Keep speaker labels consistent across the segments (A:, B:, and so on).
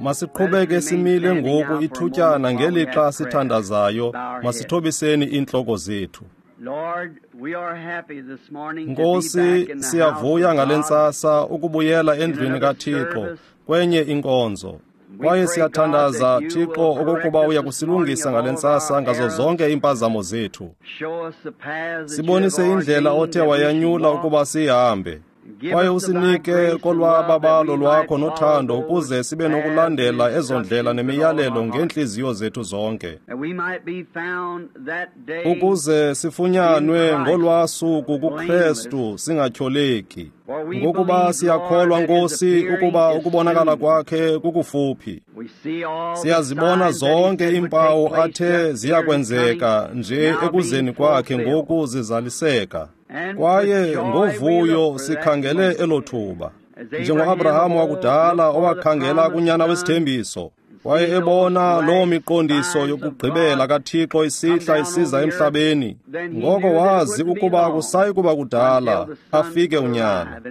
A: Masiqhubeke simile ngoku ithutyana ngelixa sithandazayo. Masithobiseni iintloko zethu. Nkosi, siyavuya ngale ntsasa ukubuyela endlwini kaThixo kwenye inkonzo. Kwaye siyathandaza, Thixo, okokuba uya kusilungisa ngale ntsasa ngazo zonke iimpazamo zethu. Sibonise indlela othe wayanyula ukuba siyihambe. Kwaye usinike kolwababalo lwakho nothando ukuze sibe nokulandela ezo ndlela nemiyalelo ngeentliziyo zethu zonke, ukuze sifunyanwe ngolwaa suku kuKrestu singatyholeki. Ngokuba siyakholwa, Nkosi, ukuba ukubonakala kwakhe kukufuphi. Siyazibona zonke iimpawu athe ziyakwenzeka nje ekuzeni kwakhe ngoku zizaliseka. Kwaye ngovuyo sikhangele elo thuba, njengoAbraham wakudala owakhangela kunyana wesithembiso, waye ebona loo miqondiso yokugqibela kaThixo isihla isiza emhlabeni. Ngoko wazi ukuba akusayi kuba kudala afike unyana.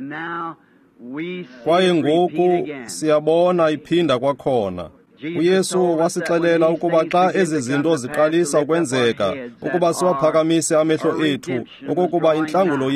A: Kwaye ngoku siyabona iphinda kwakhona. UYesu wasixelela ukuba xa ezi zinto ziqalisa ukwenzeka, ukuba siwaphakamise amehlo ethu, okokuba intlangulo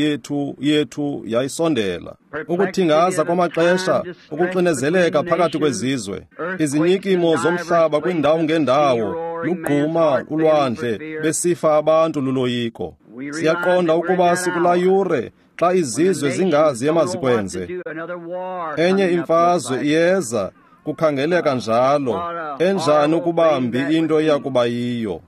A: yethu yayisondela. Ukuthingaza kwamaxesha, ukuxinezeleka phakathi kwezizwe, izinyikimo zomhlaba kwiindawo ngeendawo, lugquma ulwandle, besifa abantu luloyiko. Siyaqonda ukuba sikulaa yure xa izizwe zingazi emazikwenze. Enye imfazwe iyeza, kukhangeleka njalo. Enjani ukuba mbi into eyakuba yiyo.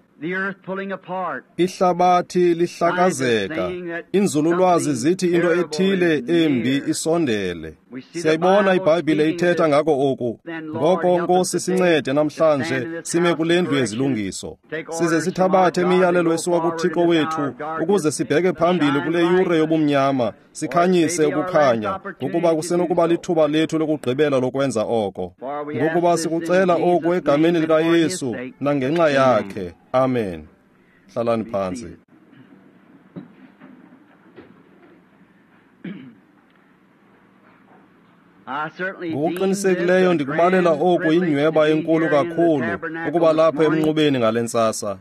A: Ihlabathi lihlakazeka. Inzululwazi zithi into ethile embi isondele. Siyayibona iBhayibhile ithetha ngako oku. Ngoko, Nkosi, sincede namhlanje sime kule ndlu yezilungiso, size sithabathe imiyalelo esuka kuThixo wethu ukuze sibheke phambili kule yure yobumnyama, sikhanyise ukukhanya, ngokuba kusenokuba lithuba lethu lokugqibela lokwenza oko. Ngokuba sikucela oku egameni likaYesu nangenxa yakhe. Amen. Hlalani phantsi. Ngokuqinisekileyo ndikubalela oku inyweba enkulu kakhulu ukuba lapha emnqubeni ngale ntsasa.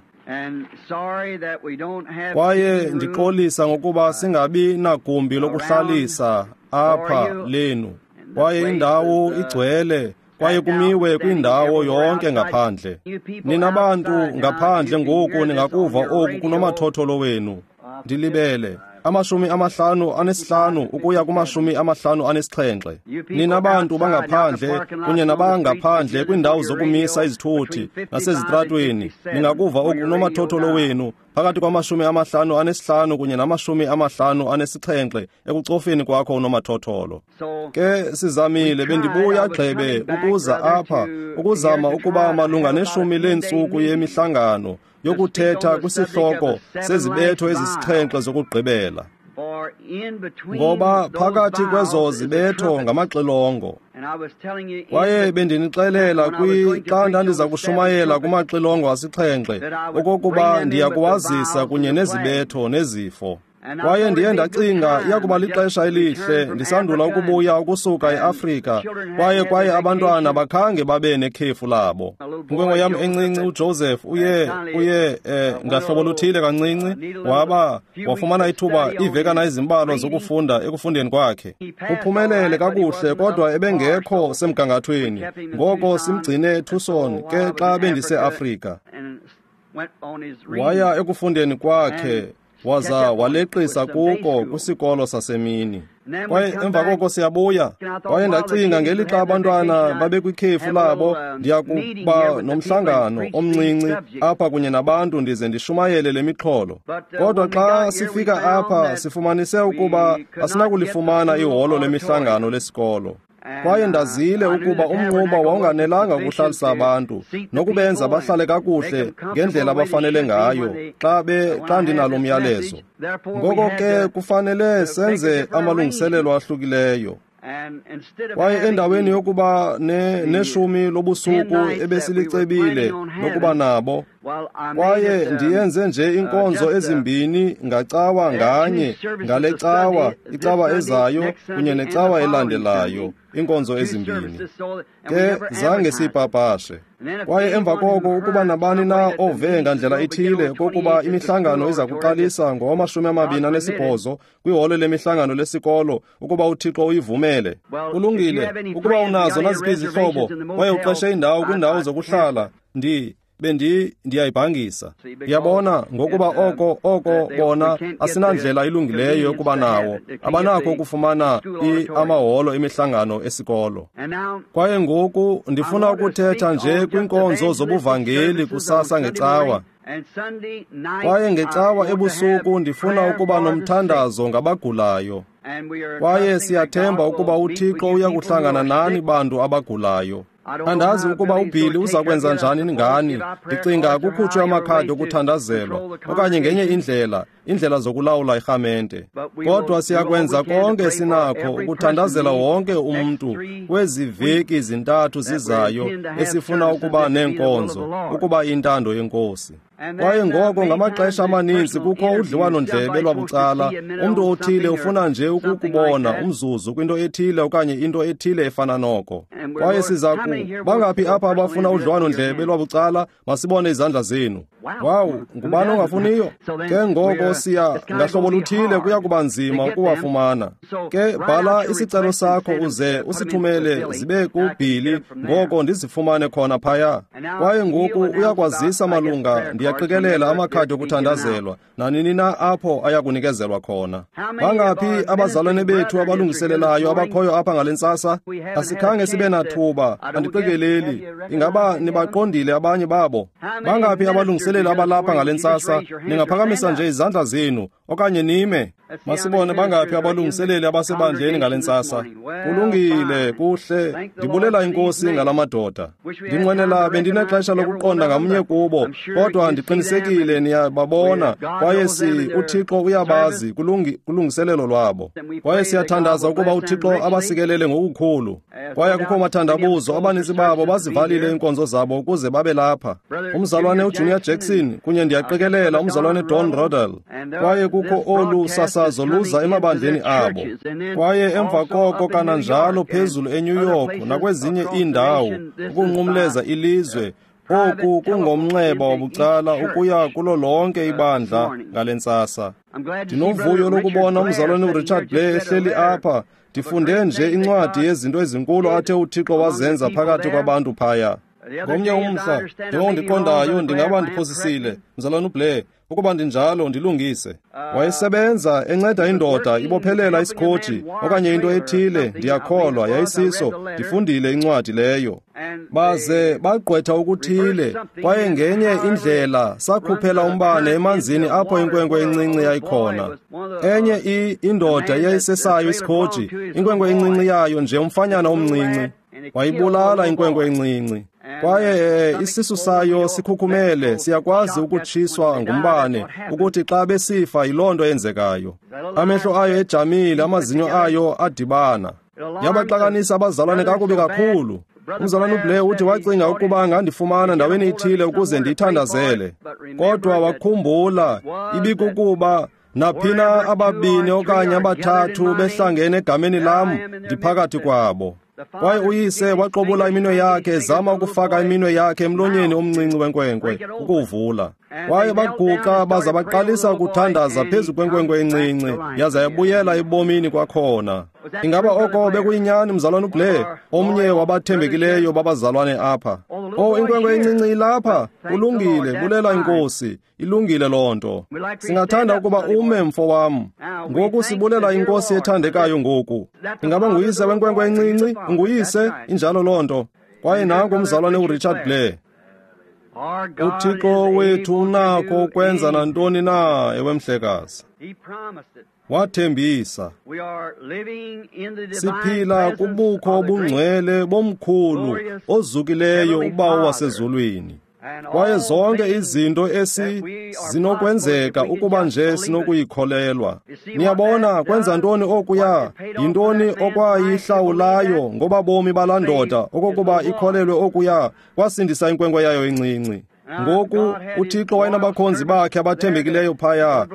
A: Kwaye ndixolisa ngokuba singabi nagumbi lokuhlalisa apha lenu. Kwaye indawo igcwele, kwaye kumiwe kwindawo yonke ngaphandle. Nina bantu ngaphandle ngoku ningakuva oku kunomathotholo wenu. Ndilibele 55 ukuya ku-57. Nina bantu bangaphandle kunye nabangaphandle kwiindawo zokumisa izithuthi nasezitratweni, ningakuva oku kunomathotholo wenu phakathi kwa-55 kunye nama-57 ekucofeni kwakho unomathotholo. Ke sizamile, bendibuya gxebe ukuza apha ukuzama ukuba malunga neshumi leentsuku yemihlangano yokuthetha kwisihloko sezibetho ezisixhenxe zokugqibela. Ngoba phakathi kwezo zibetho ngamaxilongo. Kwaye bendinixelela xa ndandiza kushumayela kumaxilongo asixhenxe okokuba ndiya kuwazisa kunye nezibetho nezifo. Kwaye ndiye ndacinga iyakuba lixesha elihle ndisandula ukubuya ukusuka eAfrika, kwaye abantwana bakhange babe nekhefu labo. Inkwenkwe yam encinci uJoseph uye ngahlobo luthile kancinci wafumana ithuba iivekana ezimbalwa zokufunda ekufundeni kwakhe. Uphumelele kakuhle, kodwa ebengekho semgangathweni. Ngoko simgcine eTucson ke xa bendiseAfrika. Waya ekufundeni kwakhe, waza waleqisa kuko kwisikolo sasemini. Kwaye emva koko siyabuya. Kwaye ndacinga ngelixa abantwana babekwikhefu labo, ndiya kuba nomhlangano omncinci apha kunye nabantu ndize ndishumayele le mixholo. Kodwa xa sifika apha sifumanise ukuba asinakulifumana iholo lemihlangano lesikolo. Kwaye ndazile ukuba umnquba wawunganelanga ukuhlalisa abantu nokubenza bahlale kakuhle ngendlela abafanele ngayo xa ndinalo myalezo. Ngoko ke kufanele senze amalungiselelo ahlukileyo. Kwaye endaweni yokuba neshumi lobusuku ebesilicebile lokuba nabo, kwaye ndiyenze nje inkonzo ezimbini ngacawa nganye, ngale cawa, icawa ezayo kunye necawa elandelayo, inkonzo ezimbini. Ke zange siyipapashe. Kwaye emva koko ukuba nabani na ove ngandlela ithile kokuba imihlangano iza kuqalisa ngowama-28 kwiholo lemihlangano lesikolo, ukuba uThixo uyivumele. Kulungile, ukuba unazo naziphi izihlobo kwaye uqeshe indawo kwindawo zokuhlala, ndiyayibhangisa. Yabona, ngokuba oko bona asinandlela ilungileyo yokuba nawo, abanakho ukufumana amaholo emihlangano esikolo. Kwaye ngoku ndifuna ukuthetha nje kwinkonzo zobuvangeli kusasa ngecawa. Kwaye ngecawa ebusuku ndifuna ukuba nomthandazo ngabagulayo. Kwaye siyathemba ukuba uThixo uya kuhlangana nani bantu abagulayo. Andazi ukuba uBilly uza kwenza njani ngani. Ndicinga kukhutshwe amakhadi okuthandazelwa okanye ngenye indlela, indlela zokulawula irhamente. Kodwa siyakwenza konke sinakho ukuthandazela wonke umntu kwezi veki zintathu zizayo esifuna ukuba neenkonzo, ukuba intando yeNkosi. Kwaye ngoko ngamaxesha amaninzi kukho udliwano-ndlebe lwabucala. Umntu othile ufuna nje ukukubona umzuzu kwinto ethile okanye into ethile efana noko. Kwaye siza bangaphi apha abafuna udliwano-ndlebe lwabucala? Masibone izandla zenu. Wawu, ngubani ongafuniyo? Ke ngoko siya ngahlobo luthile kuya kuba nzima ukuwafumana. Ke bhala isicelo sakho uze usithumele zibe kuBilly, ngoko ndizifumane khona phaya. Kwaye ngoku uyakwazisa malunga, ndiyaqikelela amakhadi okuthandazelwa nanini na apho ayakunikezelwa khona. Bangaphi abazalwane bethu abalungiselelayo abakhoyo apha ngale ntsasa? Asikhange sibe nathuba, andiqikeleli. Ingaba nibaqondile abanye babo? Bangaphi abalungiseleli abalapha ngale ntsasa? Ningaphakamisa nje izandla zenu okanye nime. Masibone bangaphi abalungiseleli abasebandleni ngale ntsasa. Kulungile, kuhle. Ndibulela iNkosi ngala madoda. Ndinqwenela bendinexesha lokuqonda ngamnye kubo, kodwa ndiqinisekile niyababona, kwaye uThixo uyabazi kulungiselelo lwabo. Kwaye siyathandaza ukuba uThixo abasikelele ngokukhulu. Kwaye akukho mathandabuzo, abaninzi babo bazivalile iinkonzo zabo ukuze babe lapha. Umzalwane uJunior Jackson kunye ndiyaqikelela umzalwane Don Rodell. Kwaye kukho olu sasazo luza emabandleni abo. Kwaye emva koko kananjalo phezulu eNew York nakwezinye iindawo ukunqumleza ilizwe. Oku kungomnxeba wabucala ukuya kulo lonke ibandla ngale ntsasa. Ndinovuyo lokubona umzalwane uRichard Blair ehleli apha. Ndifunde nje incwadi yezinto ezinkulu athe uThixo wazenza phakathi kwabantu phaya. Ngomnye umhla, njengoba ndiqondayo, ndingaba ndiphosisile, mzalwane uBlair, ukuba ndinjalo ndilungise. Wayesebenza enceda indoda ibophelela isikhoji okanye into ethile, ndiyakholwa yayisiso, ndifundile incwadi leyo. Baze bagqwetha okuthile, kwaye ngenye indlela sakhuphela umbane emanzini apho inkwenkwe encinci yayikhona. Enye indoda yayisesayo isikhoji, inkwenkwe encinci yayo nje umfanyana omncinci. Wayibulala inkwenkwe encinci. Kwaye isisu sayo sikhukhumele, siyakwazi ukutshiswa ngumbane, ukuthi xa besifa yiloo nto eyenzekayo. Amehlo ayo ejamile, amazinyo ayo adibana. Yabaxakanisa abazalwane kakubi kakhulu. Umzalwane uBlair uthi wacinga ukuba angandifumana ndaweni ithile ukuze ndiyithandazele. Kodwa wakhumbula ibikukuba naphina ababini okanye abathathu behlangene egameni lam, ndiphakathi kwabo. Kwaye uyise waqobula iminwe yakhe ezama ukufaka iminwe yakhe emlonyeni omncinci wenkwenkwe ukuwuvula. Kwaye baguqa baza baqalisa ukuthandaza phezu kwenkwenkwe encinci, yaza yabuyela ebomini kwakhona. Ingaba oko bekuyinyani, mzalwane uBlair, omnye wabathembekileyo babazalwane apha? Oh, inkwenkwe encinci ilapha. Kulungile, bulela iNkosi. Ilungile loo nto. Singathanda ukuba ume, mfo wam. Ngoku sibulela iNkosi ethandekayo ngoku. Ingaba nguyise wenkwenkwe encinci? Nguyise, injalo loo nto. Kwaye nanku umzalwane uRichard Blair. UThixo wethu unakho ukwenza nantoni na, ewe mhlekazi. Wathembisa. Siphila kubukho obungcwele bomkhulu ozukileyo uBawo wasezulwini. Kwaye zonke izinto esi zinokwenzeka ukuba nje sinokuyikholelwa. Niyabona kwenza ntoni okuya? Yintoni okwayihlawulayo ngoba bomi balaa ndoda okokuba ikholelwe okuya kwasindisa inkwenkwe yayo encinci. Ngoku uThixo wayenabakhonzi bakhe abathembekileyo phaya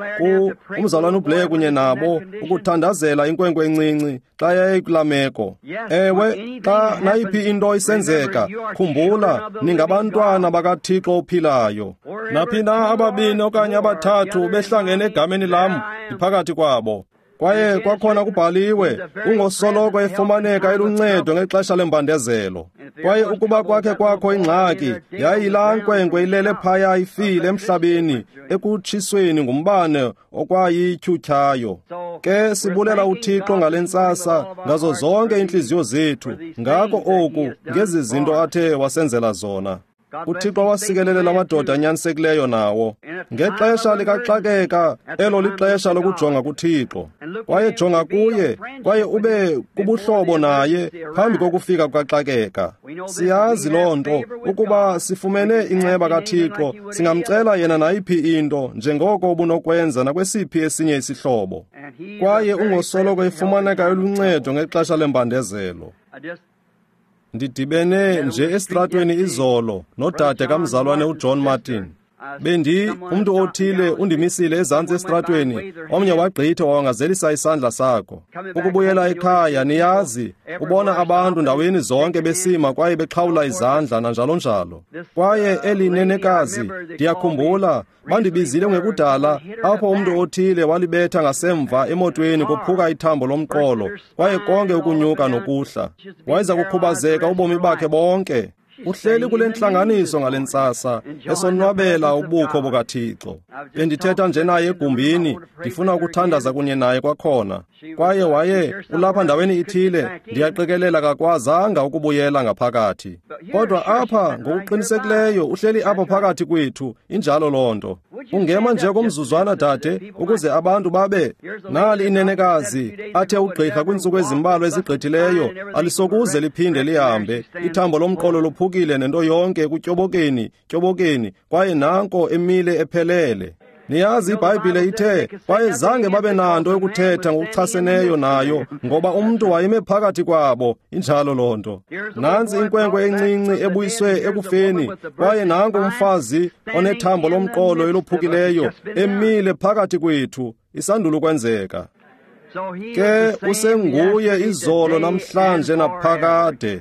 A: umzalwane uBlair kunye nabo ukuthandazela inkwenkwe encinci xa yayikulaa meko. Ewe, xa nayiphi into isenzeka, khumbula ningabantwana bakaThixo ophilayo. Naphi na ababini okanye abathathu behlangene egameni lam, ndiphakathi kwabo. Kwaye kwakhona kubhaliwe, ungosoloko efumaneka eluncedo ngexesha lembandezelo. Kwaye ukuba kwakhe kwakho ingxaki, yayilaa nkwenkwe ilele phaya ifile emhlabeni ekutshisweni ngumbane okwayityhutyhayo. Ke sibulela uThixo ngale ntsasa ngazo zonke iintliziyo zethu, ngako oku ngezi zinto athe wasenzela zona. uThixo wasikelele la madoda anyanisekileyo nawo. Ngexesha likaxakeka, elo lixesha lokujonga kuThixo. Kwaye jonga kuye, kwaye ube kubuhlobo naye phambi kokufika kukaxakeka. Siyazi loo nto, ukuba sifumene inceba kaThixo, singamcela yena nayiphi into, njengoko ubunokwenza nakwesiphi esinye isihlobo. Kwaye ungosoloko efumaneka eluncedo ngexesha lembandezelo. Ndidibene nje esitratweni izolo nodade kamzalwane uJohn Martin. Umntu othile undimisile ezantsi esitratweni, omnye wagqitha wawangazelisa isandla sakho. Ukubuyela ekhaya, niyazi, ubona abantu ndaweni zonke besima kwaye bexhawula izandla nanjalo njalo. Kwaye eli nenekazi, ndiyakhumbula, bandibizile ngekudala apho umntu othile walibetha ngasemva emotweni kophuka ithambo lomqolo, kwaye konke ukunyuka nokuhla. Wayeza kukhubazeka ubomi bakhe bonke. Uhleli kule ntlanganiso ngale ntsasa esonwabela ubukho bukaThixo. Bendithetha nje naye egumbini, ndifuna ukuthandaza kunye naye kwakhona. Kwaye waye ulapha ndaweni ithile, ndiyaqikelela kakwazanga ukubuyela ngaphakathi. Kodwa apha ngokuqinisekileyo uhleli apha phakathi kwethu, injalo loo nto. Ungema nje komzuzwana dade, ukuze abantu babe nali inenekazi athe ugqirha kwiintsuku ezimbalwa ezigqithileyo alisokuze liphinde lihambe. Ithambo lomqolo lophukile nento yonke ekutyobokeni, tyobokeni, kwaye nanko emile ephelele. Niyazi iBhayibhile ithe kwaye zange babe nanto yokuthetha ngokuchaseneyo nayo, ngoba umntu wayeme phakathi kwabo. Injalo loo nto. Nantsi inkwenkwe encinci ebuyiswe ekufeni, kwaye nanku umfazi onethambo lomqolo elophukileyo emile phakathi kwethu, isandula ukwenzeka. Ke usenguye izolo namhlanje naphakade.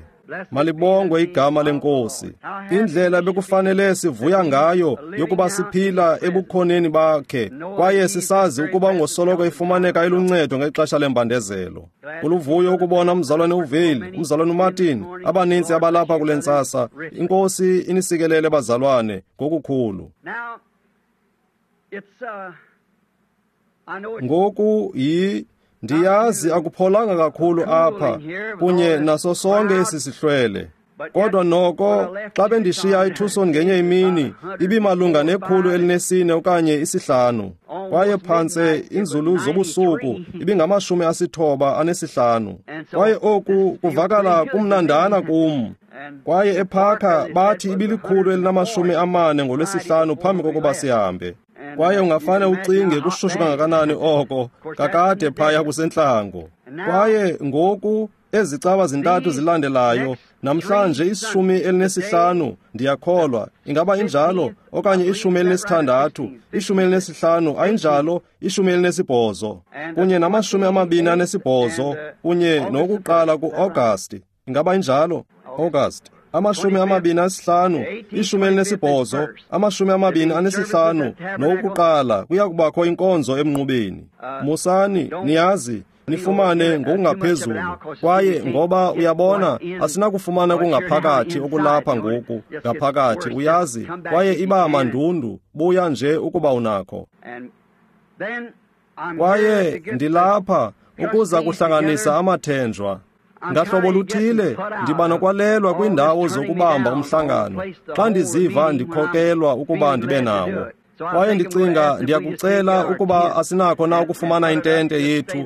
A: Malibongwe igama leNkosi. Indlela bekufanele sivuya ngayo yokuba siphila ebukhoneni bakhe, kwaye sisazi ukuba ngosoloko ifumaneka eluncedo ngexesha lembandezelo. Kuluvuyo ukubona umzalwane uVale, umzalwane uMartin, abaninzi abalapha kule ntsasa. INkosi inisikelele bazalwane ngokukhulu. Ngoku ndiyazi akupholanga kakhulu apha kunye naso sonke esi sihlwele. Kodwa noko xa bendishiya iTucson ngenye imini, ibimalunga 104 okanye 5. Kwaye phantse inzulu zobusuku ibingama-95. Kwaye oku kuvakala kumnandana kum. Kwaye ephakha bathi ibi-140 ngoLwesihlanu phambi kokuba sihambe. Kwaye ungafane ucinge kushushu kangakanani oko, kakade phaya kusentlango. Kwaye ngoku ezi cawa zintathu zilandelayo, namhlanje 15, ndiyakholwa, ingaba injalo, okanye 16, 15, ayinjalo, 18, kunye nama-28, kunye nokuqala ku-Agasti, ingaba injalo, August. 25, 18, 25 nokuqala kuya kubakho inkonzo emnqubeni. Musani, niyazi, nifumane ngokungaphezulu. Kwaye ngoba uyabona, asinakufumana kungaphakathi okulapha ngoku, ngaphakathi, uyazi, kwaye iba mandundu, buya nje ukuba unakho. Kwaye ndilapha ukuza kuhlanganisa amathenjwa. Ngahlobo luthile ndiba nokwalelwa kwiindawo zokubamba umhlangano xa ndiziva ndikhokelwa ukuba ndibe nawo. Kwaye ndicinga ndiyakucela ukuba asinakho na ukufumana intente yethu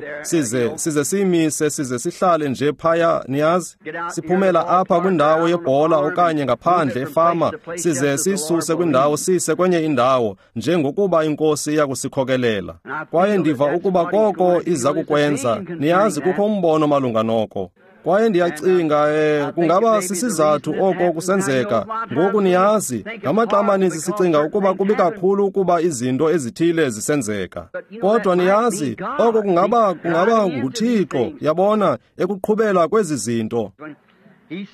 A: size siyimise size sihlale nje phaya, niyazi, siphumela apha kwindawo yebhola okanye ngaphandle efama, size siyisuse kwindawo siyise kwenye indawo njengokuba iNkosi iyakusikhokelela. Kwaye ndiva ukuba koko iza kukwenza, niyazi, kukho umbono malunga noko. Kwaye ndiyacinga kungaba sisizathu oko kusenzeka. Ngoku niyazi, ngamaxa amaninzi sicinga ukuba kubi kakhulu ukuba izinto ezithile zisenzeka. Kodwa niyazi, oko kungaba nguThixo, yabona, ekuqhubela kwezi zinto.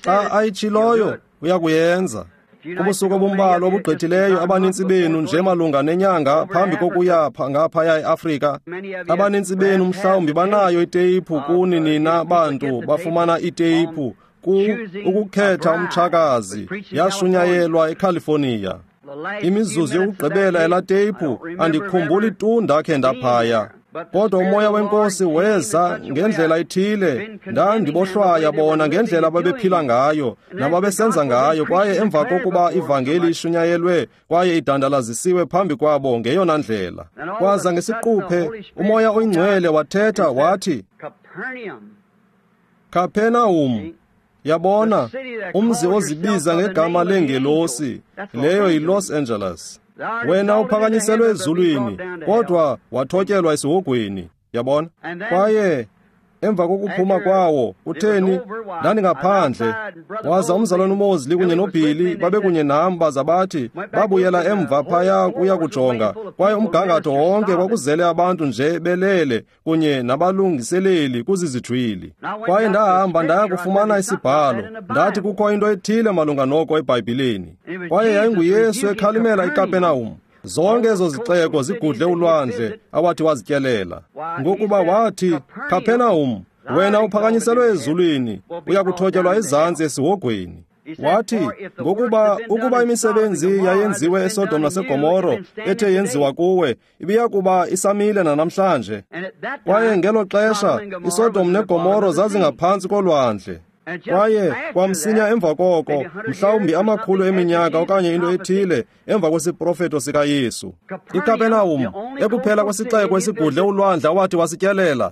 A: Xa ayitshiloyo, uyakuyenza. Kubusuku obumbalwa obugqithileyo, abanintsi benu nje malunga nenyanga phambi kokuya ngaphaya eAfrika, abanintsi benu mhlawumbi banayo iteyiphu kuni nina bantu bafumana iteyiphu ukukhetha umtshakazi, yashunyayelwa eCalifornia. Imizuzu yokugqibela yalaa teyiphu andikhumbuli tu ndakhe ndaphaya. Kodwa uMoya weNkosi weza ngendlela ethile, ndandibohlwaya bona ngendlela ababephila ngayo nababesenza ngayo, kwaye emva kokuba ivangeli ishunyayelwe kwaye idandalazisiwe phambi kwabo ngeyona ndlela. Kwaza ngesiquphe uMoya oyiNgcwele wathetha wathi, Kapernaum, yabona, umzi ozibiza ngegama lengelosi, leyo yiLos Angeles. Wena uphakanyiselwe ezulwini, kodwa wathotyelwa esihogweni, yabona. Kwaye emva kokuphuma kwawo, utheni, ndandingaphandle, waza umzalwane uMosley kunye noBilly babekunye nam, baza bathi babuyela emva phaya kuya kujonga, kwaye umgangatho wonke kwakuzele abantu nje belele kunye nabalungiseleli kuzizijwili. Kwaye ndahamba ndaya kufumana isibhalo, ndathi kukho into ethile malunga noko eBhayibhileni. Kwaye yayinguYesu ekhalimela iKapenahum. Zonke ezo zixeko zigudle ulwandle awathi wazityelela. Ngokuba wathi, Kapernaum, wena uphakanyiselwe ezulwini, uyakuthotyelwa ezantsi esihogweni. Wathi, ngokuba ukuba imisebenzi yayenziwe eSodom naseGomoro ethe yenziwa kuwe, ibiyakuba isamile nanamhlanje. Kwaye ngelo xesha iSodom neGomoro zazingaphantsi kolwandle. Kwaye kwamsinya emva koko, mhlawumbi amakhulu eminyaka okanye into ethile emva kwesiprofeto sikaYesu, iKapernaum, ekuphela kwesixeko esigudle ulwandle awathi wasityelela,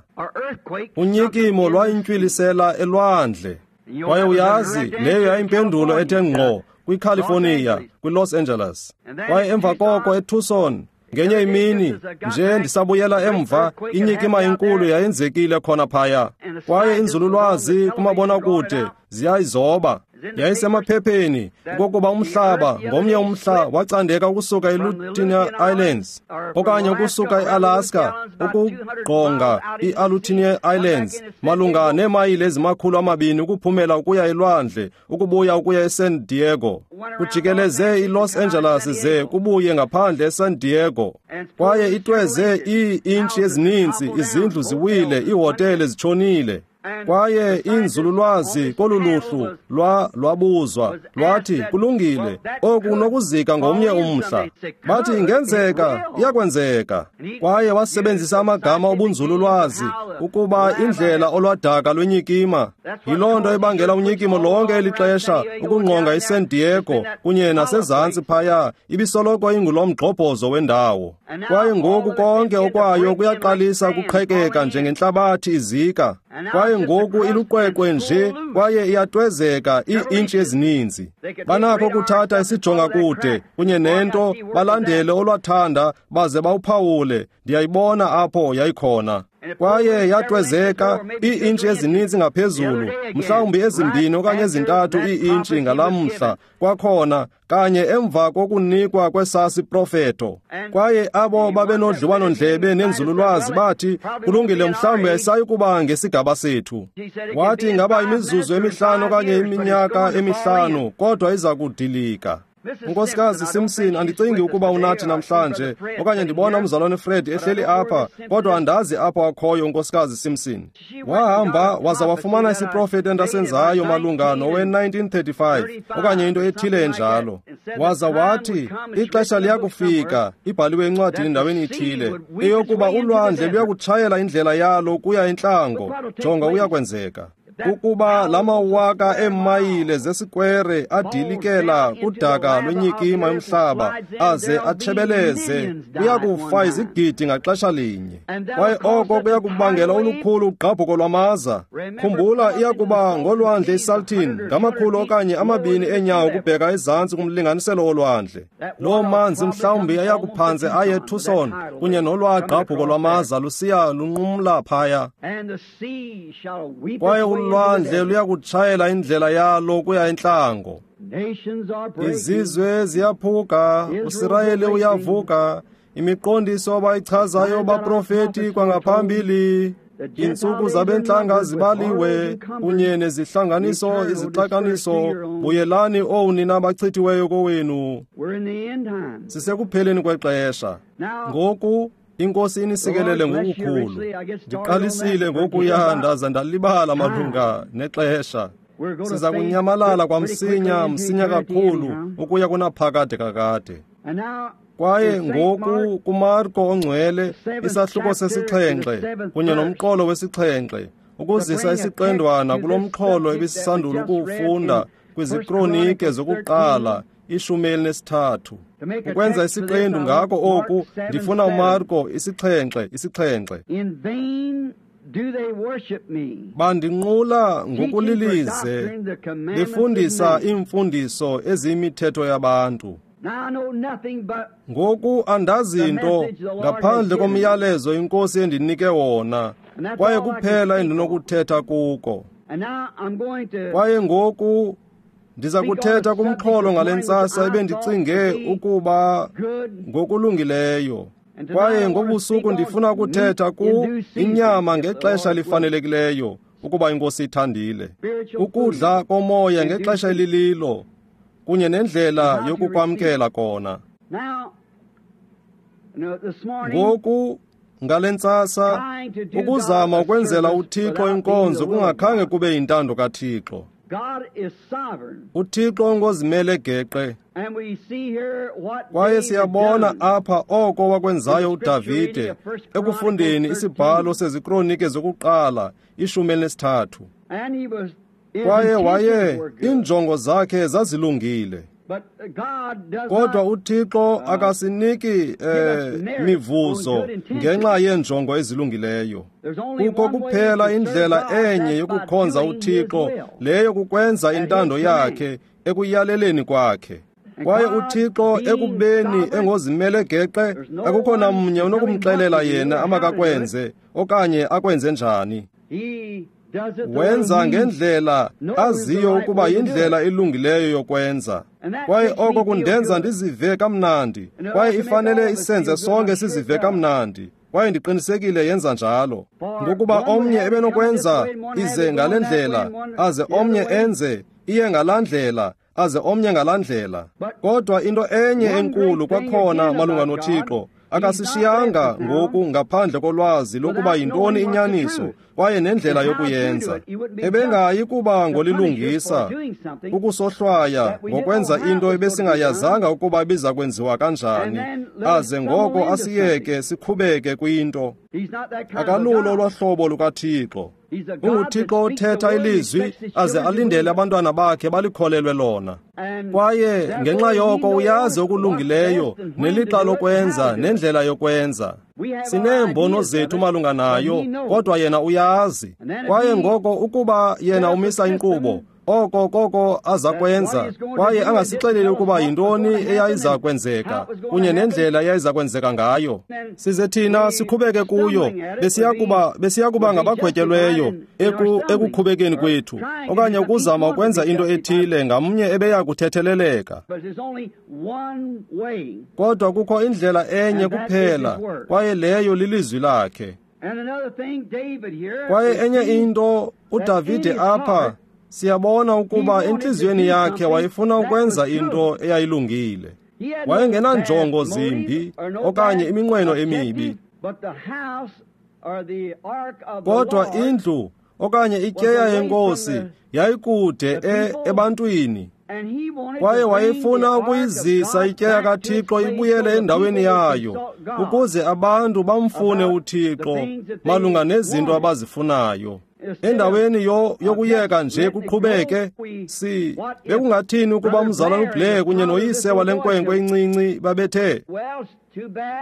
A: unyikimo lwayintywilisela elwandle. Kwaye uyazi, leyo yayimpendulo ethe ngqo kwiCalifornia, kwiLos Angeles. Kwaye emva koko eTucson, ngenye imini nje ndisabuyela emva, inyikima enkulu yayenzekile khona phaya. Kwaye inzululwazi kumabonakude ziyayizoba. Yayisemaphepheni okokuba umhlaba ngomnye umhla wacandeka ukusuka eLutinia Islands okanye ukusuka eAlaska ukugqonga iAlutinia Islands malunga neemayile ezimakhulu 2 ukuphumela ukuya elwandle ukubuya ukuya eSan Diego, kujikeleze iLos Angeles ze kubuye ngaphandle eSan Diego. Kwaye itweze ii-intshi ezininzi, izindlu ziwile, iihotele zitshonile. Kwaye inzululwazi kolu luhlu lwabuzwa lwathi, kulungile, oku kunokuzika ngomnye umhla. Bathi ingenzeka, iyakwenzeka. Kwaye wasebenzisa amagama obunzululwazi ukuba indlela olwadaka lwenyikima. Yiloo nto ebangela unyikimo lonke eli xesha ukungqonga iSan Diego kunye nasezantsi phaya, ibisoloko ingulo mgxobhozo wendawo. Kwaye ngoku konke okwayo kuyaqalisa ukuqhekeka njengentlabathi izika. Kwaye ngoku iluqweqwe nje kwaye iyatwezeka ii-intshi ezininzi. Banakho ukuthatha isijonga kude kunye nento balandele olwathanda baze bawuphawule. Ndiyayibona apho yayikhona. Kwaye yatwezeka ii-intshi ezininzi ngaphezulu, mhlawumbi 2 okanye 3 ii-intshi ngalamhla kwakhona, kanye emva kokunikwa kwesasi profeto. Kwaye abo babenodliwano-ndlebe nenzululwazi bathi, kulungile, mhlawumbi ayisayi kuba ngesigaba sethu. Wathi ingaba imizuzu emihlanu okanye iminyaka emihlanu, kodwa iza kudilika. Unkosikazi Simpson, andicingi ukuba unathi namhlanje, okanye ndibona umzalwane Fred ehleli apha, kodwa andazi apho akhoyo unkosikazi Simpson. Wahamba waza wafumana isiprofeto endasenzayo malunga nowe-1935 okanye into ethile enjalo. Waza wathi ixesha liyakufika, ibhaliwe encwadini endaweni ithile, eyokuba ulwandle luyakutshayela indlela yalo kuya entlango. Jonga, uyakwenzeka. Ukuba la mawaka eemayile zesikwere adilikela kudaka lwenyikima yomhlaba aze atshebeleze, kuya kufa izigidi ngaxesha linye. Kwaye oko kuya kubangela olukhulu ugqabhuko lwamaza. Khumbula, iya kuba ngolwandle iSalton, ngamakhulu okanye 2 eenyawo kubheka ezantsi kumlinganiselo wolwandle. Loo manzi mhlawumbi ayakuphantse aye eTucson kunye nolwagqabhuko lwamaza lusiya lunqumla phaya. Kwaye ulwandle luyakutshayela indlela yalo kuya entlango. Izizwe ziyaphuka, uSirayeli uyavuka, imiqondiso abayichazayo baprofeti kwangaphambili. Iintsuku zabentlanga zibaliwe, kunye nezihlanganiso izixakaniso. Buyelani, owu nina bachithiweyo kowenu. Sisekupheleni kwexesha. Ngoku iNkosi inisikelele ngokukhulu. Ndiqalisile ngokuya ndaza ndalibala malunga nexesha. Siza kunyamalala kwamsinya, msinya kakhulu, ukuya kunaphakade kakade. Kwaye ngoku kuMarko ongcwele, isahluko sesixhenxe kunye nomqolo wesixhenxe, ukuzisa isiqendwana kulo mxholo ebesisandula ukuwufunda kwiziKronike zokuqala 13. Ukwenza isiqendu ngako oku, ndifuna uMarko 7:7. Bandinqula ngokulilize, befundisa iimfundiso eziyimithetho yabantu. Ngoku andazi nto ngaphandle komyalezo iNkosi endinike wona, kwaye kuphela endinokuthetha kuko. Kwaye ngoku ndiza kuthetha kumxholo ngale ntsasa ebendicinge ukuba ngokulungileyo. Kwaye ngobusuku ndifuna ukuthetha ku inyama ngexesha elifanelekileyo, ukuba iNkosi ithandile. Ukudla komoya ngexesha elililo, kunye nendlela yokukwamkela kona. Ngoku ngale ntsasa, ukuzama ukwenzela uThixo inkonzo kungakhange kube yintando kaThixo. UThixo ngozimele geqe. Kwaye siyabona apha oko wakwenzayo uDavide ekufundeni isibhalo seziKronike zokuqala 13. Kwaye waye iinjongo zakhe zazilungile. Kodwa uThixo akasiniki mivuzo ngenxa yeenjongo ezilungileyo. Kukho kuphela indlela enye yokukhonza uThixo, leyo kukwenza intando yakhe ekuyaleleni kwakhe. Kwaye uThixo ekubeni engozimele geqe, akukho namnye unokumxelela yena amakakwenze okanye akwenze njani. Wenza ngendlela aziyo ukuba yindlela elungileyo yokwenza. Kwaye oko kundenza ndizive kamnandi, kwaye ifanele isenze sonke sizive kamnandi. Kwaye ndiqinisekile yenza njalo. Ngokuba omnye ebenokwenza ize ngale ndlela, aze omnye enze iye ngalaa ndlela, aze omnye ngalaa ndlela. Kodwa into enye enkulu kwakhona malunga noThixo, akasishiyanga ngoku ngaphandle kolwazi lokuba yintoni inyaniso kwaye nendlela yokuyenza. Ebengayi kuba ngolilungisa ukusohlwaya ngokwenza into ebesingayazanga ukuba ibiza kwenziwa kanjani, aze ngoko asiyeke sikhubeke kwinto. Akalulo olwahlobo lukaThixo. UnguThixo othetha ilizwi aze alindele abantwana bakhe balikholelwe lona. Kwaye ngenxa yoko uyazi okulungileyo nelixa lokwenza nendlela yokwenza. Sineembono zethu malunga nayo, kodwa yena uyazi. Kwaye ngoko ukuba yena umisa inkqubo, oko koko aza kwenza, kwaye angasixeleli ukuba yintoni eyayiza kwenzeka kunye nendlela eyayiza kwenzeka ngayo. Size thina sikhubeke kuyo, besiya kuba ngabagwetyelweyo ekukhubekeni kwethu, okanye ukuzama ukwenza into ethile ngamnye ebeya kuthetheleleka. Kodwa kukho indlela enye kuphela, kwaye leyo lilizwi lakhe. Kwaye enye into, uDavide apha, siyabona ukuba entliziyweni yakhe wayefuna ukwenza into eyayilungile. Wayengenanjongo zimbi okanye iminqweno emibi. Kodwa indlu okanye ityeya yenkosi yayikude ebantwini. Kwaye wayefuna ukuyizisa ityeya kaThixo ibuyele endaweni yayo, ukuze abantu bamfune uThixo malunga nezinto abazifunayo. Endaweni yokuyeka nje kuqhubeke, bekungathini ukuba umzalwana uBlair kunye noyise wale nkwenkwe incinci babethe,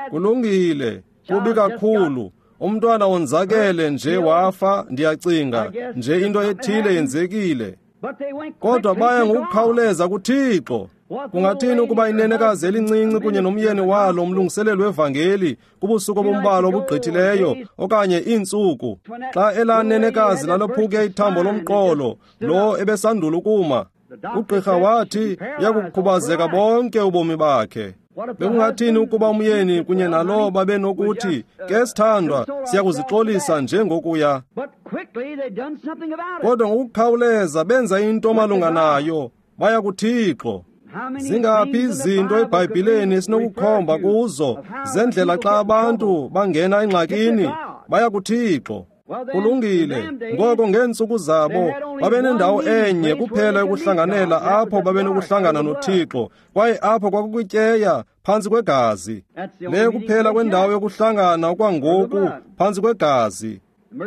A: kulungile, kubi kakhulu, umntwana wonzakele nje wafa, ndiyacinga nje into ethile yenzekile. Kodwa baya ngokukhawuleza kuThixo. Kungathini ukuba inenekazi elincinci kunye nomyeni walo umlungiseleli wevangeli kubusuku obumbalwa obugqithileyo okanye iintsuku, xa elaa nenekazi lalophuke ithambo lomqolo lo ebesandula ukuma, ugqirha wathi uyakukhubazeka bonke ubomi bakhe. Bekungathini ukuba umyeni kunye nalo babenokuthi, ke sithandwa, siyakuzixolisa njengokuya. Kodwa ngokukhawuleza benza into malunga nayo, baya kuThixo. Zingaphi izinto eBhayibhileni esinokukhomba kuzo zendlela xa abantu bangena engxakini, baya kuThixo. Kulungile, ngoko ngeentsuku zabo babenendawo enye kuphela yokuhlanganela apho babenokuhlangana noThixo, kwaye apho kwakukwityeya phantsi kwegazi. Le kuphela kwendawo yokuhlangana okwangoku phantsi kwegazi.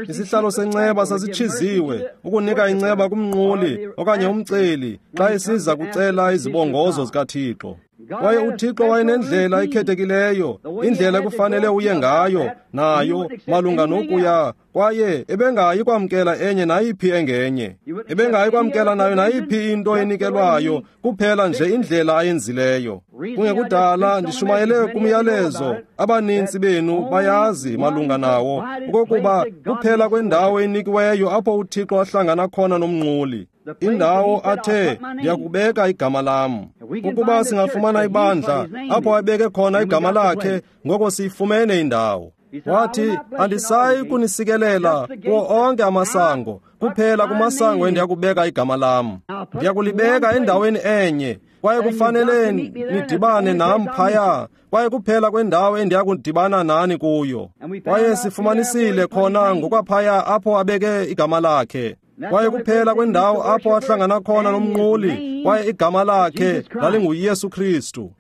A: Isihlalo senceba sasitshiziwe ukunika inceba kumnquli okanye umceli xa esiza kucela izibongozo zikaThixo. Kwaye uThixo wayenendlela ekhethekileyo, indlela ekufanele uye ngayo nayo malunga nokuya, kwaye ebengayi kwamkela enye nayiphi engenye. Ebengayi kwamkela nayo nayiphi into enikelwayo, kuphela nje indlela ayenzileyo. Kungekudala ndishumayele kumyalezo, abaninzi benu bayazi malunga nawo, okokuba kuphela kwendawo enikiweyo apho uThixo ahlangana khona nomnquli. Indawo athe, ndiyakubeka igama lam. Ukuba singafumana ibandla apho abeke khona igama lakhe, ngoko siyifumene indawo. Wathi, andisayi kunisikelela kuwo onke amasango, kuphela kumasango endiyakubeka igama lam. Ndiyakulibeka endaweni enye, kwaye kufanele nidibane nam phaya, kwaye kuphela kwendawo endiyakudibana nani kuyo. Kwaye sifumanisile khona ngokwaphaya apho abeke igama lakhe. Kwaye kuphela kwendawo apho ahlangana khona nomnquli, kwaye igama lakhe lalinguYesu Kristu.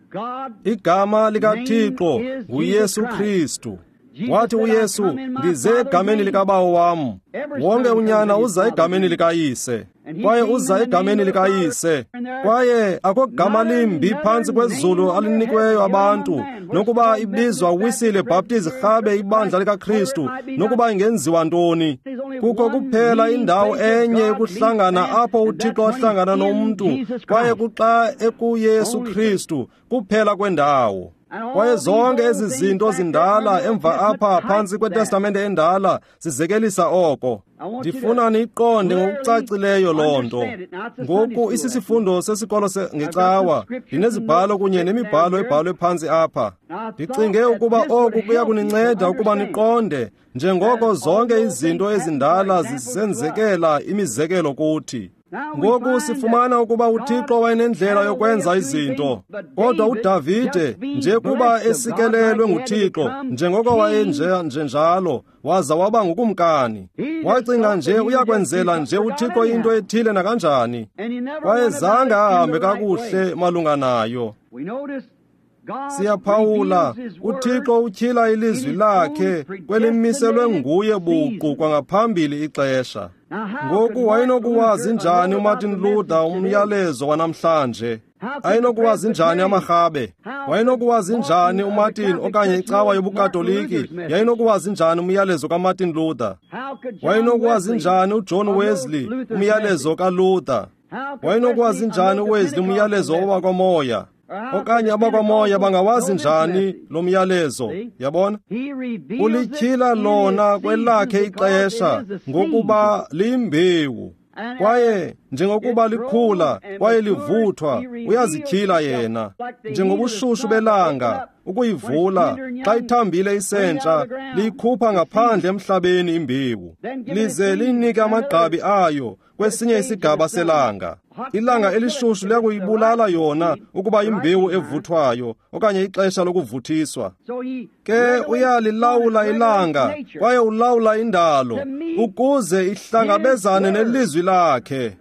A: Igama likaThixo nguYesu Kristu. Wathi uYesu, ndize egameni likaBawo wam. Wonke unyana uza egameni likayise, kwaye uza egameni likayise. Kwaye akho gama limbi phantsi kwezulu alinikiweyo abantu, nokuba ibizwa Wisile Baptist rhabe ibandla likaKristu, nokuba ingenziwa ntoni. Kukho kuphela indawo enye yokuhlangana apho uThixo ahlangana nomntu, kwaye kuxa ekuYesu Kristu, kuphela kwendawo. Kwaye zonke ezi zinto zindala emva apha phantsi kweTestamente endala zizekelisa oko. Ndifuna niyiqonde ngokucacileyo loo nto. Ngoku isisifundo sesikolo ngecawa, ndinezibhalo kunye nemibhalo ebhalwe phantsi apha. Ndicinge ukuba oku kuya kuninceda ukuba niqonde njengoko zonke izinto ezindala zisenzekela imizekelo kuthi. Ngoku sifumana ukuba uThixo wayenendlela yokwenza izinto, kodwa uDavide nje kuba esikelelwe nguThixo njengoko wayenjenjalo, waza waba ngukumkani. Wacinga nje uyakwenzela nje uThixo into ethile nakanjani, kwaye zange ahambe kakuhle malunga nayo. Siyaphawula, uThixo utyhila ilizwi lakhe kwelimiselwe nguye buqu kwangaphambili ixesha. Ngoku wayenokuwazi njani uMartin Luther umyalezo wanamhlanje? Ayenokuwazi njani amarhabe? Wayenokuwazi njani uMartin okanye icawa yobuKatoliki? Yayinokuwazi njani umyalezo kaMartin Luther? Wayenokuwazi njani uJohn Wesley umyalezo kaLuther? Wayenokuwazi njani uWesley umyalezo owakwamoya? Okanye abakwamoya bangawazi njani lo myalezo? Yabona? Ulityhila lona kwelakhe ixesha ngokuba liyimbewu. Kwaye njengokuba likhula kwaye livuthwa, uyazityhila yena. Njengobushushu belanga ukuyivula xa ithambile isentsha, liyikhupha ngaphandle emhlabeni imbewu, lize liyinike amagqabi ayo kwesinye isigaba selanga. Ilanga elishushu liyakuyibulala yona ukuba imbewu evuthwayo okanye ixesha lokuvuthiswa. Ke uyalilawula ilanga kwaye ulawula indalo ukuze ihlangabezane nelizwi lakhe.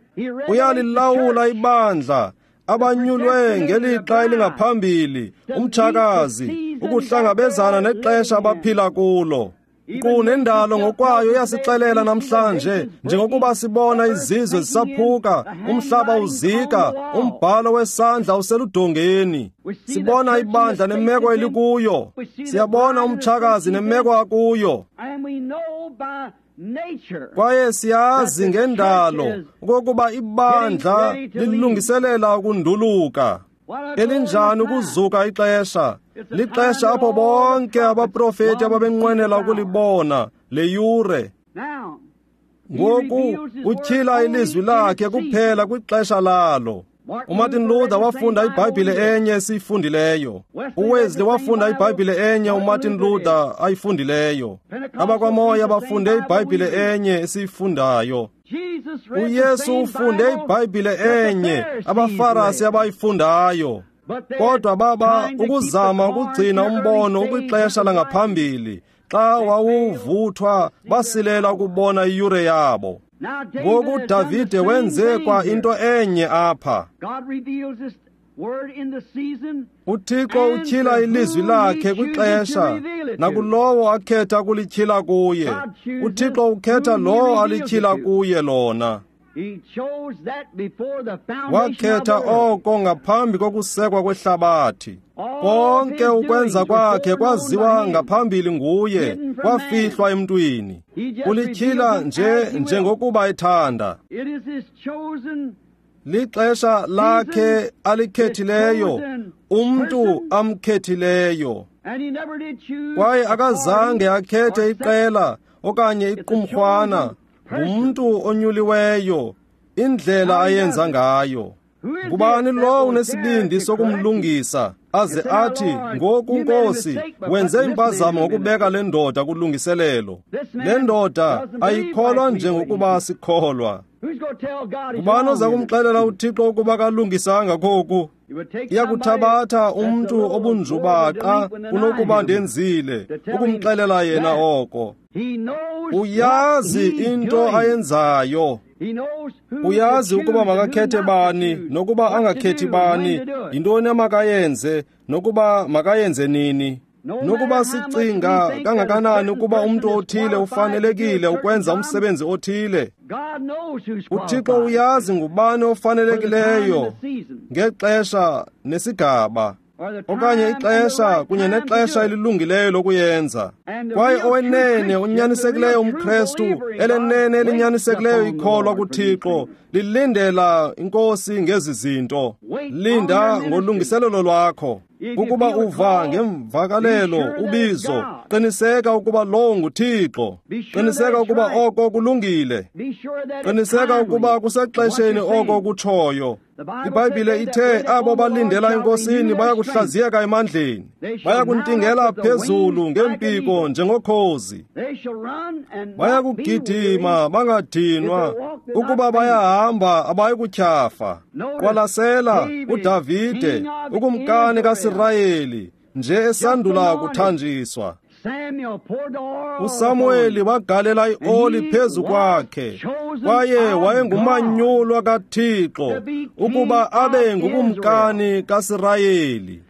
A: Uyalilawula ibandla, abanyulwe ngelixa elingaphambili, umtshakazi, ukuhlangabezana nexesha abaphila kulo. Nkqu nendalo ngokwayo iyasixelela namhlanje, njengokuba sibona izizwe zisaphuka, umhlaba uzika, umbhalo wesandla useludongeni. Sibona ibandla nemeko elikuyo. Siyabona umtshakazi nemeko akuyo. Kwaye siyazi ngendalo okokuba ibandla lilungiselela ukunduluka. Elinjani ukuzuka ixesha! Lixesha apho bonke abaprofeti ababenqwenela ukulibona le yure. Ngoku utyhila ilizwi lakhe kuphela kwixesha lalo. uMartin Luther wafunda iBhayibhile enye esiyifundileyo. uWesley wafunda iBhayibhile enye uMartin Luther ayifundileyo. AbakwaMoya bafunde iBhayibhile enye esiyifundayo. uYesu ufunde iBhayibhile enye abaFarasi abayifundayo. Kodwa baba ukuzama ukugcina umbono ukwixesha langaphambili, xa wawuvuthwa basilela ukubona iyure yabo. Ngoku uDavide wenze kwa into enye apha. uThixo utyhila ilizwi lakhe kwixesha nakulowo akhetha ukulityhila kuye. uThixo ukhetha lowo alityhila kuye lona. Wakhetha oko ngaphambi kokusekwa kwehlabathi. Konke ukwenza kwakhe kwaziwa ngaphambili nguye, kwafihlwa emntwini. Ulityhila nje njengokuba ethanda. Lixesha lakhe alikhethileyo, umntu amkhethileyo. Kwaye akazange akhethe iqela okanye iqumrhwana, ngumntu onyuliweyo, indlela ayenza ngayo. Ngubani lowo unesibindi sokumlungisa aze athi, ngoku Nkosi, wenze impazamo ngokubeka le ndoda kulungiselelo. Le ndoda ayikholwa njengokuba sikholwa. Ngubani oza kumxelela uThixo ukuba kalungisanga koku? Iyakuthabatha umntu obunjubaqa kunokuba ndenzile ukumxelela yena oko. Uyazi into ayenzayo. Uyazi ukuba makakhethe bani nokuba angakhethi bani, yintoni amakayenze nokuba makayenze nini. Nokuba sicinga kangakanani ukuba umntu othile ufanelekile ukwenza umsebenzi othile, uThixo uyazi ngubani ofanelekileyo ngexesha nesigaba, okanye ixesha kunye nexesha elilungileyo lokuyenza. Kwaye owenene unyanisekileyo umKrestu, elenene elinyanisekileyo ikholwa kuThixo, lilindela iNkosi ngezi zinto. Linda ngolungiselelo lwakho. Ukuba uva ngemvakalelo ubizo, qiniseka ukuba lowo nguThixo. Qiniseka ukuba oko kulungile. Qiniseka ukuba kusexesheni oko kutshoyo. iBhayibhile ithe abo balindela eNkosini bayakuhlaziyeka emandleni, bayakuntingela phezulu ngeempiko njengokhozi, bayakugidima bangadinwa, ukuba bayahamba abayikutyhafa. Qwalasela uDavide, ukumkani kaSirayeli, nje esandula kuthanjiswa. uSamuweli wagalela ioli phezu kwakhe, kwaye wayengumanyulwa kaThixo ukuba abe ngukumkani kaSirayeli.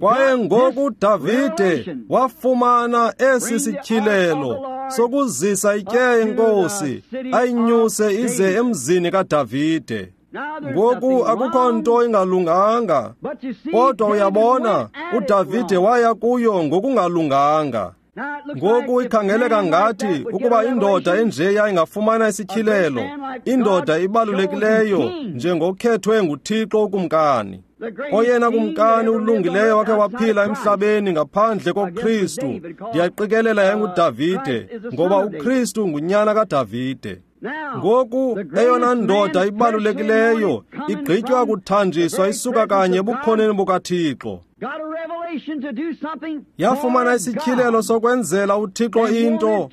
A: Kwaye ngoku uDavide wafumana esi sityhilelo sokuzisa ityeya yenkosi ayinyuse ize emzini kaDavide. Ngoku akukho nto ingalunganga, kodwa uyabona uDavide waya kuyo ngokungalunganga. Ngoku ikhangeleka ngathi ukuba indoda enjeya ingafumana isityhilelo, indoda ibalulekileyo njengokhethwe nguThixo ukumkani. Oyena kumkani ulungileyo wakhe waphila emhlabeni ngaphandle koKristu, ndiyaqikelela yayinguDavide, ngoba uKristu ngunyana kaDavide. Ngoku eyona ndoda ibalulekileyo igqitywa kuthanjiswa isuka kanye ebukhoneni bukaThixo. Yafumana isityhilelo sokwenzela uThixo into,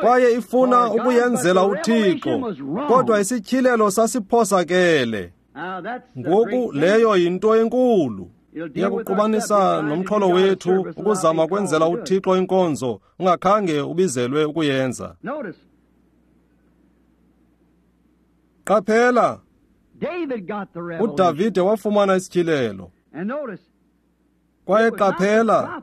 A: kwaye ifuna ukuyenzela uThixo, kodwa isityhilelo sasiphosakele. Ngoku leyo yinto enkulu. Iyakuqubanisa nomxholo wethu ukuzama ukwenzela uThixo inkonzo ungakhange ubizelwe ukuyenza. Qaphela, uDavide wafumana isityhilelo. Kwaye qaphela,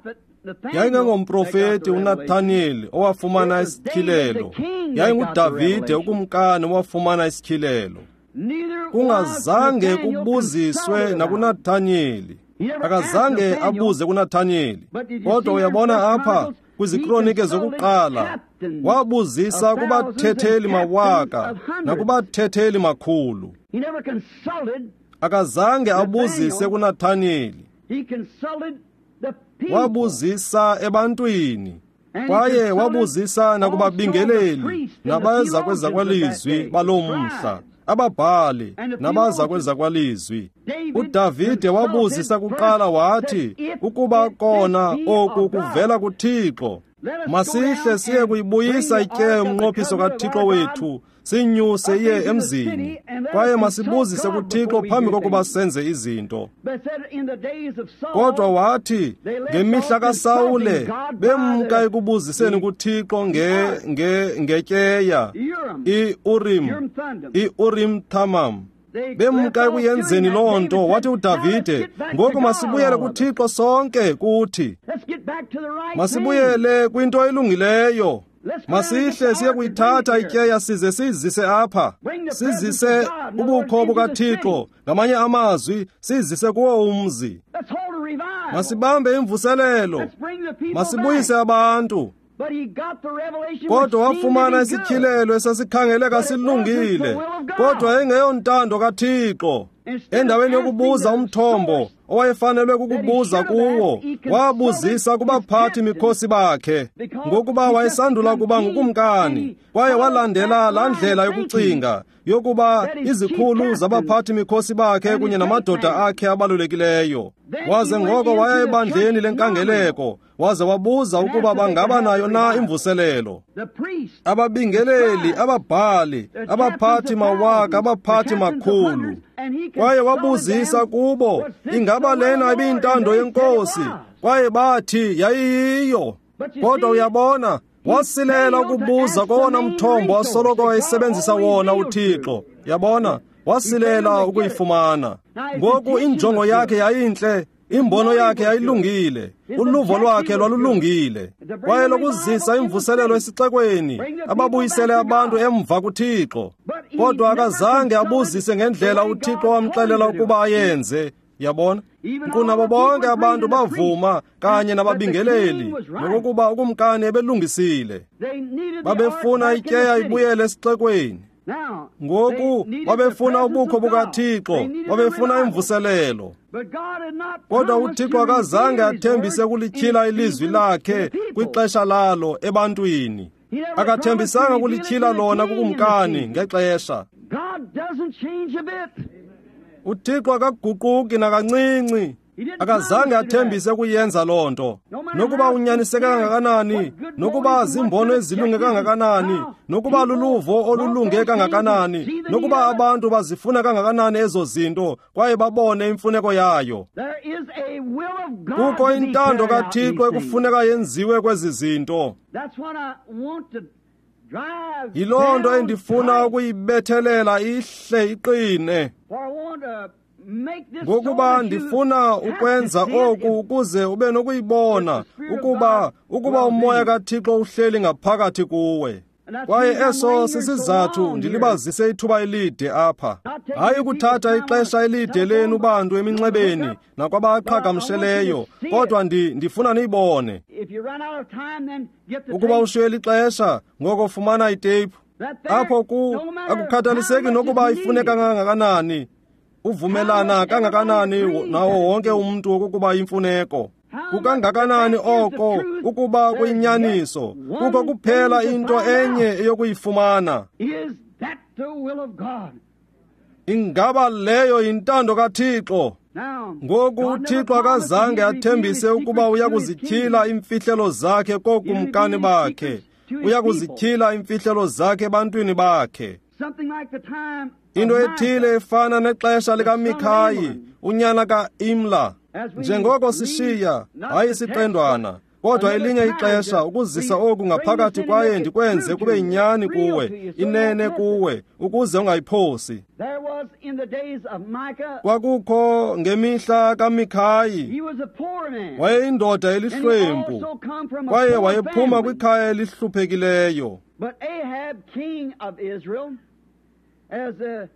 A: Yayingengomprofeti uNathaniyeli owafumana isityhilelo, yayinguDavide ukumkani owafumana isityhilelo. Kungazange kubuziswe nakuNathaniyeli. Akazange abuze kuNathaniyeli. Kodwa uyabona apha kwizikronike zokuqala, wabuzisa kubathetheli mawaka nakubathetheli makhulu. Akazange abuzise kuNathaniyeli. Wabuzisa ebantwini, kwaye wabuzisa nakubabingeleli nabeza kwezakwalizwi baloo mhla, ababhali nabaza kwezakwalizwi. uDavide wabuzisa kuqala wathi, ukuba kona oku kuvela kuThixo, masihle siye kuyibuyisa ityeya yomnqophiso kaThixo wethu, sinyuse iye emzini, kwaye masibuzise kuThixo phambi kokuba senze izinto. Kodwa wathi ngemihla kaSawule bemka ekubuziseni kuThixo ngetyeya i-Urim Thummim, bemka ekuyenzeni loo nto. Wathi uDavide, ngoku masibuyele kuThixo sonke kuthi, masibuyele kwinto elungileyo. Masihle siye kuyithatha ityeya size sizise apha, sizise ubukho bukaThixo, ngamanye amazwi sizise kuwo umzi. Masibambe imvuselelo, masibuyise abantu. Kodwa wafumana isityhilelo esasikhangeleka silungile, kodwa yayingeyontando kaThixo. Endaweni yokubuza umthombo owayefanelwe kukubuza kuwo, wabuzisa kubaphathi mikhosi bakhe, ngokuba wayesandula kuba ngukumkani, kwaye walandela laa ndlela yokucinga yokuba izikhulu zabaphathi mikhosi bakhe kunye namadoda akhe abalulekileyo. Waze ngoko waya ebandleni lenkangeleko, waze wabuza ukuba bangaba nayo na imvuselelo. Ababingeleli, ababhali, abaphathi mawaka, abaphathi makhulu. Kwaye wabuzisa kubo, ingaba lena ibiyintando yenkosi? Kwaye bathi yayiyiyo. Kodwa uyabona, wasilela ukubuza kowona mthombo asoloko wayesebenzisa wona uThixo. Yabona, wasilela ukuyifumana. Ngoku injongo yakhe yayintle, imbono yakhe yayilungile, uluvo lwakhe lwalulungile. Kwaye lokuzisa imvuselelo esixekweni, ababuyisele abantu emva kuThixo. Kodwa akazange abuzise ngendlela uThixo wamxelela ukuba ayenze. Yabona, nkqu nabo bonke abantu bavuma kanye nababingeleli nokokuba ukumkani ebelungisile. Babefuna ityeya ibuyele esixekweni. Ngoku babefuna ubukho bukaThixo, babefuna imvuselelo. Kodwa uThixo akazange athembise ukulityhila ilizwi lakhe kwixesha lalo ebantwini. Akathembisanga ukulityhila lona kukumkani ngexesha. uThixo akaguquki nakancinci. Akazange athembise ukuyenza loo nto. Nokuba unyaniseke kangakanani, nokuba zimbono ezilunge kangakanani, nokuba luluvo olulunge kangakanani, nokuba abantu bazifuna kangakanani ezo zinto kwaye babone imfuneko yayo. Kukho intando kaThixo ekufuneka yenziwe kwezi zinto. Yiloo nto endifuna ukuyibethelela ihle iqine. Ngokuba ndifuna ukwenza oku ukuze ube nokuyibona ukuba umoya kaThixo uhleli ngaphakathi kuwe. Kwaye eso sisizathu ndilibazise ithuba elide apha. Hayi ukuthatha ixesha elide lenu bantu eminxebeni nakwabaqhagamsheleyo, kodwa ndifuna niyibone. Ukuba ushiywe ixesha, ngoko fumana iteyiphu. Apho akukhathaliseki nokuba ifuneka kangakanani, uvumelana kangakanani nawo wonke umntu okokuba imfuneko. Kukangakanani oko ukuba kuyinyaniso, kukho kuphela into enye eyokuyifumana. Ingaba leyo yintando kaThixo? Ngoku uThixo akazange athembise ukuba uyakuzityhila iimfihlelo zakhe kookumkani bakhe, uyakuzityhila iimfihlelo zakhe ebantwini bakhe. Into ethile efana nexesha likaMikhayi, unyana kaImla. Njengoko sishiya, hayi isiqendwana, Kodwa elinye ixesha ukuzisa oku ngaphakathi kwaye ndikwenze kube yinyani kuwe, inene kuwe, ukuze ungayiphosi. Kwakukho ngemihla kaMikhayi, wayeyindoda elihlwempu, kwaye wayephuma kwikhaya elihluphekileyo.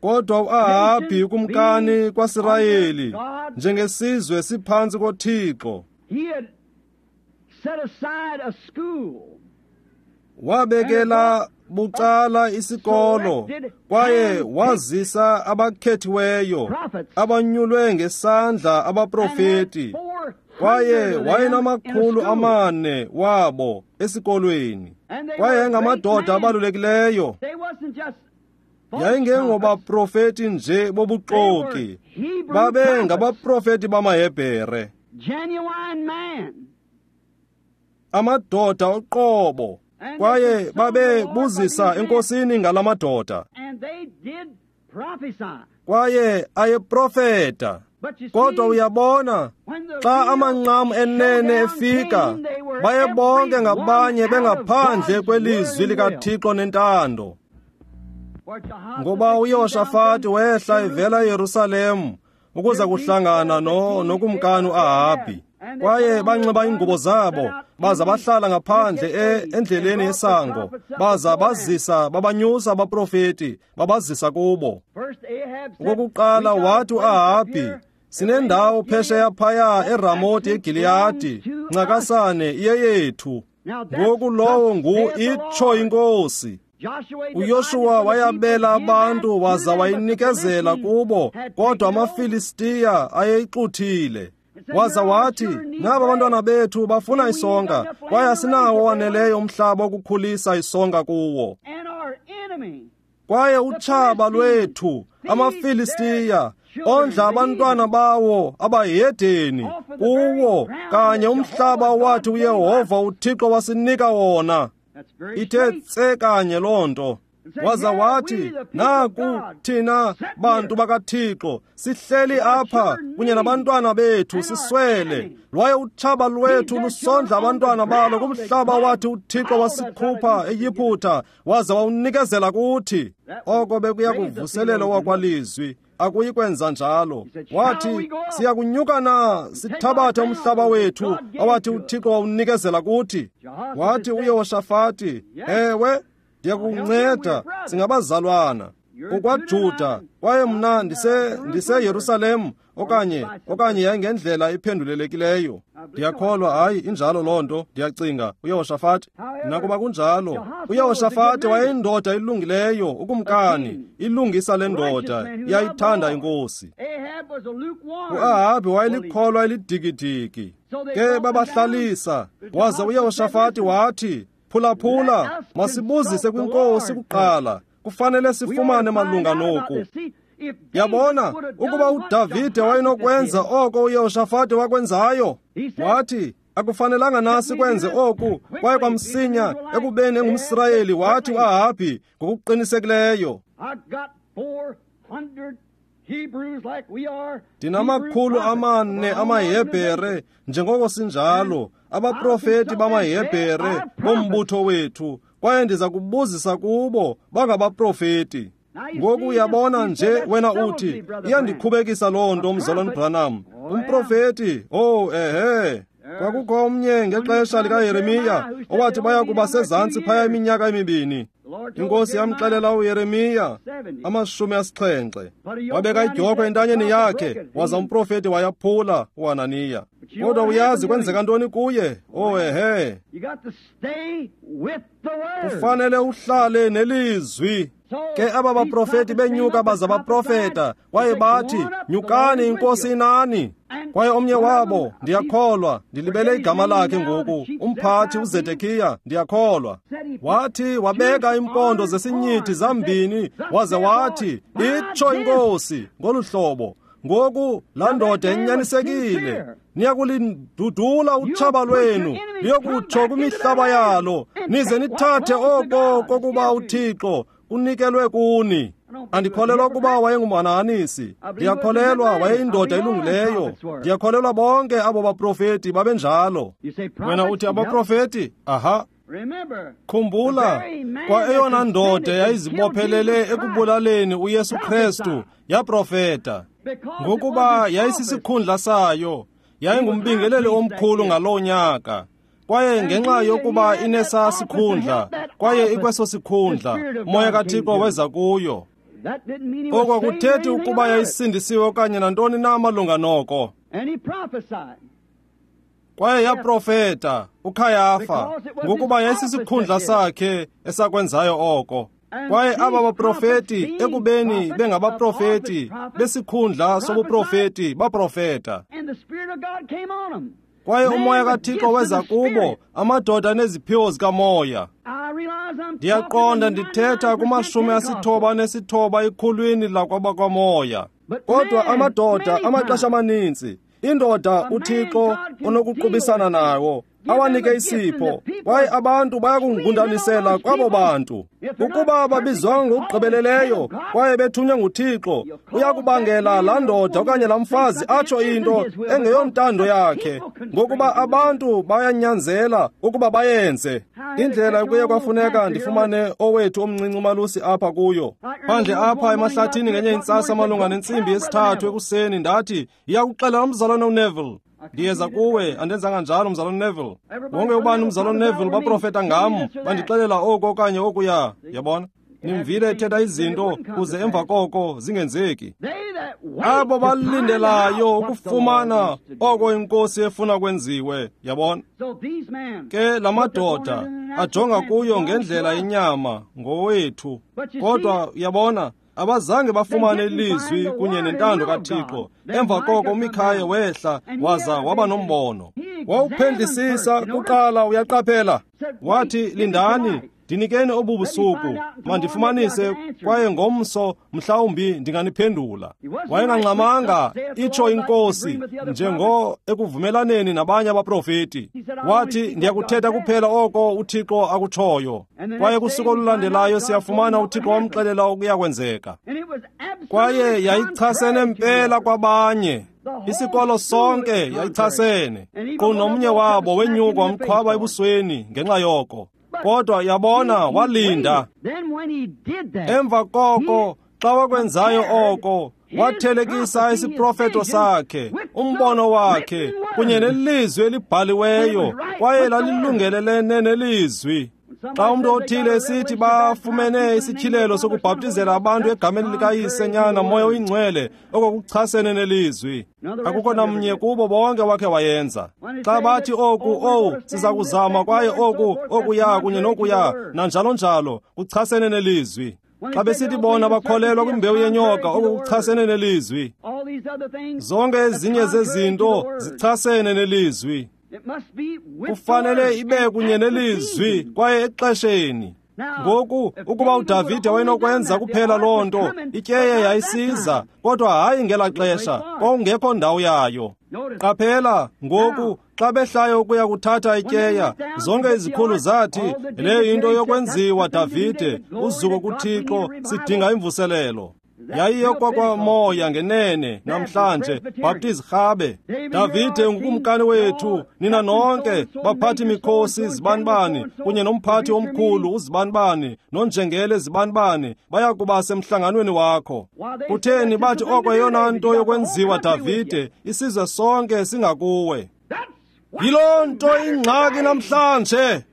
A: Kodwa uAhabhi ukumkani kwaSirayeli, njengesizwe siphantsi koThixo, wabekela bucala isikolo kwaye wazisa abakhethiweyo abanyulwe ngesandla abaprofeti, kwaye wayenama-400 wabo esikolweni, kwaye yayingamadoda abalulekileyo. Yayingengobaprofeti nje bobuxoki, babe ngabaprofeti bamaHebhere, amadoda oqobo, kwaye babe buzisa enkosini ngalamadoda, kwaye ayeprofeta. Kodwa uyabona, xa amanqam enene efika, baye bonke ngabanye bengaphandle kwelizwi likaThixo nentando. Ngoba uYoshafati wehla evela eYerusalem ukuza kuhlangana nokumkani uAhabhi, kwaye banxiba iingubo zabo baza bahlala ngaphandle endleleni yesango, baza bazisa babanyusa abaprofeti babazisa kubo. Okokuqala wathi uAhabhi, sinendawo phesheya phaya eRamoti eGiliyadi, ncakasane iyeyethu. Ngoku lowo ngu itsho iNkosi. uYoshuwa wayabela abantu waza wayinikezela kubo, kodwa amaFilistiya ayeyixuthile. Waza wathi, naba abantwana bethu bafuna isonka, kwaye asinawo waneleyo umhlaba wokukhulisa isonka kuwo. Kwaye utshaba lwethu, amaFilistiya, ondla abantwana bawo abahedeni kuwo kanye umhlaba wathi uYehova uThixo wasinika wona. Ithe tse kanye loo nto. Waza wathi, naku thina bantu bakaThixo sihleli apha kunye nabantwana bethu siswele, lwaye utshaba lwethu lusondla abantwana balo kumhlaba wathi uThixo wasikhupha eYiphutha waza wawunikezela kuthi. Oko bekuya kuvuselela owakwalizwi, akuyi kwenza njalo. Wathi, siyakunyuka na sithabathe umhlaba wethu awathi uThixo wawunikezela kuthi? Wathi uYehoshafati, ewe, ndiyakunceda, singabazalwana. UkwaJuda, kwaye mna ndiseYerusalem, okanye yayingendlela iphendulelekileyo. Ndiyakholwa, hayi, injalo loo nto, ndiyacinga, uYehoshafati. Nakuba kunjalo, uYehoshafati wayeyindoda elungileyo, ukumkani, ilungisa le ndoda, iyayithanda inkosi. UAhabhi wayelikholwa elidikidiki. Ke babahlalisa, waza uYehoshafati wathi, phulaphula, masibuzise kwinkosi kuqala. Kufanele sifumane malunga noku. Yabona, ukuba uDavide wayenokwenza oko uYehoshafati wakwenzayo, wathi, akufanelanga na sikwenze oku, kwaye kwamsinya ekubeni engumSirayeli, wathi uAhabhi ngokuqinisekileyo, ndinama-400 amaHebhere njengoko sinjalo, abaprofeti bamaHebhere bombutho wethu, kwaye ndiza kubuzisa kubo bangabaprofeti. Ngoku uyabona nje wena uthi, iyandikhubekisa loo nto, mzalwana Branham. Umprofeti, oh ehe. Kwakukho omnye ngexesha likaYeremiya owathi baya kuba sezantsi phaya iminyaka emibini. Inkosi yamxelela uYeremiya 70. Wabeka idyokhwe entanyeni yakhe, waza umprofeti wayaphula uHananiya. Kodwa uyazi kwenzeka ntoni kuye? Oh ehe. Kufanele uhlale nelizwi. Ke aba baprofeti benyuka baza baprofeta, kwaye bathi, nyukani, inkosi inani. Kwaye omnye wabo, ndiyakholwa, ndilibele igama lakhe ngoku, umphathi uZedekiya, ndiyakholwa, wathi wabeka impondo zesinyithi zambini, waze wathi, itsho inkosi ngolu hlobo. Ngoku laa ndoda inyanisekile, niyakulindudula utshaba lwenu liyokutsho kwimihlaba yalo, nize nithathe oko kokuba uThixo kunikelwe kuni. Andikholelwa ukuba wayengumhanahanisi. Ndiyakholelwa wayeyindoda elungileyo. Ndiyakholelwa bonke abo baprofeti babenjalo. Wena uthi abaprofeti? Aha. Khumbula, kwa eyona ndoda yayizibophelele ekubulaleni uYesu Kristu yaprofeta, ngokuba yayisisikhundla sayo, yayingumbingeleli omkhulu ngaloo nyaka. Kwaye ngenxa yokuba inesa sikhundla, kwaye ikweso sikhundla, uMoya kaThixo weza kuyo. Oko akuthethi ukuba yayisindisiwe okanye nantoni na malunga noko. Kwaye yaprofeta uKhayafa, ngokuba yayisisikhundla sakhe esakwenzayo oko. Kwaye aba baprofeti, ekubeni bengabaprofeti besikhundla sobuprofeti, baprofeta. Kwaye uMoya kaThixo weza kubo, amadoda neziphiwo zikamoya. Ndiyaqonda ndithetha kuma-99 ekhulwini lakwabakwamoya. Kodwa amadoda amaxesha amaninzi, indoda uThixo onokuqubisana nawo, awanike isipho, kwaye abantu bayakungundanisela kwabo bantu. Ukuba babizwanga ngokugqibeleleyo kwaye bethunywe nguThixo, uyakubangela laa ndoda okanye laa mfazi atsho into engeyontando yakhe, ngokuba abantu bayanyanzela ukuba bayenze. Indlela ekuye kwafuneka ndifumane owethu omncinci umalusi apha kuyo. Phandle apha emahlathini ngenye intsasa malunga nentsimbi yesithathu ekuseni, ndathi, iyakuxelela umzalwane uNeville. Ndiyeza kuwe, andenzanga njalo mzalwane Neville. Wonke ubani umzalwane Neville baprofeta ngam, bandixelela oku okanye okuya. Yabona? Nimvile ethetha izinto kuze emva koko zingenzeki. Abo balindelayo ukufumana oko iNkosi efuna kwenziwe, yabona? Ke la madoda ajonga kuyo ngendlela yenyama ngowethu. Kodwa yabona, abazange bafumane ilizwi kunye nentando kaThixo. Emva koko uMikhaya wehla waza waba nombono. Wawuphendlisisa kuqala, uyaqaphela. Wathi, lindani, ndinikeni obu busuku, mandifumanise, kwaye ngomso mhlawumbi ndinganiphendula. Wayengangxamanga, itsho iNkosi, njengo ekuvumelaneni nabanye abaprofeti. Wathi, ndiyakuthetha kuphela oko uThixo akutshoyo. Kwaye kusuku olulandelayo siyafumana uThixo wamxelela okuyakwenzeka. Kwaye yayichasene mpela kwabanye. Isikolo sonke yayichasene. Nkqu nomnye wabo wenyuka wamqhwaba ebusweni ngenxa yoko. Kodwa yabona, walinda. Emva koko, xa wakwenzayo oko, wathelekisa isiprofeto sakhe, umbono wakhe, kunye nelizwi elibhaliweyo, kwaye lalilungelelene nelizwi. Xa umntu othile esithi bafumene isityhilelo sokubhaptizela abantu egameni likaYise, Nyana, Moya oyiNgcwele, oko kuchasene nelizwi. Akukho namnye kubo bonke wakhe wayenza. Xa bathi oku, owu, siza kuzama, kwaye oku, okuya, kunye nokuya, nanjalo njalo, kuchasene nelizwi. Xa besithi bona bakholelwa kwimbewu yenyoka, oko kuchasene nelizwi. Zonke ezinye zezinto zichasene nelizwi. Kufanele ibe kunye nelizwi kwaye exesheni. Ngoku, ukuba uDavide wayenokwenza kuphela loo nto, ityeya yayisiza, kodwa hayi ngela xesha, kwakungekho ndawo yayo. Qaphela, ngoku, xa behlayo ukuya kuthatha ityeya, zonke izikhulu zathi, leyo yinto yokwenziwa, Davide, uzuko kuThixo, sidinga imvuselelo. Yayiyokokwamoya ngenene namhlanje, Baptist rhabe. Davide ngukumkani wethu, nina nonke baphathi mikhosi zibanibani, kunye nomphathi omkhulu uzibanibani, nonjengele zibanibani, baya kuba semhlanganweni wakho. Kutheni bathi oko yeyona nto yokwenziwa, Davide, isizwe sonke singakuwe. Yiloo nto ingxaki namhlanje.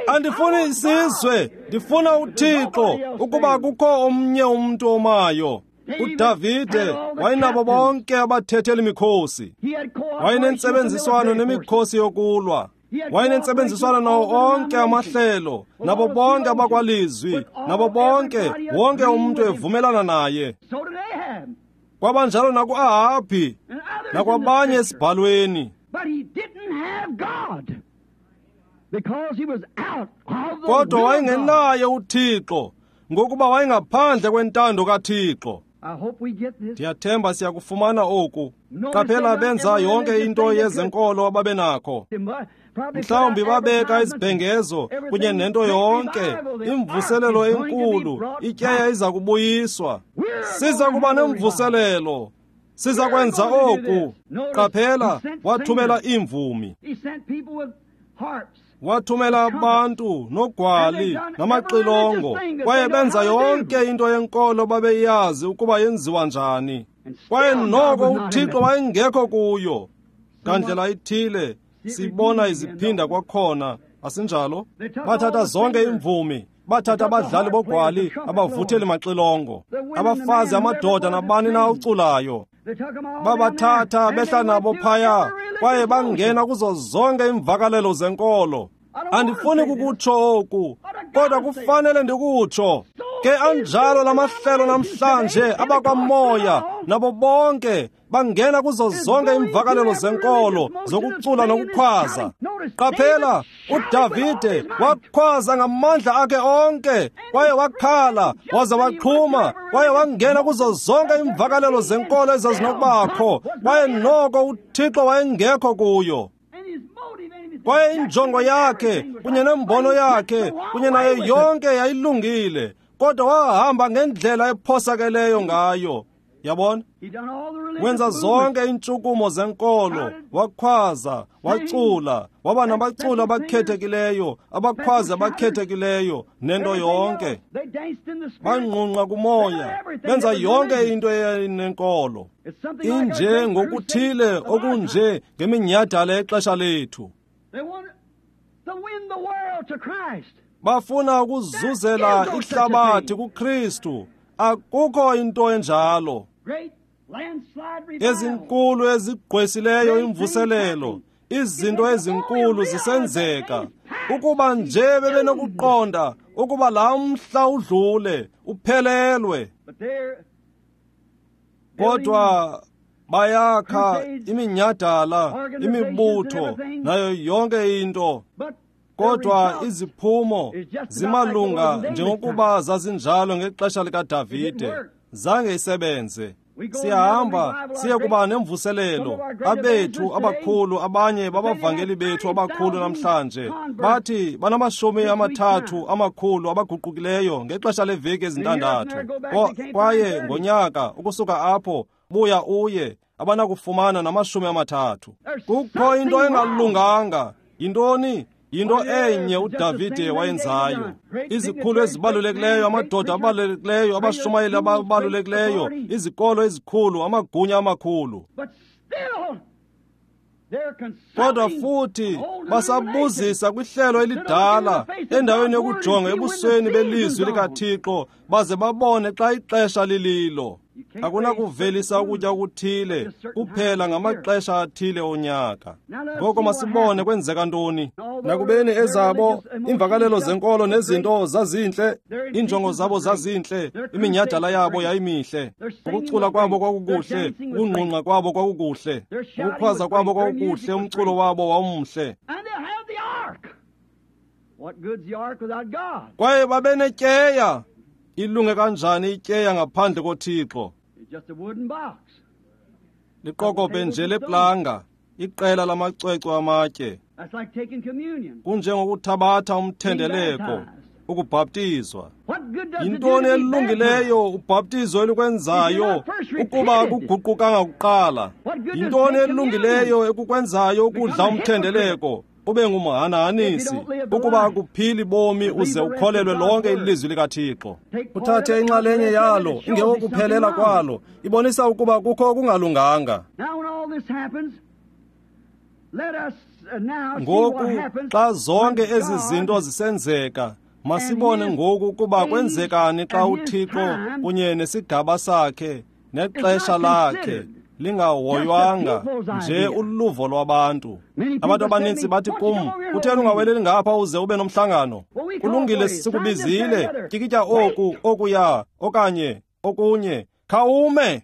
A: Andifuni isizwe, ndifuna uThixo, ukuba kukho omnye umntu omayo. uDavide wayenabo bonke abathetheli mikhosi. Wayenentsebenziswano nemikhosi yokulwa. Wayenentsebenziswano nawo onke amahlelo, nabo bonke abakwalizwi, nabo bonke, wonke umntu evumelana naye. Kwabanjalo nakuAhabhi, nakwabanye esibhalweni. Kodwa wayengenaye uThixo, ngokuba wayengaphandle kwentando kaThixo. Ndiyathemba siyakufumana oku. Qaphela, benza yonke into yezenkolo ababenakho. Mhlawumbi babeka izibhengezo kunye nento yonke, imvuselelo enkulu, ityeya iza kubuyiswa. Siza kuba nemvuselelo. Siza kwenza oku. Qaphela, wathumela iimvumi. Wathumela abantu nogwali namaxilongo, kwaye benza yonke into yenkolo babeyazi ukuba yenziwa njani. Kwaye noko uThixo wayengekho kuyo. Ngandlela ithile sibona iziphinda kwakhona, asinjalo? Bathatha zonke iimvumi, bathatha abadlali bogwali, abavutheli maxilongo, abafazi, amadoda, nabani na uculayo. Babathatha behla nabo phaya, kwaye bangena kuzo zonke iimvakalelo zenkolo. Andifuni kukutsho oku, kodwa kufanele ndikutsho. Ke anjalo lamahlelo namhlanje abakwamoya nabo bonke bangena kuzo zonke iimvakalelo zenkolo zokucula nokukhwaza. Qaphela, uDavide wakhwaza ngamandla akhe onke, kwaye wakhala waza waqhuma, kwaye wangena kuzo zonke iimvakalelo zenkolo ezazinokubakho, kwaye noko uThixo wayengekho kuyo. Kwaye injongo yakhe kunye nembono yakhe kunye nayo yonke yayilungile, kodwa wahamba ngendlela ephosakeleyo ngayo. Yabona? Wenza zonke iintshukumo zenkolo, wakhwaza, wacula, waba nabaculi abakhethekileyo, abakhwazi abakhethekileyo, nento yonke. Bangqungqa kumoya, benza yonke into eyayinenkolo. Inje ngokuthile okunje ngeminyhadala yexesha lethu. Bafuna ukuzuzela ihlabathi kuKristu. Akukho into enjalo. Ezinkulu ezigqwesileyo imvuselelo, izinto ezinkulu zisenzeka. Ukuba nje bebenokuqonda ukuba laa mhla udlule, uphelelwe. Kodwa bayakha iminyhadala, imibutho, nayo yonke into. Kodwa iziphumo zimalunga njengokuba zazinjalo ngexesha likaDavide. Zange isebenze. Siyahamba siye kuba nemvuselelo. Abethu abakhulu, abanye babavangeli bethu abakhulu namhlanje bathi banama-30 amakhulu abaguqukileyo ngexesha leveki ezintandathu. Kwaye ngonyaka ukusuka apho buya uye abanakufumana nama-30. Kukho into engalunganga. Yintoni? Yinto enye uDavide wayenzayo. Izikhulu ezibalulekileyo, amadoda abalulekileyo, abashumayeli ababalulekileyo, izikolo ezikhulu, amagunya amakhulu. Kodwa futhi basabuzisa kwihlelo elidala endaweni yokujonga ebusweni belizwi likaThixo baze babone xa ixesha lililo. Akunakuvelisa ukutya okuthile kuphela ngamaxesha athile onyaka. Ngoko masibone kwenzeka ntoni. Nakubeni ezabo iimvakalelo zenkolo nezinto zazintle, iinjongo zabo zazintle, iminyhadala yabo yayimihle, ukucula kwabo kwakukuhle, ukungqungqa kwabo kwakukuhle, ukukhwaza kwabo kwakukuhle, umculo wabo wawumhle. Kwaye babenetyeya. Ilunge kanjani ityeya ngaphandle koThixo? Liqokobhe nje leplanga, iqela lamacwecwe amatye. Kunjengokuthabatha umthendeleko, ukubhaptizwa. Yintoni elungileyo ubhaptizo elikwenzayo ukuba akuguqukanga kuqala? Yintoni elungileyo ekukwenzayo ukudla umthendeleko ube ngumhanahanisi ukuba akuphili bomi uze ukholelwe lonke ilizwi likaThixo? Uthathe inxalenye yalo ingekokuphelela kwalo, ibonisa ukuba kukho okungalunganga. Ngoku xa zonke ezi zinto zisenzeka, masibone ngoku ukuba kwenzekani xa uThixo kunye nesigaba sakhe nexesha lakhe lingahoywanga nje uluvo lwabantu. Abantu abaninzi bathi kum, kutheni ungaweleli ngapha uze ube nomhlangano? Kulungile, sikubizile, tyikitya oku, okuya, okanye okunye. Khawume!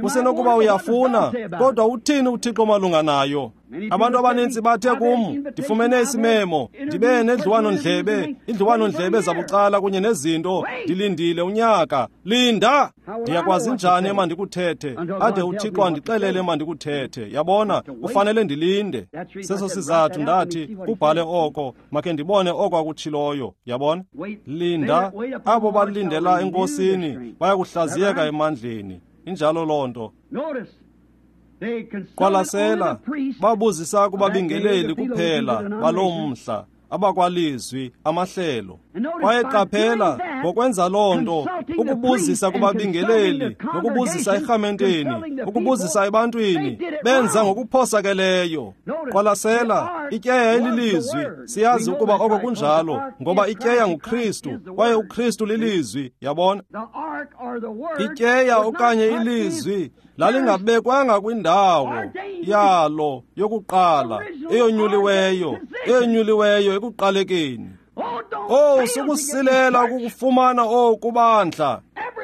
A: Kusenokuba uyafuna, kodwa uthini uThixo malunga nayo? Abantu abaninzi bathe kum, ndifumene isimemo, ndibe nedliwano-ndlebe, iindliwano-ndlebe zabucala kunye nezinto, ndilindile unyaka. Linda! Ndiyakwazi njani emandikuthethe, ade uThixo andixelele emandikuthethe. Yabona, kufanele ndilinde. Seso sizathu ndathi, kubhale oko, makhe ndibone oko akutshiloyo. Yabona? Linda. Abo balindela eNkosini bayakuhlaziyeka emandleni. Injalo loo nto. Qwalasela, babuzisa kubabingeleli kuphela baloo mhla, abakwalizwi, amahlelo. Kwaye qaphela, ngokwenza loo nto, ukubuzisa kubabingeleli, nokubuzisa erhamenteni, ukubuzisa ebantwini, benza ngokuphosakeleyo. Qwalasela, ityeya ililizwi, siyazi ukuba oko kunjalo, ngoba ityeya nguKristu, kwaye uKristu lilizwi, yabona? Ityeya okanye ilizwi lalingabekwanga kwindawo yalo yokuqala, eyonyuliweyo ekuqalekeni. Oh, sukusilela ukukufumana oku bandla.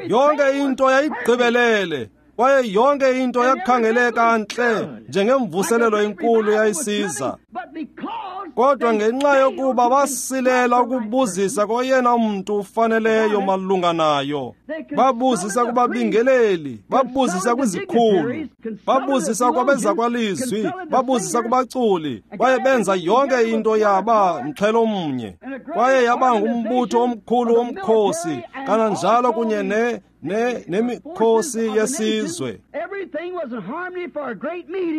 A: Yonke into yayigqibelele, kwaye yonke into yakhangeleka ntle njengemvuselelo enkulu yayisiza. Kodwa ngenxa yokuba basilela ukubuzisa koyena mntu ufaneleyo malunga nayo, babuzisa kubabingeleli, babuzisa kwizikhulu, babuzisa kwabezakwalizwi, babuzisa kubaculi, kwaye benza yonke into yaba mxhelo mnye, kwaye yaba ngumbutho omkhulu womkhosi, kananjalo kunye nemikhosi yesizwe.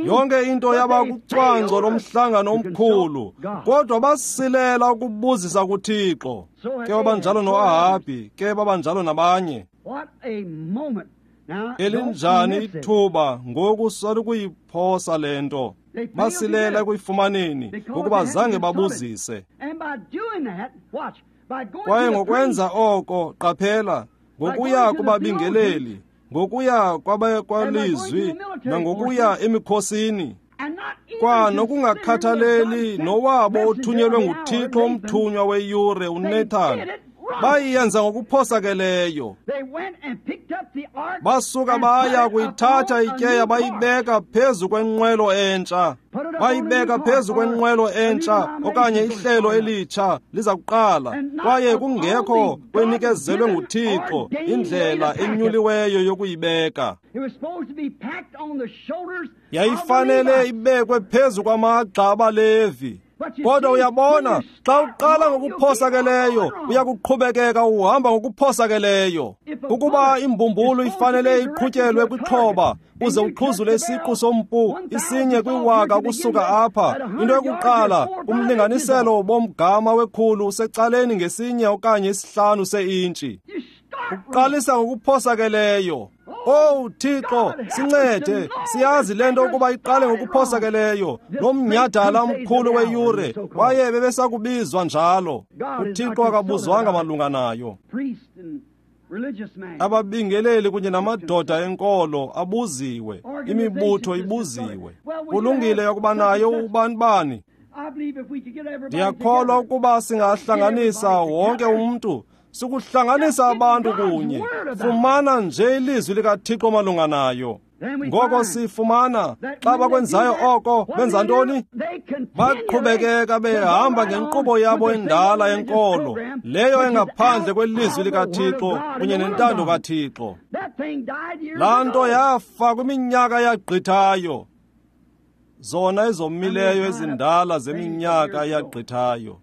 A: Yonke into yaba kucwangco lomhlangano omkhulu, kodwa basilela ukubuzisa kuThixo. Ke babanjalo noAhabhi, ke babanjalo nabanye. Elinjani ithuba ngoku salukuyiphosa le nto. Basilela ekuyifumaneni ngokuba zange babuzise. Kwaye ngokwenza oko, qaphela, ngokuya kubabingeleli, ngokuya kwabekwalizwi, nangokuya emikhosini, kwa nokungakhathaleli nowabo othunyelwe nguThixo umthunywa weyure uNathan, bayiyenza ngokuphosakeleyo. Basuka baya kuyithatha ityeya bayibeka phezu kwenqwelo entsha, bayibeka phezu kwenqwelo entsha okanye ihlelo elitsha liza kuqala, kwaye kungekho kwenikezelwe nguThixo indlela enyuliweyo yokuyibeka. Yayifanele ibekwe phezu kwamagxa abaLevi. Kodwa uyabona, xa uqala ngokuphosakeleyo, uyakuqhubekeka uhamba ngokuphosakeleyo. Ukuba imbumbulu ifanele iqhutyelwe kwixhoba, uze uqhuzule isiqu sompu isinye kwiwaka ukusuka apha, into yokuqala, umlinganiselo bomgama wekhulu usecaleni ngesinye okanye isihlanu seintshi. Uqalisa ngokuphosakeleyo. Owu Thixo, sincede. Siyazi le nto ukuba iqale ngokuphosakeleyo. Lo mnyhadala omkhulu weyure, kwaye bebesakubizwa njalo. UThixo akabuzwanga malunga nayo. Ababingeleli kunye namadoda enkolo abuziwe, imibutho ibuziwe. Kulungile yokuba nayo ubani bani. Ndiyakholwa ukuba singahlanganisa wonke umntu, sikuhlanganisa abantu kunye. Fumana nje ilizwi likaThixo malunga nayo. Ngoko sifumana xa bakwenzayo oko, benza ntoni? Baqhubekeka behamba ngenkqubo yabo endala yenkolo, leyo engaphandle kwelizwi likaThixo kunye nentando kaThixo. Laa nto yafa kwiminyaka yagqithayo, zona ezomileyo ezindala zeminyaka eyagqithayo.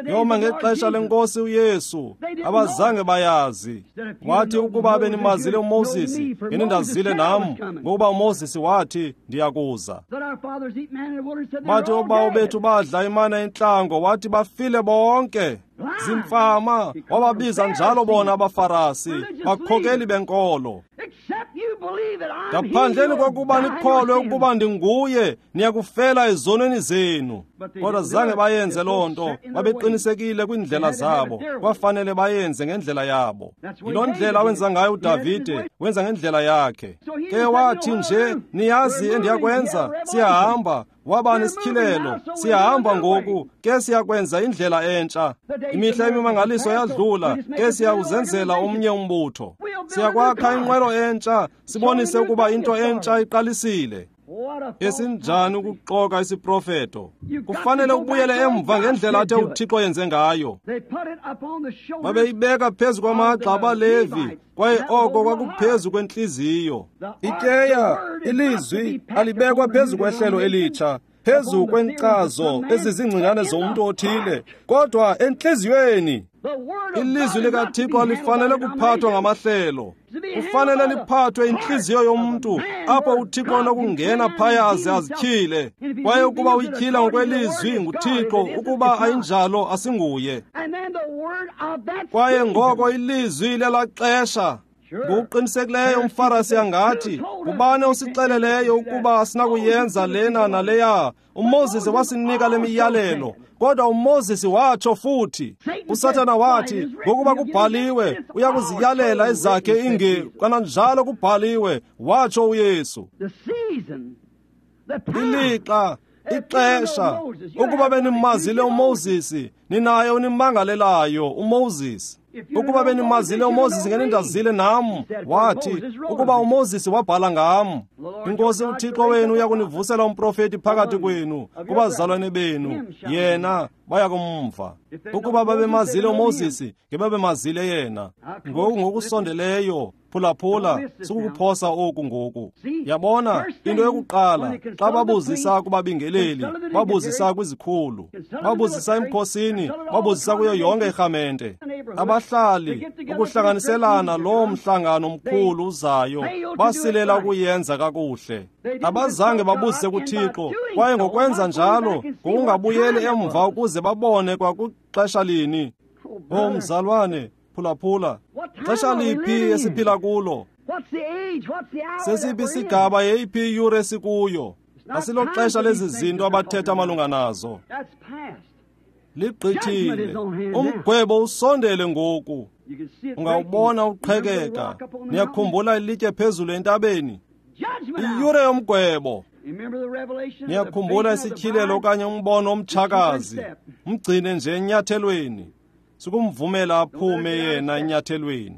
A: Yoma ngexesha lenkosi uYesu, abazange bayazi. Wathi ukuba benimazile uMoses, ngenindazile nam, ngokuba uMoses wathi, ndiyakuza. Bathi obawo bethu badla imana entlango, wathi bafile bonke. Zimfama, wababiza njalo bona abaFarasi, bakhokeli benkolo. Ngaphandleni kokuba nikholwe ukuba ndinguye, niyakufela ezonweni zenu. Kodwa zange bayenze loo nto, babeqinisekile kwiindlela zabo, kwafanele bayenze ngendlela yabo. Yiloo ndlela wenza ngayo uDavide, wenza ngendlela yakhe. Ke wathi nje, niyazi endiyakwenza, siyahamba. Waba nesityhilelo. Siyahamba ngoku, ke siyakwenza indlela entsha. Imihla yemimangaliso yadlula, ke siyawuzenzela omnye umbutho. Siyakwakha inqwelo entsha, sibonise ukuba into entsha iqalisile. Esinjani ukuxoka isiprofeto! Kufanele ubuyele emva ngendlela athe uThixo yenze ngayo. Babeyibeka phezu kwamagxa abaLevi, kwaye oko kwakuphezu kwentliziyo. Ityeya, ilizwi, alibekwa phezu kwehlelo elitsha, phezu kwenkcazo ezizingcingane zomntu othile, kodwa entliziyweni. Ilizwi likaThixo alifanele kuphathwa ngamahlelo. Kufanele liphathwe intliziyo yomntu, apho uThixo onokungena phaya aze azityhile. Kwaye ukuba uyityhila ngokwelizwi nguThixo, ukuba ayinjalo asinguye. Kwaye ngoko ilizwi lela xesha. Ngokuqinisekileyo umFarisi angathi, ngubani osixeleleyo ukuba asinakuyenza lena naleya? uMoses wasinika le miyalelo, kodwa uMoses watsho futhi. USathana wathi, ngokuba kubhaliwe, uyakuziyalela ezakhe inge, kananjalo kubhaliwe, watsho uYesu. Ilixa, ixesha, ukuba benimazile uMoses, ninaye unimangalelayo uMoses. Ukuba benimazile uMoses ngenindazile nam, wathi, ukuba uMoses wabhala ngam. INkosi uThixo wenu uyakunivusela umprofeti phakathi kwenu, kubazalwane benu, yena baya kumva. Ukuba babemazile uMoses, ngebabemazile yena. Ngoku ngokusondeleyo, phulaphula, sukukuphosa oku ngoku. Yabona, into yokuqala, xa babuzisa kubabingeleli, babuzisa kwizikhulu, babuzisa emkhosini, babuzisa kuyo yonke irhamente. Abahlali, ukuhlanganiselana loo mhlangano mkhulu uzayo, basilela ukuyenza kakuhle. Abazange babuzise kuThixo, kwaye ngokwenza njalo, ngokungabuyeli emva ukuze babone kwakuxesha lini. O mzalwane, phulaphula, xesha liphi esiphila kulo? Sesiphi isigaba, yeyiphi iyure esikuyo? Asiloxesha lezi zinto abathetha malunga nazo. Ligqithile. Umgwebo usondele ngoku. Ungawubona uqhekeka. Niyakhumbula ilitye phezulu entabeni? Iyure yomgwebo. Niyakhumbula isityhilelo okanye umbono omtshakazi? Mgcine nje enyathelweni. Sukumvumela aphume yena enyathelweni.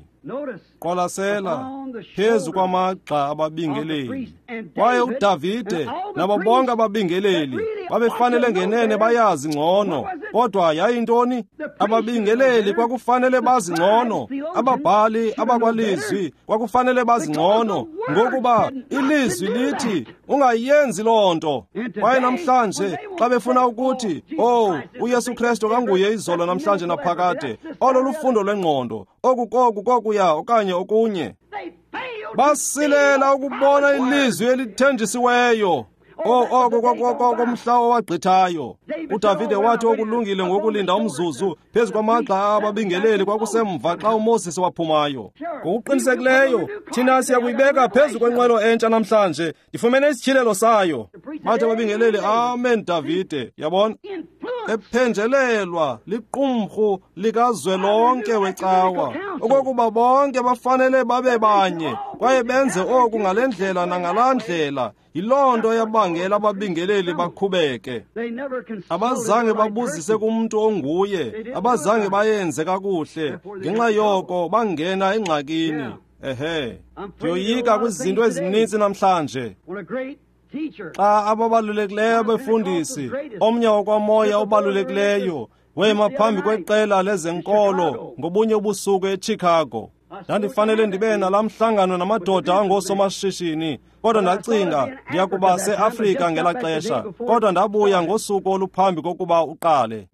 A: Qwalasela phezu kwamagxa ababingeleli. Kwaye uDavide nabo bonke ababingeleli babefanele ngenene bayazi ngcono, kodwa yayintoni? Ababingeleli kwakufanele bazi ngcono, ababhali abakwalizwi kwakufanele bazi ngcono, ngokuba ilizwi lithi ungayenzi loo nto. Kwaye namhlanje xa befuna ukuthi, oh, uYesu Kristu kanguye izolo namhlanje naphakade, olo lufundo lwengqondo, oku koku kokuya okanye okunye. Basilela ukubona ilizwi elithenjisiweyo. Oko kwakomhla owagqithayo. uDavide wathi okulungile ngokulinda umzuzu phezu kwamagxa ababingeleli kwakusemva xa uMoses waphumayo. Ngokuqinisekileyo thina siyakuyibeka phezu kwenqwelo entsha namhlanje. Ndifumene isityhilelo sayo. Bathi ababingeleli, amen Davide. Yabona? Ephenjelelwa liqumrhu likazwelonke wecawa, okokuba bonke bafanele babe banye kwaye benze oku ngale ndlela nangalaa ndlela. Yiloo nto yabangela ababingeleli bakhubeke. Abazange babuzise kumntu onguye, abazange bayenze kakuhle. Ngenxa yoko bangena engxakini. Ehe, ndiyoyika kwizinto ezininzi namhlanje. Xa ababalulekileyo abefundisi, omnye wakwamoya obalulekileyo, wema phambi kweqela lezenkolo ngobunye ubusuku eChicago. Ndandifanele ndibe nalaa mhlangano namadoda angoosomashishini, kodwa ndacinga ndiya kuba seAfrika ngelaa xesha, kodwa ndabuya ngosuku oluphambi kokuba uqale.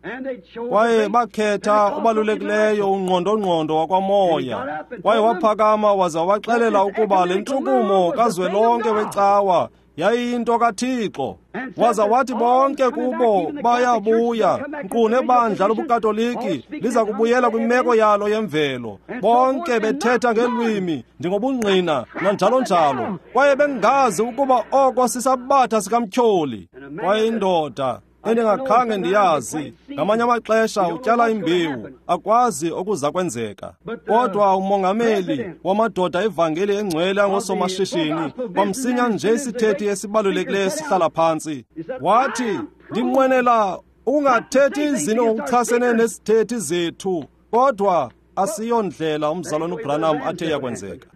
A: Kwaye bakhetha obalulekileyo ungqondongqondo wakwamoya, kwaye waphakama waza waxelela ukuba le ntshukumo kazwelonke wecawa yayiyinto kaThixo. Waza wathi bonke kubo bayabuya, nkqu nebandla lobuKatoliki liza kubuyela kwimeko yalo yemvelo, bonke bethetha ngeelwimi njengobungqina nanjalo njalo, kwaye bengazi ukuba oko sisabatha sikamtyholi. Kwaye indoda endingakhange ndiyazi Ngamanye amaxesha utyala imbewu, akwazi okuza kwenzeka. Kodwa umongameli wamadoda evangeli engcwele angosomashishini, kwamsinya nje isithethi esibalulekileyo sihlala phantsi, wathi, ndinqwenela ukungathethi izinto ngokuchasene nezithethi zethu, kodwa asiyondlela umzalwana uBranham athe yakwenzeka.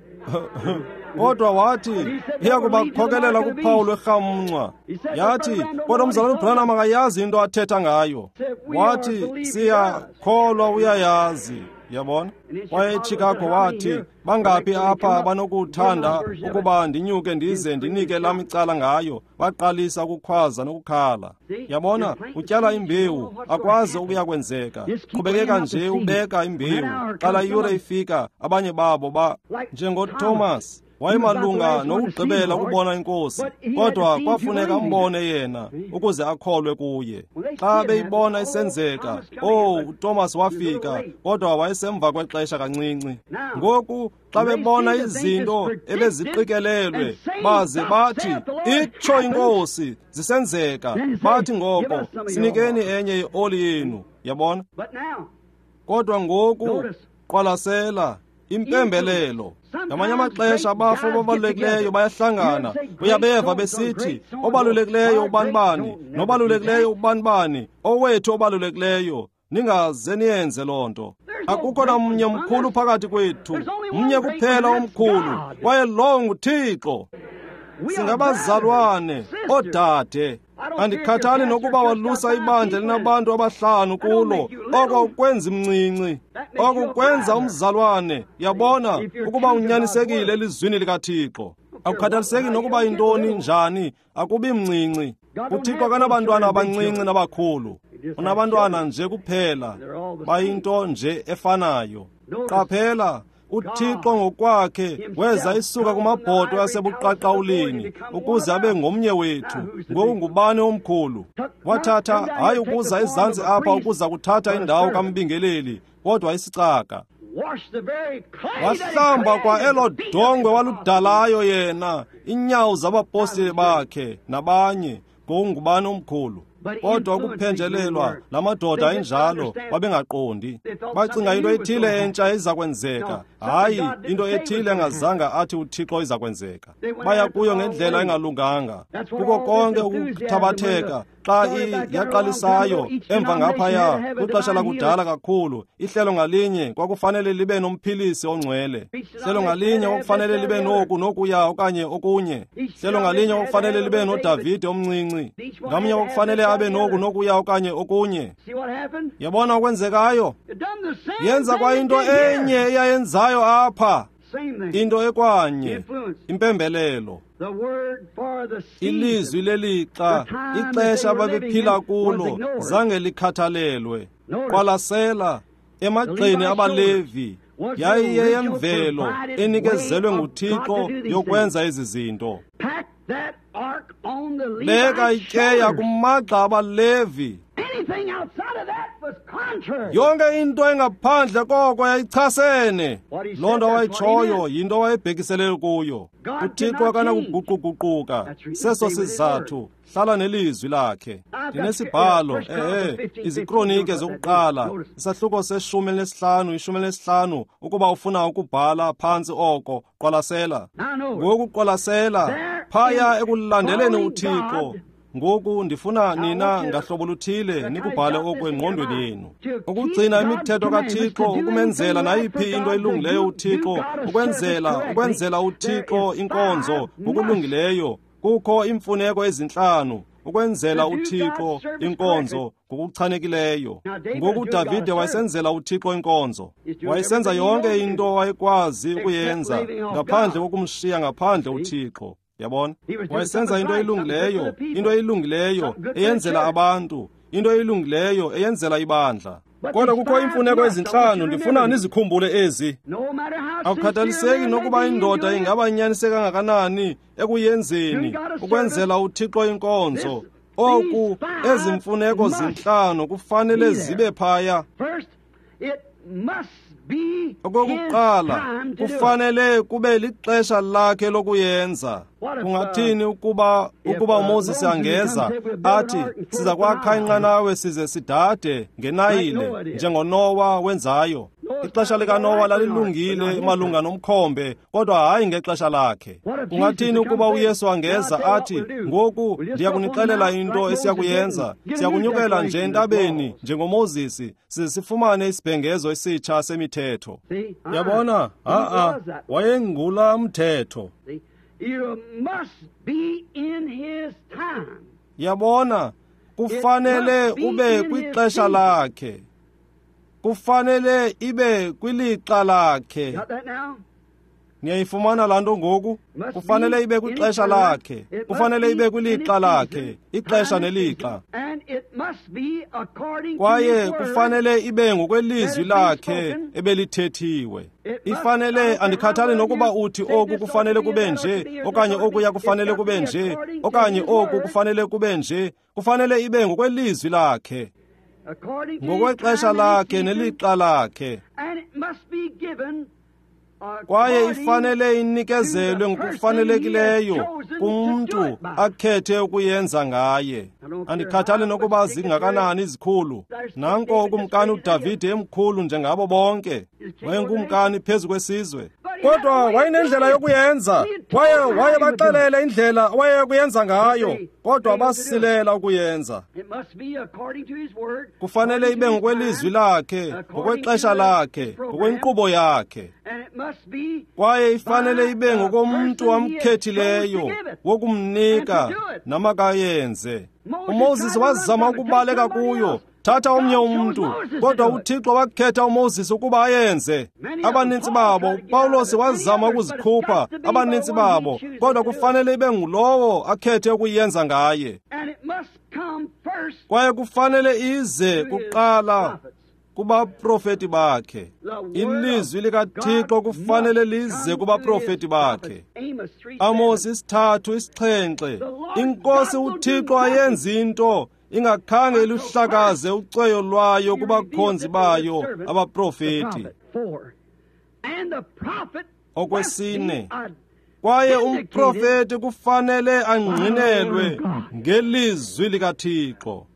A: Kodwa wathi iyakubakhokelela kuphawu lwerhamncwa. Yathi, kodwa umzalwana uBranham akayazi into athetha ngayo. Wathi, siyakholwa uyayazi. Yabona? Kwaye eChicago wathi, bangaphi apha banokuthanda ukuba ndinyuke ndize ndinike lam icala ngayo? Baqalisa ukukhwaza nokukhala. Yabona, utyala imbewu, akwazi okuya kwenzeka. Qhubekeka nje ubeka imbewu. Xa la yure ifika, abanye babo ba njengoThomas wayemalunga nokugqibela ukubona inkosi, kodwa kwafuneka ambone yena ukuze akholwe kuye. Xa beyibona isenzeka, oh, uThomas wafika, kodwa wayesemva kwexesha kancinci. Ngoku xa bebona izinto ebeziqikelelwe, baze bathi, itsho inkosi, zisenzeka, bathi ngoko, sinikeni enye yeoli yenu. Yabona? Kodwa ngoku qwalasela impembelelo. Ngamanye amaxesha abafo ababalulekileyo bayahlangana, uyabeva besithi, obalulekileyo ubanibani, nobalulekileyo ubanibani, owethu obalulekileyo. Ningaze niyenze loo nto. Akukho namnye mkhulu phakathi kwethu, mnye kuphela omkhulu, kwaye lowo nguThixo. Singabazalwane, oodade. Andikhathali nokuba walusa ibandla linabantu abahlanu kulo, oko kwenza mncinci, oko kwenza umzalwane. Yabona ukuba unyanisekile elizwini likaThixo. Akukhathaliseki nokuba yintoni njani, akubi mncinci. UThixo akanabantwana abancinci nabakhulu, unabantwana nje kuphela, bayinto nje efanayo. Qaphela, uThixo ngokwakhe weza isuka kumabhoto asebuqaqawulini ukuze abe ngomnye wethu. Ngoku ngubani omkhulu? Wathatha, hayi ukuza ezantsi apha ukuza kuthatha indawo kambingeleli, kodwa isicaka. Wahlamba kwa elo dongwe waludalayo yena, inyawo zabapostile bakhe nabanye. Ngoku ngubani omkhulu? Kodwa ukuphenjelelwa la madoda ayinjalo, babengaqondi. Bacinga into ethile entsha iza kwenzeka, hayi into ethile engazanga athi uThixo iza kwenzeka. Baya kuyo ngendlela engalunganga. Kuko konke ukuthabatheka xa yaqalisayo emva ngaphaya kwixesha lakudala kakhulu, ihlelo ngalinye kwakufanele libe nomphilisi ongcwele. Ihlelo ngalinye kwakufanele libe noku nokuya okanye okunye. Ihlelo ngalinye kwakufanele libe noDavide omncinci. Ngamnye kwakufanele abe noku nokuya okanye okunye. Yabona okwenzekayo? Yenza kwa into enye eyayenzayo apha, into ekwanye, impembelelo. Ilizwi lelixa, ixesha ababephila kulo, zange likhathalelwe. Qwalasela, emagxeni abaLevi yayiyeyemvelo enikezelwe nguThixo yokwenza ezi zinto. Beka ityeya kumagxa abaLevi. Yonke into engaphandle koko yayichasene. Loo nto wayitshoyo yinto wayebhekiselele kuyo. uThixo akanakuguquguquka. Seso sizathu, hlala nelizwi lakhe. Ndinesibhalo, iziKronike zokuqala, isahluko se-15, 15, ukuba ufuna ukubhala phantsi oko, qwalasela. Ngoku qwalasela, phaya ekulandeleni uThixo. Ngoku ndifuna nina ngahlobo luthile nikubhale oku engqondweni yenu. Ukugcina imithetho kaThixo, ukumenzela nayiphi into elungileyo uThixo, ukwenzela uThixo inkonzo ngokulungileyo. Kukho imfuneko ezintlanu ukwenzela uThixo inkonzo ngokuchanekileyo. Ngoku uDavide wayesenzela uThixo inkonzo. Wayesenza yonke into wayekwazi ukuyenza ngaphandle kokumshiya ngaphandle uThixo. Yabona? Wayesenza into elungileyo, into elungileyo eyenzela abantu, into elungileyo eyenzela ibandla. Kodwa kukho imfuneko ezintlanu, ndifuna nizikhumbule ezi. Akukhathaliseki nokuba indoda ingaba inyaniseke kangakanani ekuyenzeni, ukwenzela uThixo inkonzo. Oku, ezi mfuneko zintlanu kufanele zibe phaya. Okokuqala, kufanele kube lixesha lakhe lokuyenza. Kungathini ukuba uMoses angeza athi siza kwakha inqanawe size sidade ngeNayile njengoNowa wenzayo? Ixesha likaNowa lalilungile malunga nomkhombe, kodwa hayi ngexesha lakhe. Kungathini ukuba uYesu angeza athi, ngoku ndiyakunixelela into esiyakuyenza, siyakunyukela nje entabeni njengoMoses, size sifumane isibhengezo esitsha semithetho. Yabona, ha-a, wayengula mthetho. Yabona, kufanele ube kwixesha lakhe. Kufanele ibe kwilixa lakhe. Niyayifumana laa nto ngoku? Kufanele ibe kwixesha lakhe. Kufanele ibe kwilixa lakhe, ixesha nelixa. Kwaye kufanele ibe ngokwelizwi lakhe ebelithethiwe. Ifanele, andikhathali nokuba uthi oku kufanele kube nje, okanye okuya kufanele kube nje, okanye oku kufanele kube nje. Kufanele ibe ngokwelizwi lakhe, ngokwexesha lakhe nelixa lakhe. Kwaye ifanele inikezelwe ngokufanelekileyo kumntu akhethe ukuyenza ngaye. Andikhathali nokuba zingakanani izikhulu. Nanko ukumkani uDavide emkhulu njengabo bonke, wayengukumkani phezu kwesizwe, kodwa wayenendlela yokuyenza. Kwaye wayebaxelele indlela awayeyokuyenza ngayo, kodwa basilela ukuyenza. Kufanele ibe ngokwelizwi lakhe, ngokwexesha lakhe, ngokwenkqubo yakhe. Kwaye ifanele ibe ngokomntu amkhethileyo wokumnika namakayenze. uMoses wazama ukubaleka kuyo, thatha omnye umntu, kodwa uThixo wakhetha uMoses ukuba ayenze. Abanintsi babo, uPawulos wazama ukuzikhupha, abanintsi babo, kodwa kufanele ibe ngulowo akhethe ukuyenza ngaye. Kwaye kufanele ize kuqala kubaprofeti bakhe. Ilizwi likaThixo kufanele lize kubaprofeti bakhe. Amos 3:7, iNkosi uThixo ayenzi into ingakhange iluhlakaze ucweyo lwayo kubakhonzi bayo abaprofeti. Okwesine, kwaye umprofeti kufanele angqinelwe ngelizwi likaThixo.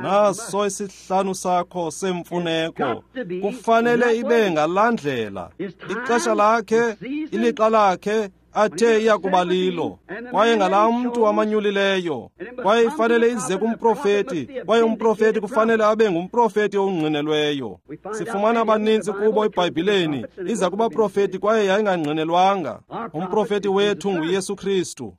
A: Naso isihlanu sakho semfuneko, kufanele ibe ngalaa ndlela. Ixesha lakhe, ilixa lakhe athe iyakuba lilo, kwaye ngalaa mntu amanyulileyo. Kwaye ifanele ize kumprofeti, kwaye umprofeti kufanele abe ngumprofeti ongqinelweyo. Sifumana abanintsi kubo eBhayibhileni, iza kubaprofeti kwaye yayingangqinelwanga. Umprofeti wethu nguYesu Kristu.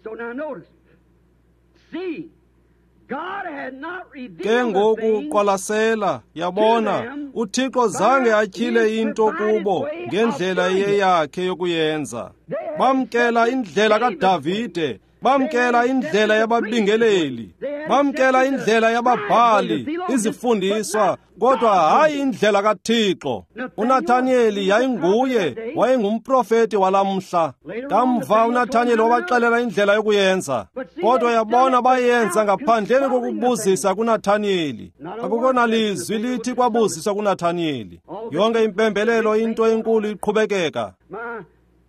A: Ke ngoku qwalasela, yabona, uThixo zange atyhile into kubo ngendlela eyeyakhe yokuyenza. Bamkela indlela kaDavide, bamkela indlela yababingeleli, bamkela indlela yababhali, izifundiswa, kodwa hayi indlela kaThixo. uNathaniyeli yayinguye, wayengumprofeti walamhla. Kamva uNathaniyeli wabaxelela indlela yokuyenza, kodwa yabona bayenza ngaphandleni kokubuzisa kuNathaniyeli. Akukho nalizwi lithi kwabuziswa kuNathaniyeli. Yonke impembelelo, into enkulu iqhubekeka.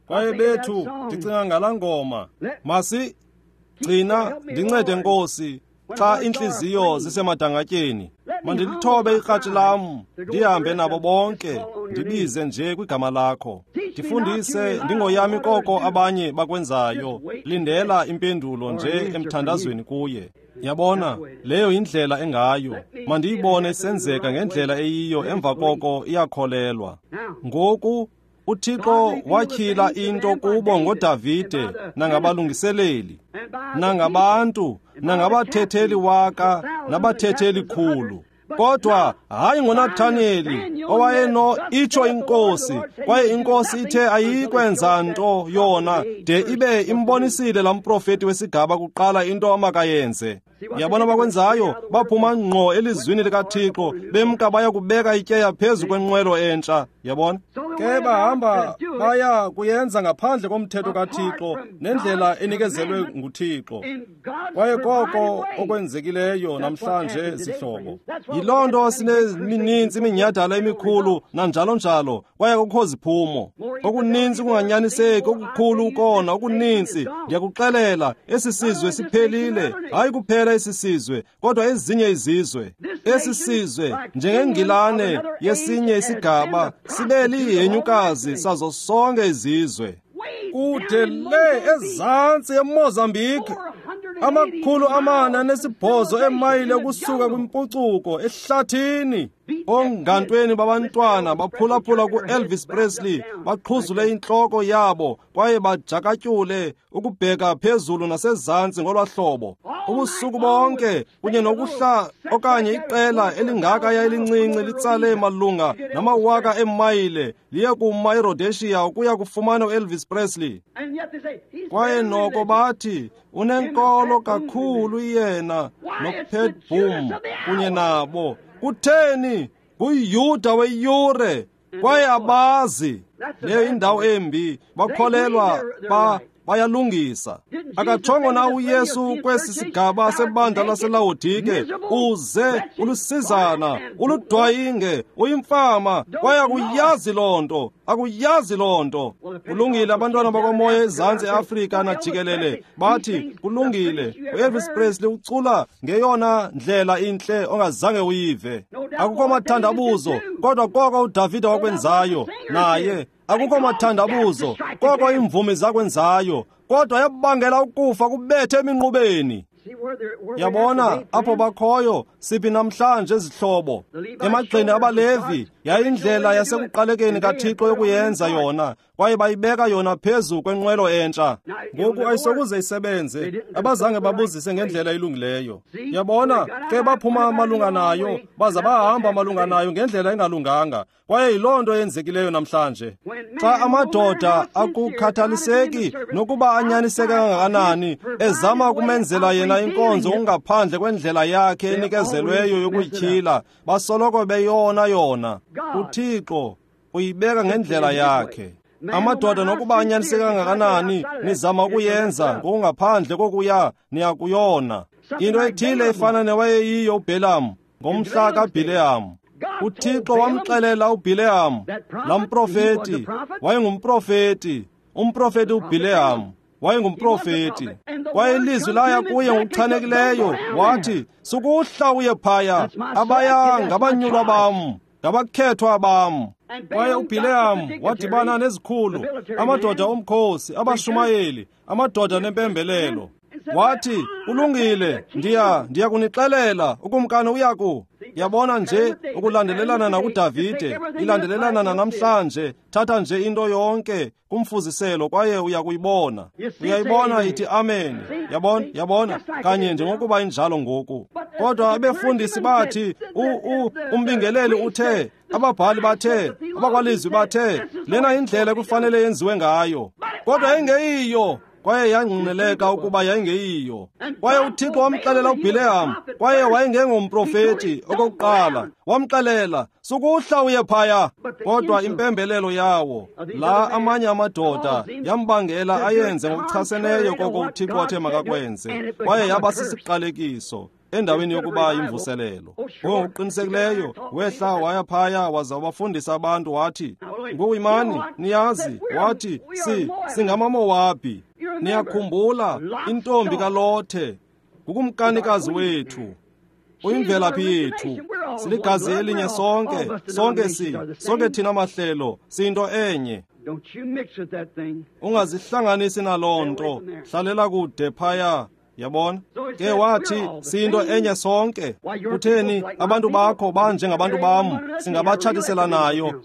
A: Kwaye bethu, ndicinga ngalaa ngoma, masigcina, ndincede Nkosi, xa iintliziyo zisemadangatyeni. Mandilithobe ikratshi lam, ndihambe nabo bonke, ndibize nje kwigama lakho. Ndifundise ndingoyami koko abanye bakwenzayo, lindela impendulo nje emthandazweni kuye. Yabona, leyo yindlela engayo. Mandiyibone isenzeka ngendlela eyiyo, emva koko iyakholelwa. Ngoku uThixo watyhila into kubo ngoDavide nangabalungiseleli, nangabantu, nangabathetheli waka, nabathetheli khulu. Kodwa hayi ngoNathaniyeli owayeno itsho iNkosi, kwaye iNkosi ithe ayikwenza nto yona de ibe imbonisile laa mprofeti wesigaba kuqala into amakayenze. Yabona bakwenzayo, baphuma ngqo elizwini likaThixo, bemka baya kubeka ityeya phezu kwenqwelo entsha. Yabona? Ke bahamba baya kuyenza ngaphandle komthetho kaThixo nendlela enikezelwe nguThixo. Kwaye koko okwenzekileyo namhlanje, zihlobo. Yiloo nto sinemininzi iminyhadala emikhulu nanjalo njalo, kwaye akukho ziphumo. Okuninzi ukunganyaniseki, okukhulu ukona, okuninzi. Ndiyakuxelela, esi sizwe siphelile. Hayi kuphela esi sizwe, kodwa ezinye izizwe. Esi sizwe, njengeNgilane yesinye isigaba, sibe lihenyukazi sazo sonke izizwe. Kude le ezantsi eMozambique, 408 eemayile ukusuka kwimpucuko ehlathini. Ongantweni babantwana baphulaphula ku-Elvis Presley, baqhuzule intloko yabo kwaye bajakatyule ukubheka phezulu nasezantsi ngolwa hlobo ubusuku bonke, kunye nokuhla okanye iqela elingakaya elincinci litsale malunga namawaka eemayile liye kuma eRhodesia ukuya kufumana u-Elvis Presley. Kwaye noko bathi unenkolo kakhulu yena noPat Boone kunye nabo. Kutheni? NguYuda weyure, kwaye abazi. Leyo indawo embi, bakholelwa bayalungisa. Akatshongo na uYesu kwesi sigaba sebandla laseLawodike, uze ulusizana, uludwayinge, uyimfama, kwaye akuyazi loo nto, akuyazi loo nto. Kulungile, abantwana bakwamoya ezantsi eAfrika najikelele bathi kulungile, uElvis Presley ucula ngeyona ndlela intle ongazange uyive. Akukho mathandabuzo, kodwa koko uDavide wakwenzayo naye. Akukho mathandabuzo, koko iimvumi zakwenzayo, kodwa yabangela ukufa kubethe eminqubeni. Yabona apho bakhoyo siphi namhlanje, zihlobo? Emagxeni abaLevi yayindlela yasekuqalekeni kaThixo yokuyenza yona, kwaye bayibeka yona phezu kwenqwelo entsha. Ngoku ayisokuze isebenze, abazange babuzise ngendlela elungileyo. Yabona ke baphuma malunga nayo, baza bahamba malunga nayo ngendlela engalunganga. Kwaye yiloo nto eyenzekileyo namhlanje. Xa amadoda akukhathaliseki nokuba anyaniseke kangakanani, ezama ukumenzela yena inkonzo ngaphandle kwendlela yakhe enikezelweyo yokuyityhila, basoloko beyona yona. UThixo uyibeka ngendlela yakhe. Amadoda nokuba anyaniseke kangakanani, nizama ukuyenza ngokungaphandle kokuya niyakuyona. Into ethile efana newayeyiyo uBhelamu ngomhla kaBhileyamu. uThixo wamxelela uBhileyamu, laa mprofeti, wayengumprofeti, umprofeti uBhileyamu wayengumprofeti. Kwaye ilizwi laya kuye ngokuchanekileyo, wathi, sukuhla uye phaya, abaya ngabanyulwa bam, ngabakhethwa bam. Kwaye uBhileyamu wadibana nezikhulu, amadoda omkhosi, abashumayeli, amadoda nempembelelo. Wathi, kulungile, ndiya kunixelela, ukumkani uyaku. Yabona nje ukulandelelana nakuDavide, ilandelelana nanamhlanje. Thatha nje into yonke kumfuziselo kwaye uyakuyibona. Uyayibona ithi amen. Yabona, yabona kanye njengokuba injalo ngoku. Kodwa abefundisi bathi, umbingeleli uthe, ababhali bathe, abakwalizwi bathe, lena indlela ekufanele yenziwe ngayo. Kodwa ingeyiyo. Kwaye yangqineleka ukuba yayingeyiyo. Kwaye uThixo wamxelela uBhileyamu, kwaye wayengengomprofeti okokuqala, wamxelela, sukuhla uye phaya. Kodwa impembelelo yawo la amanye amadoda yambangela ayenze ngokuchaseneyo koko uThixo wathe makakwenze, kwaye yaba sisiqalekiso endaweni yokuba imvuselelo. Ngokuqinisekileyo wehla waya phaya waza wabafundisa abantu, wathi, ngoku imani, niyazi, wathi, singamaMowabhi. Niyakhumbula intombi kaLothe, ngukumkanikazi wethu, uyimvelaphi yethu, siligazi elinye sonke, sonke sonke thina mahlelo siyinto enye. Ungazihlanganisi naloo nto, hlalela kude phaya. Yabona? Ke wathi, siyinto enye sonke. Kutheni abantu bakho banjengabantu bam, singabatshatisela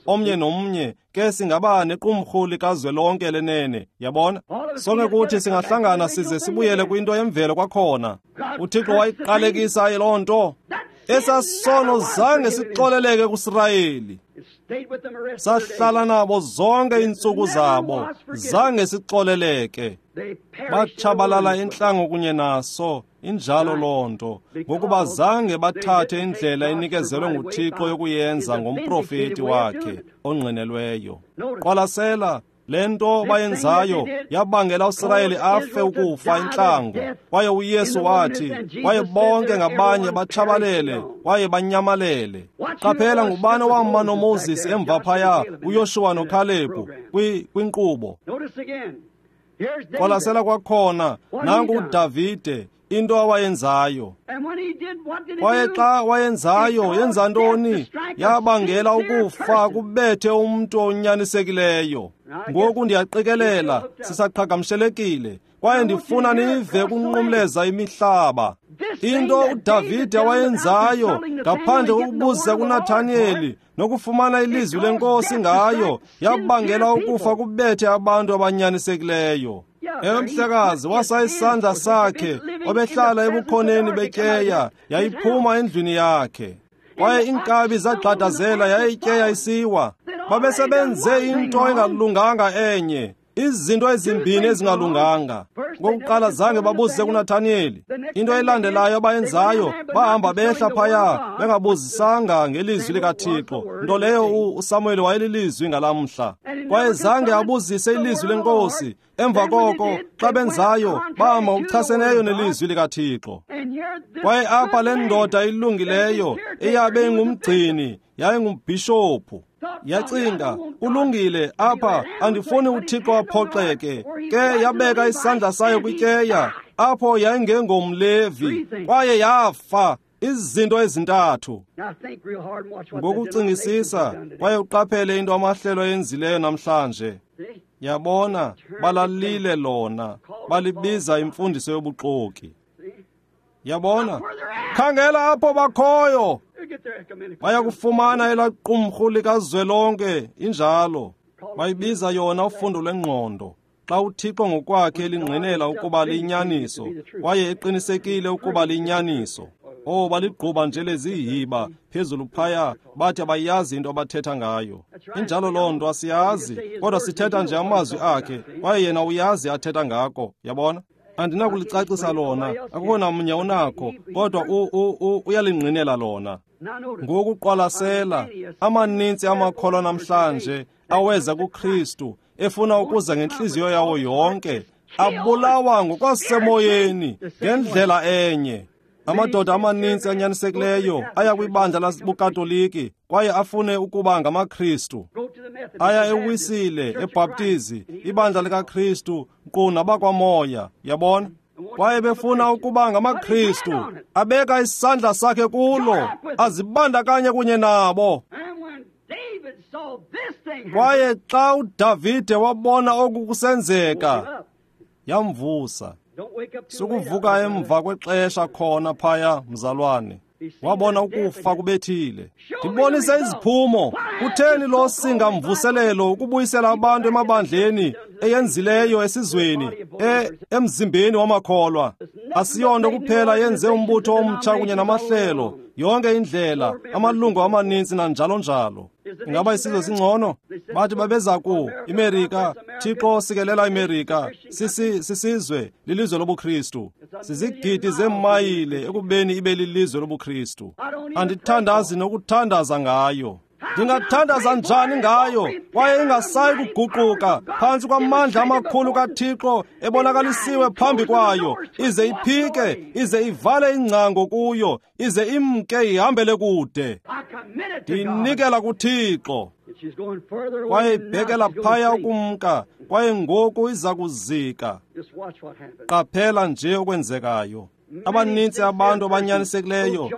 A: omnye nomnye, ke singaba nequmrhu likazwelonke lenene. Yabona? Sonke kuthi singahlangana size sibuyele kwinto yemvelo kwakhona. uThixo wayiqalekisa loo nto. Esasono zange sixoleleke kuSirayeli. Sahlala nabo zonke iintsuku zabo, zange sixoleleke. Batshabalala entlango kunye naso, injalo loo nto, ngokuba zange bathathe indlela enikezelwe nguThixo yokuyenza ngomprofeti wakhe ongqinelweyo. Qwalasela, le nto bayenzayo yabangela uSirayeli afe ukufa intlango. Kwaye uYesu wathi, kwaye bonke ngabanye batshabalele kwaye banyamalele. Qaphela ngubani owama noMoses emva phaya, uYoshuwa noKhalebhu kwinkqubo. Qwalasela kwakhona, nanku uDavide, into awayenzayo. Kwaye xa wayenzayo, yenza ntoni? Yabangela ukufa kubethe umntu onyanisekileyo. Ngoku ndiyaqikelela sisaqhagamshelekile, kwaye ndifuna nive kunqumleza imihlaba. Into uDavide awayenzayo ngaphandle kokubuza kuNathaniyeli nokufumana ilizwi lenkosi ngayo, yabangela ukufa kubethe abantu abanyanisekileyo. Ewe mhlekazi, wasa isandla sakhe, obehlala ebukhoneni betyeya, yayiphuma endlwini yakhe. Kwaye iinkabi zagxadazela yaye ityeya isiwa. Babesebenze into engalunganga enye, izinto ezimbini ezingalunganga. Ngokuqala zange babuze kuNathaniyeli. Into elandelayo abayenzayo, bahamba behla phaya bengabuzisanga ngelizwi likaThixo, nto leyo uSamuel wayelilizwi ngalamhla. Kwaye zange abuzise ilizwi lenkosi. Emva koko xa benzayo, bahamba ngokuchaseneyo nelizwi likaThixo. Kwaye apha le ndoda ilungileyo eyabe ingumgcini, yayingumbhishophu, yacinga, kulungile, apha andifuni uThixo aphoxeke. Ke yabeka isandla sayo kwityeya, apho yayingengomLevi, kwaye yafa. Izinto ezintathu. Ngokucingisisa, kwaye uqaphele into amahlelo ayenzileyo namhlanje. Yabona, balalile lona, balibiza imfundiso yobuxoki. Yabona, khangela apho bakhoyo. Bayakufumana elaa qumrhu likazwelonke, injalo. Bayibiza yona ufundo lwengqondo. Xa uThixo ngokwakhe elingqinela ukuba liyinyaniso, kwaye eqinisekile ukuba liyinyaniso. Oh, baligquba nje lezihiba phezulu phaya, bathi abayazi into abathetha ngayo. Injalo loo nto, asiyazi, kodwa sithetha nje amazwi akhe, kwaye yena uyazi athetha ngako. Yabona? Andinakulicacisa lona, akukho namnye unakho, kodwa uyalingqinela lona. Ngokuqwalasela, amaninzi amakholwa namhlanje aweza kuKristu efuna ukuza ngentliziyo yawo yonke, abulawa ngokwasemoyeni ngendlela enye. Amadoda amaninzi anyanisekileyo aya kwibandla labuKatoliki kwaye afune ukuba ngamaKristu. Aya eWisile, eBhaptizi, ibandla likaKristu, nkqu nabakwaMoya, yabona? Kwaye befuna ukuba ngamaKristu, abeka isandla sakhe kulo, azibandakanye kunye nabo. Kwaye xa uDavide wabona oku kusenzeka, yamvusa. Sukuvuka emva kwexesha khona phaya, mzalwane. Wabona ukufa kubethile. Ndibonise iziphumo. Kutheni lo singamvuselelo ukubuyisela abantu emabandleni eyenzileyo esizweni, emzimbeni wamakholwa? Asiyonto kuphela yenze umbutho omtsha kunye namahlelo, yonke indlela, amalungu amaninzi nanjalo njalo. Ingaba isizwe singcono? Bathi babeza ku iMerika, Thixo sikelela iMerika, sisizwe, lilizwe lobuKristu. Sizigidi zeemayile ekubeni ibe lilizwe lobuKristu. Andithandazi nokuthandaza ngayo. Ndingathandaza njani ngayo kwaye ingasayi kuguquka phantsi kwamandla amakhulu kaThixo ebonakalisiwe phambi kwayo, ize iphike, ize ivale ingcango kuyo, ize imke ihambele kude. Ndiyinikela kuThixo. Kwaye ibhekela phaya ukumka, kwaye ngoku iza kuzika. Qaphela nje okwenzekayo. Abanintsi abantu abanyanisekileyo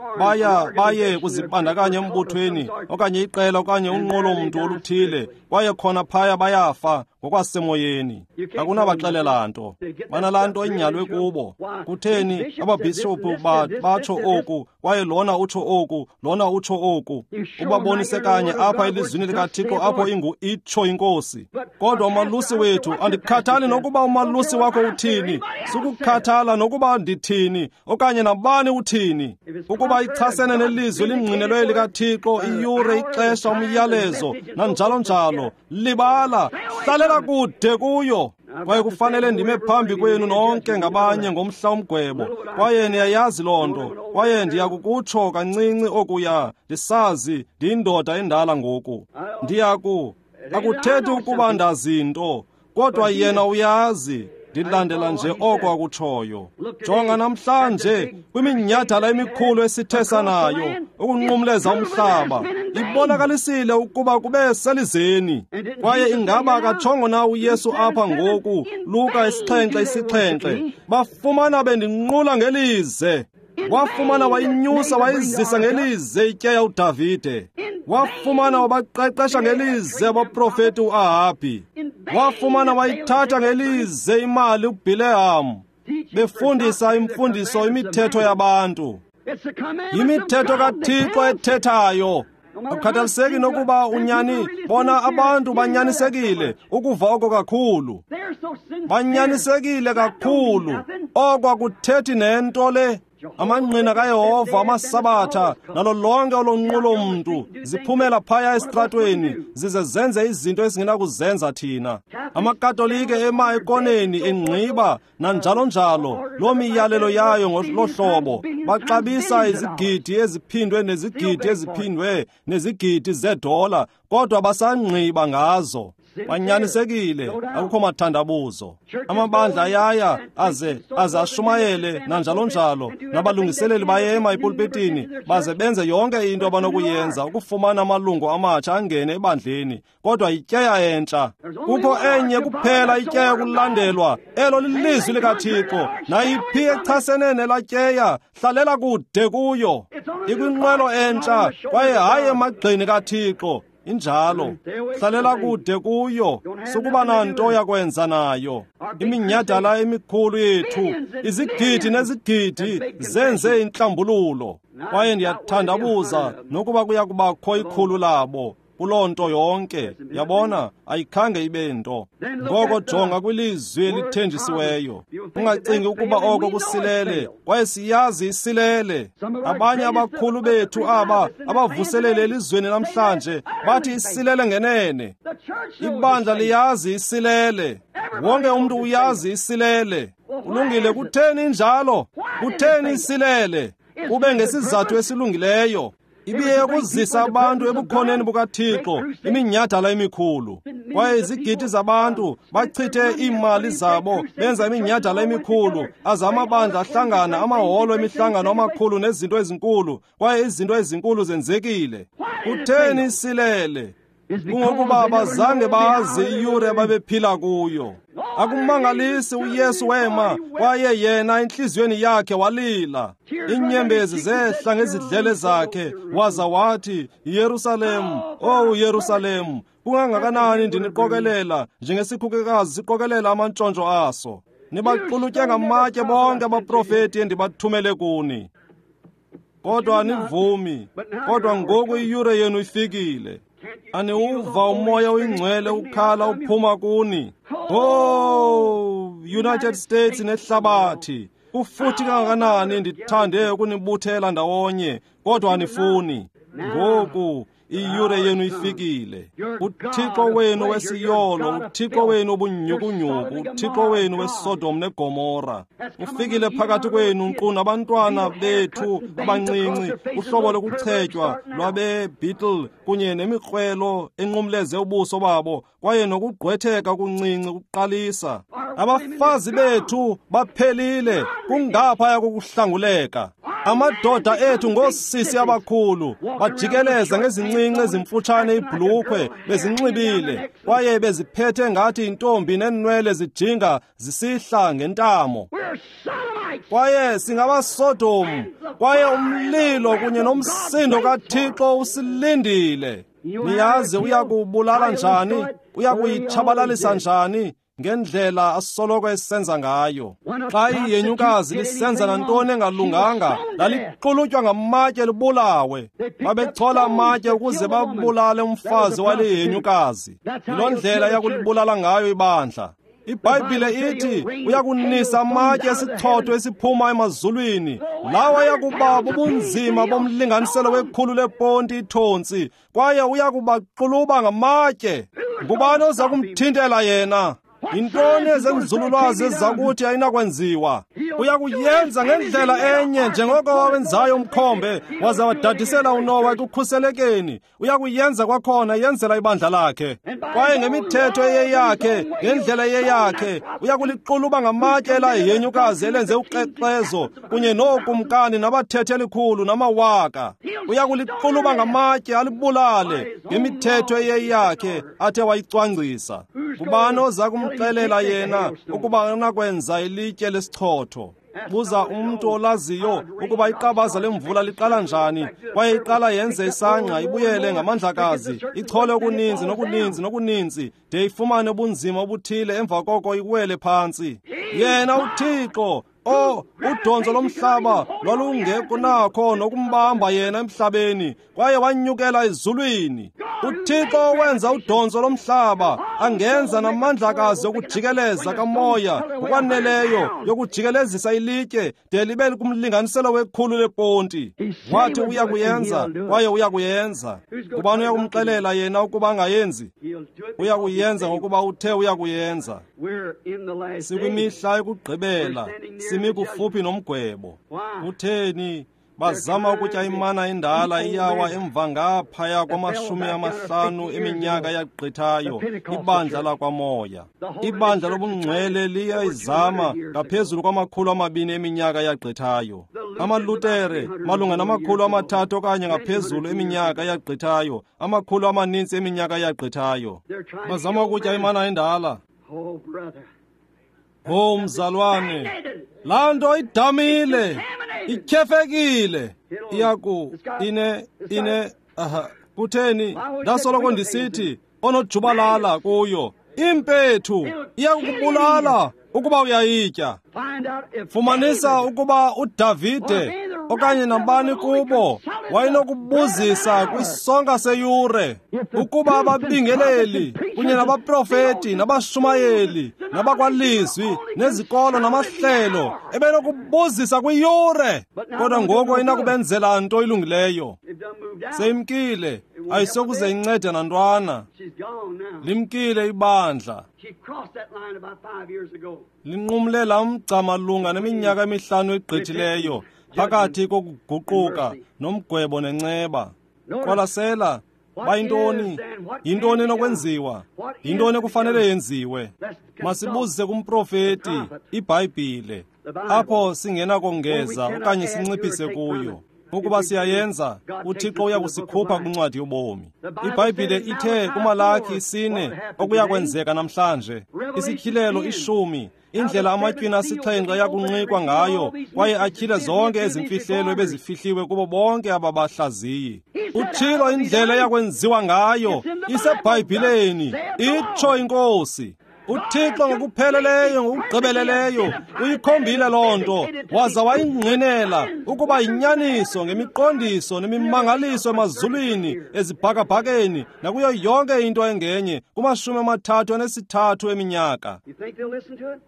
A: baye kuzibandakanya embuthweni okanye iqela okanye unqolomntu oluthile, kwaye khona phaya bayafa ngokwasemoyeni. Akunabaxelela nto, banalaa nto inyalwe kubo. Kutheni ababhishophu batsho oku, kwaye lona utsho oku, lona utsho oku? Ubabonise kanye apha elizwini likaThixo apho ingu itsho inkosi. Kodwa umalusi wethu, andikhathali nokuba umalusi wakho uthini, sukukhathala nokuba ndithini. uthini okanye nabani uthini. Ukuba ichasene nelizwi elingqinelweyo likaThixo, iyure, ixesha, umyalezo, nanjalo njalo, libala, hlalela kude kuyo. Kwaye kufanele ndime phambi kwenu nonke ngabanye ngomhla womgwebo, kwaye niyayazi loo nto. Kwaye ndiyakukutsho kancinci okuya, ndisazi ndiyindoda endala ngoku. Akuthethi ukuba ndazi nto, kodwa yena uyazi. Ndilandela nje oko akutshoyo. Jonga namhlanje kwiminyhadala emikhulu esithesa nayo ukunqumleza umhlaba, ibonakalisile ukuba kube selizeni. Kwaye ingaba akatshongo na uYesu apha ngoku, Luka 7:7, bafumana bendinqula ngelize. Wafumana wayinyusa wayizisa ngelize ityeya uDavide. Wafumana wabaqeqesha ngelize abaprofeti uAhabhi. Wafumana wayithatha ngelize imali uBhilehamu, befundisa imfundiso imithetho yabantu. Yimithetho kaThixo ethethayo. Akukhathaliseki nokuba unyani, bona abantu banyanisekile ukuva oko kakhulu. Banyanisekile kakhulu, oko akuthethi nento le. Amangqina kaYehova, amasabatha, nalo lonke olonqulo mntu ziphumela phaya esitratweni zize zenze izinto esingenakuzenza thina. AmaKatolike ema ekoneni engqiba nanjalo njalo, loo miyalelo yayo ngolohlobo. Baxabisa izigidi eziphindwe nezigidi eziphindwe nezigidi zedola, kodwa basangqiba ngazo. Banyanisekile, akukho mathandabuzo. Amabandla ayaya aze ashumayele nanjalo njalo, nabalungiseleli bayema epulpitini baze benze yonke into abanokuyenza ukufumana amalungu amatsha angene ebandleni, kodwa yityeya entsha. Kukho enye kuphela ityeya kulandelwa, elo lilizwi likaThixo. Nayiphi echasene nelatyeya, hlalela kude kuyo. Ikwinqwelo entsha kwaye hayi emagxeni kaThixo. Injalo, hlalela kude kuyo, sukuba nanto yakwenza nayo. Iminyhadala emikhulu yethu, izigidi nezigidi zenze intlambululo. Kwaye ndiyathandabuza nokuba kuya kubakho ikhulu labo kuloo nto yonke. Yabona, ayikhange ibe nto. Ngoko jonga kwilizwi elithenjisiweyo. Ungacingi ukuba oko kusilele, kwaye siyazi isilele. Abanye abakhulu bethu aba abavuselele elizweni namhlanje bathi isilele ngenene. Ibandla liyazi isilele. Wonke umntu uyazi isilele. Kulungile, kutheni injalo? Kutheni isilele? Kube ngesizathu esilungileyo. Ibiye ukuzisa abantu ebukhoneni bukaThixo, iminyhadala emikhulu. Kwaye izigidi zabantu bachithe iimali zabo benza iminyhadala emikhulu, aze amabandla ahlangana, amaholo emihlangano amakhulu nezinto ezinkulu, kwaye izinto ezinkulu zenzekile. Kutheni isilele? Kungokuba abazange bazi iyure ababephila kuyo. Akumangalisi uYesu wema, kwaye yena entliziyweni yakhe walila. Iinyembezi zehla ngezidlele zakhe, waza wathi, Yerusalem, oh Yerusalem, kungangakanani ndiniqokelela njengesikhukukazi siqokelela amantshontsho aso. Nibaxulutye ngamatye bonke abaprofeti endibathumele kuni. Kodwa anivumi, kodwa ngoku iyure yenu ifikile. Aniwuva umoya oyingcwele ukhala uphuma kuni. Oh, United States nehlabathi, kufuthi kangakanani ndithande ukunibuthela ndawonye, kodwa anifuni. Ngoku iyure yenu ifikile. UThixo wenu wesiyolo, uThixo wenu obunyhukunyhuku, uThixo wenu weSodom neGomora ufikile phakathi kwenu, nkqu nabantwana bethu abancinci, uhlobo lokuchetywa lwabeBeetle kunye nemikrwelo enqumleze ubuso babo, kwaye nokugqwetheka okuncinci kuqalisa. Abafazi bethu baphelile, kungaphaya kokuhlanguleka. Amadoda ethu ngoosisi abakhulu, bajikeleza ngezincinci ezimfutshane ibhulukhwe bezinxibile, kwaye beziphethe ngathi intombi neenwele zijinga zisihla ngentamo. Kwaye singabaSodom, kwaye umlilo kunye nomsindo kaThixo usilindile. Niyazi uyakubulala njani, uyakuyitshabalalisa njani, ngendlela asoloko esenza ngayo. Xa iyenyukazi lisenza nantoni engalunganga, lalixulutywa ngamatye libulawe. Babechola amatye ukuze babulale umfazi wale yenyukazi. Yiloo ndlela yakulibulala ngayo ibandla. IBhayibhile ithi uyakunisa amatye esichotho esiphuma emazulwini, lawa ayakuba bubunzima bomlinganiselo wekhulu leponti ithontsi, kwaye uyakubaxuluba ngamatye. Ngubani oza kumthintela yena? Yintoni ezenzululwazi eziza kuthi ayinakwenziwa? Uyakuyenza ngendlela enye njengoko wawenzayo umkhombe waza wadadisela uNowa ekukhuselekeni. Uyakuyenza kwakhona yenzela ibandla lakhe. Kwaye ngemithetho eyeyakhe, ngendlela eyeyakhe, uyakuliquluba ngamatye elahenyukazi elenze ukrexezo kunye nookumkani nabathethi elikhulu namawaka. Uyakuliquluba ngamatye alibulale ngemithetho eyeyakhe athe wayicwangcisa. Ngubani oza kumxelela yena ukuba unakwenza ilitye lesichotho? Buza umntu olaziyo ukuba iqabaza lemvula liqala njani, kwaye iqala yenze isangqa ibuyele ngamandlakazi, ichole okuninzi nokuninzi nokuninzi de ifumane ubunzima obuthile, emva koko iwele phantsi. Yena uThixo, udonzo lomhlaba lwalungekunakho nokumbamba yena emhlabeni, kwaye wanyukela ezulwini. UThixo wenza udonzo lomhlaba, angenza namandlakazi okujikeleza kamoya ngokwaneleyo yokujikelezisa ilitye de libe kumlinganiselo wekhulu leponti. Wathi uyakuyenza, kwaye uyakuyenza. Ngubani uyakumxelela yena ukuba angayenzi? Uyakuyenza ngokuba uthe uyakuyenza. Sikwimihla yokugqibela, simi kufuphi nomgwebo. Kutheni bazama ukutya imana endala iyawa emva ngaphaya kwama-50 eminyaka yagqithayo? Ibandla lakwamoya, ibandla lobungcwele liyayizama ngaphezulu kwama-200 eminyaka yagqithayo. AmaLutere malunga nama-300 okanye ngaphezulu eminyaka yagqithayo, amakhulu amaninzi eminyaka yagqithayo. Bazama ukutya imana endala. Oh mzalwane, laa nto idamile, ityhefekile. Iyaku ine ine aha. Kutheni ndasoloko ndisithi onojubalala kuyo impethu iyakubulala ukuba uyayitya. Fumanisa ukuba uDavide okanye nabani kubo wayenokubuzisa kwisonka seyure ukuba ababingeleli kunye nabaprofeti nabashumayeli nabakwalizwi nezikolo namahlelo ebenokubuzisa kwiyure, kodwa ngoku ayinakubenzela nto ilungileyo. Seyimkile, ayisokuze incede nantwana. Limkile ibandla, linqumle lamgca malunga neminyaka emihlanu egqithileyo phakathi kokuguquka nomgwebo nenceba. Qwalasela, bayintoni? Yintoni enokwenziwa? Yintoni ekufanele yenziwe? Masibuzise kumprofeti, iBhayibhile, apho singenakongeza okanye sinciphise kuyo. Ukuba siyayenza, uThixo uyakusikhupha kwincwadi yobomi. IBhayibhile ithe kuMalaki 4 okuyakwenzeka namhlanje, isityhilelo 10, indlela amatywina 7 ayakunqikwa ngayo, kwaye atyhile zonke ezimfihlelo ebezifihliwe kubo bonke ababahlaziyi. Utshilo indlela eyakwenziwa ngayo, iseBhayibhileni, itsho iNkosi. uThixo ngokupheleleyo, ngokugqibeleleyo uyikhombile loo nto, waza wayingqinela ukuba yinyaniso ngemiqondiso nemimangaliso emazulwini, ezibhakabhakeni nakuyo yonke into engenye kuma-33 eminyaka.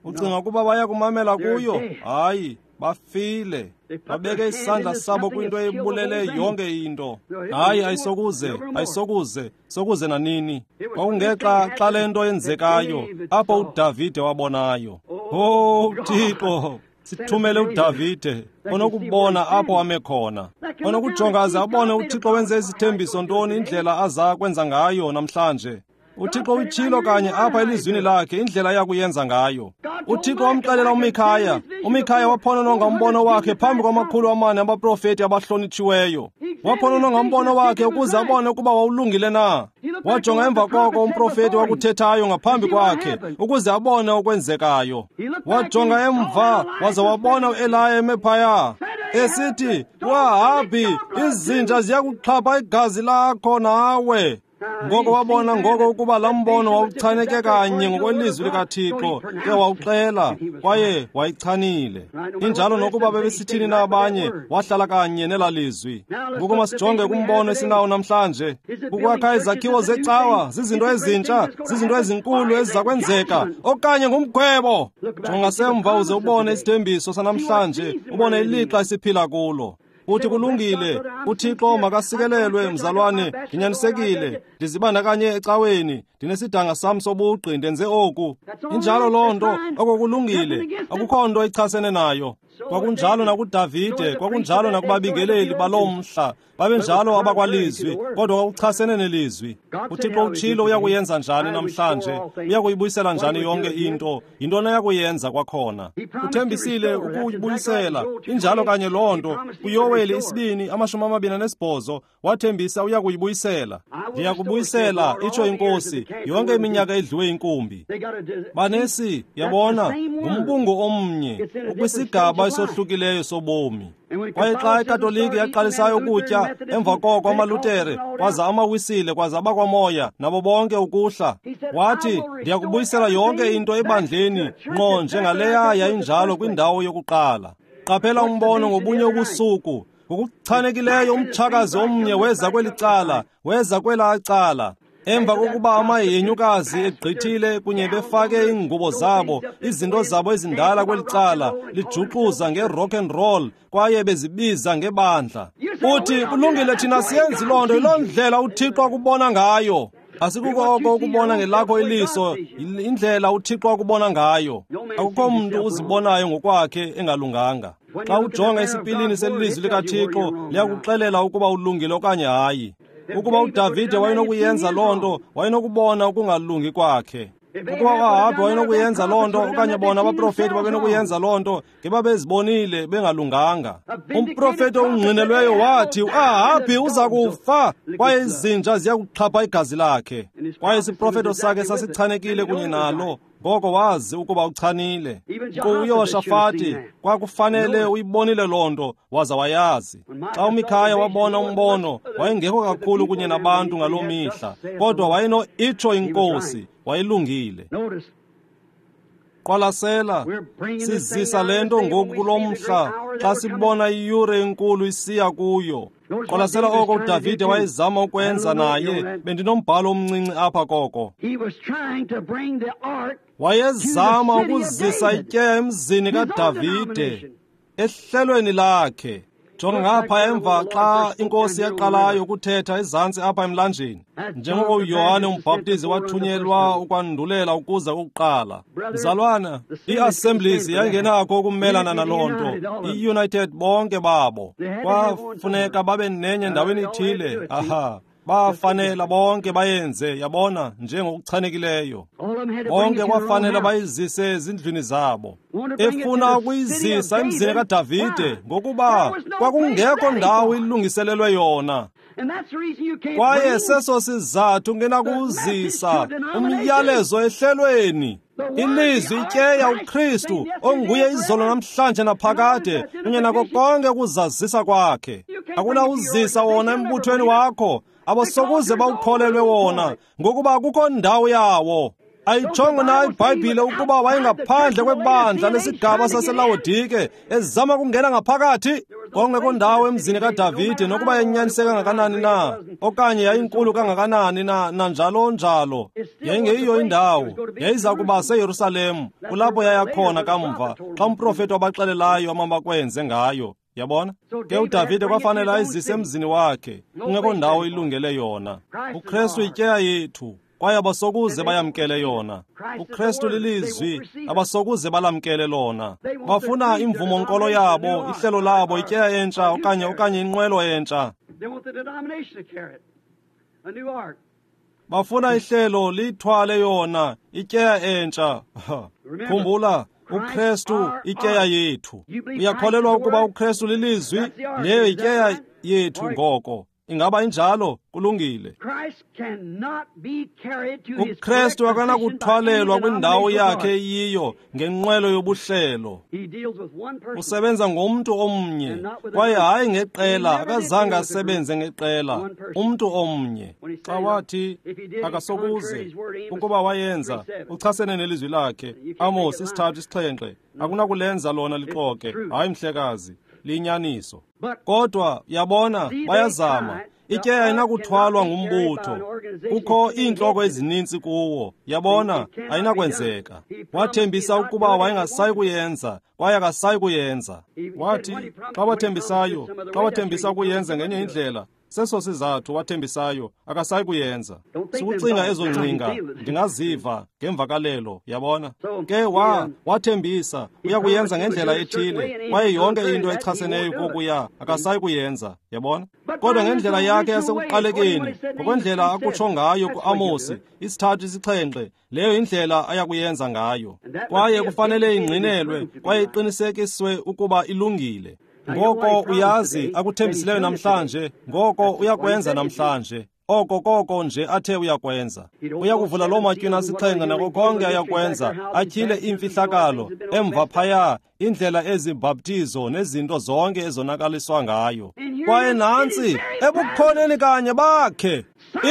A: Ucinga ukuba baya kumamela kuyo? Hayi, bafile. Babeke isandla sabo kwinto ebulele yonke into. Hayi, ayisokuze, ayisokuze, sokuze nanini. Kwakungexa xa le nto yenzekayo apho uDavide wabonayo. Oh Thixo, sithumele uDavide onokubona apho ame khona, onokujonga aze abone uThixo wenze isithembiso ntoni, indlela aza kwenza ngayo namhlanje. uThixo utshilo kanye apha elizwini lakhe indlela yakuyenza ngayo. uThixo wamxelela uMikhaya. uMikhaya waphonononga umbono wakhe phambi kwama-400 abaprofeti abahlonitshiweyo. Waphonononga umbono wakhe ukuze abone ukuba wawulungile na. Wajonga emva koko umprofeti wakuthethayo ngaphambi kwakhe ukuze abone okwenzekayo. Wajonga emva waza wabona uEliya eme phaya esithi, "Wahabhi, izinja ziyakuxhapha igazi lakho nawe." Ngoko wabona ngoko ukuba laa mbono wawuchaneke kanye ngokwelizwi likaThixo, ke wawuxela kwaye wayichanile. Injalo nokuba bebesithini na abanye, wahlala kanye nelaa lizwi. Ngoku masijonge kumbono esinawo namhlanje. Kukwakha izakhiwo zecawa, zizinto ezintsha, zizinto ezinkulu eziza kwenzeka, okanye ngumgwebo. Jonga semva uze ubone isithembiso sanamhlanje, ubone ilixa esiphila kulo. Uthi kulungile, uThixo makasikelelwe mzalwane, ndinyanisekile, ndizibandakanye ecaweni, ndinesidanga sam sobugqi, ndenze oku. Injalo loo nto, oko kulungile, akukho nto ichasene nayo. Kwakunjalo nakuDavide, kwakunjalo nakubabingeleli baloo mhla, babenjalo abakwalizwi, kodwa kwakuchasene nelizwi. uThixo utshilo uyakuyenza njani namhlanje, uyakuyibuyisela njani yonke into, yintoni ayakuyenza kwakhona. Uthembisile ukuyibuyisela, injalo kanye loo nto. KuYoweli 2:28 wathembisa uyakuyibuyisela. Ndiyakubuyisela, itsho iNkosi, yonke iminyaka edliwe inkumbi. Banesi, yabona, ngumbungu omnye, ukwisigaba esohlukileyo sobomi. Kwaye xa iKatoliki yaqalisayo ukutya, emva koko amaLutere, kwaza amaWisile, kwaza abakwaMoya, nabo bonke ukuhla. Wathi, ndiyakubuyisela yonke into ebandleni, ngqo njengaleya yayinjalo kwindawo yokuqala. Qaphela umbono ngobunye ubusuku. Ngokuchanekileyo umtshakazi omnye weza kweli cala, weza kwelaa cala. Emva kokuba amahenyukazi egqithile kunye befake iingubo zabo, izinto zabo ezindala kweli cala, lijuxuza nge-rock and roll, kwaye bezibiza ngebandla. Uthi, kulungile, thina siyenzi loo nto, yiloo ndlela uThixo akubona ngayo. Asikuko oko ukubona ngelakho iliso, indlela uThixo akubona ngayo. Akukho mntu uzibonayo ngokwakhe engalunganga. Xa ujonga esipilini selizwi likaThixo, liyakuxelela ukuba ulungile okanye hayi. Ukuba uDavide wayenokuyenza loo nto, wayenokubona ukungalungi kwakhe. Ukuba uAhabhi wayenokuyenza loo nto, okanye bona abaprofeti babenokuyenza loo nto, ngebabezibonile bengalunganga. Umprofeti ongqinelweyo wathi, uAhabhi uza kufa, kwaye izinja ziya kuxhapha igazi lakhe. Kwaye isiprofeto sakhe sasichanekile kunye nalo, ngoko wazi ukuba uchanile. UYoshafati kwakufanele uyibonile loo nto, waza wayazi. Xa uMikhaya wabona umbono, wayengekho kakhulu kunye nabantu ngaloo mihla, kodwa wayeno itsho iNkosi, wayelungile. Qwalasela, sizisa le nto ngoku kulo mhla, xa sibona iyure enkulu isiya kuyo. Qwalasela oko uDavide wayezama ukwenza naye, bendinombhalo omncinci apha koko. Wayezama ukuzisa ityeya emzini kaDavide, ehlelweni lakhe. Jonga ngapha emva xa iNkosi yaqalayo ukuthetha ezantsi apha emlanjeni, njengoko uYohane umbhaptizi wathunyelwa ukwandulela ukuza kokuqala. Mzalwana, ii-assemblies yayingenakho ukumelana naloo nto, i-United bonke babo. Kwafuneka babe nenye ndaweni ithile, aha. Bafanela bonke bayenze, yabona, njengokuchanekileyo. Bonke kwafanela bayizise ezindlwini zabo. Efuna ukuyizisa emzini kaDavide, ngokuba kwakungekho ndawo ilungiselelwe yona. Kwaye seso sizathu ngenakuzisa umyalezo ehlelweni. Ilizwi ityeya uKristu onguye izolo namhlanje naphakade, kunye nako konke ukuzazisa kwakhe. Akunawuzisa wona embuthweni wakho, abasokuze bawukholelwe wona, ngokuba akukho ndawo yawo. Ayitshongo na iBhayibhile ukuba wayengaphandle kwebandla lesigaba saseLawodike ezama ukungena ngaphakathi? Kwakungekho ndawo emzini kaDavide, nokuba yayinyaniseke kangakanani na, okanye yayinkulu kangakanani na, nanjalo njalo. Yayingeyiyo indawo, yayiza kuba seYerusalem, kulapho yaya khona kamva, xa umprofeti wabaxelelayo amabakwenze ngayo. Yabona? Ke uDavide kwafanele ayizise emzini wakhe, kungekho ndawo ilungele yona. uKristu ityeya yethu, kwaye abasokuze bayamkele yona. uKristu lilizwi, abasokuze balamkele lona. Bafuna imvumo-nkolo yabo, ihlelo labo, ityeya entsha okanye inqwelo entsha. Bafuna ihlelo liyithwale yona, ityeya entsha. Khumbula, uKristu ityeya yethu. Uyakholelwa ukuba uKristu lilizwi? Leyo ityeya yethu ngoko. Ingaba injalo? Kulungile. UKristu akanakuthwalelwa kwindawo yakhe eyiyo ngenqwelo yobuhlelo. Usebenza ngomntu omnye, kwaye hayi ngeqela. Akazange asebenze ngeqela, umntu omnye. Xa wathi akasokuze, ukuba wayenza, uchasene nelizwi lakhe. Amos 3:7. Akunakulenza lona lixoke. Hayi mhlekazi, liyinyaniso. Kodwa yabona, bayazama. Ityeya ayinakuthwalwa ngumbutho. Kukho iintloko ezininzi kuwo. Yabona, ayinakwenzeka. Wathembisa ukuba wayengasayi kuyenza, kwaye akasayi kuyenza. Wathi xa wathembisayo, xa wathembisa ukuyenza ngenye indlela, seso sizathu wathembisayo, akasayi kuyenza. Sukucinga ezo ngcinga, ndingaziva ngemvakalelo, yabona. Ke wathembisa uyakuyenza ngendlela ethile, kwaye yonke into echaseneyo kokuya akasayi kuyenza, yabona. Kodwa ngendlela yakhe yasekuqalekeni, ngokwendlela akutsho ngayo kuAmosi 3:7, leyo indlela ayakuyenza ngayo. Kwaye kufanele ingqinelwe kwaye iqinisekiswe ukuba ilungile. Ngoko uyazi akuthembisileyo namhlanje, ngoko uyakwenza namhlanje. Oko koko nje athe uyakwenza. Uyakuvula loo matywina 7 nako konke ayakwenza, atyhile iimfihlakalo emva phaya, indlela ezibhaptizo nezinto zonke ezonakaliswa ngayo. Kwaye nantsi ebukhoneni kanye bakhe,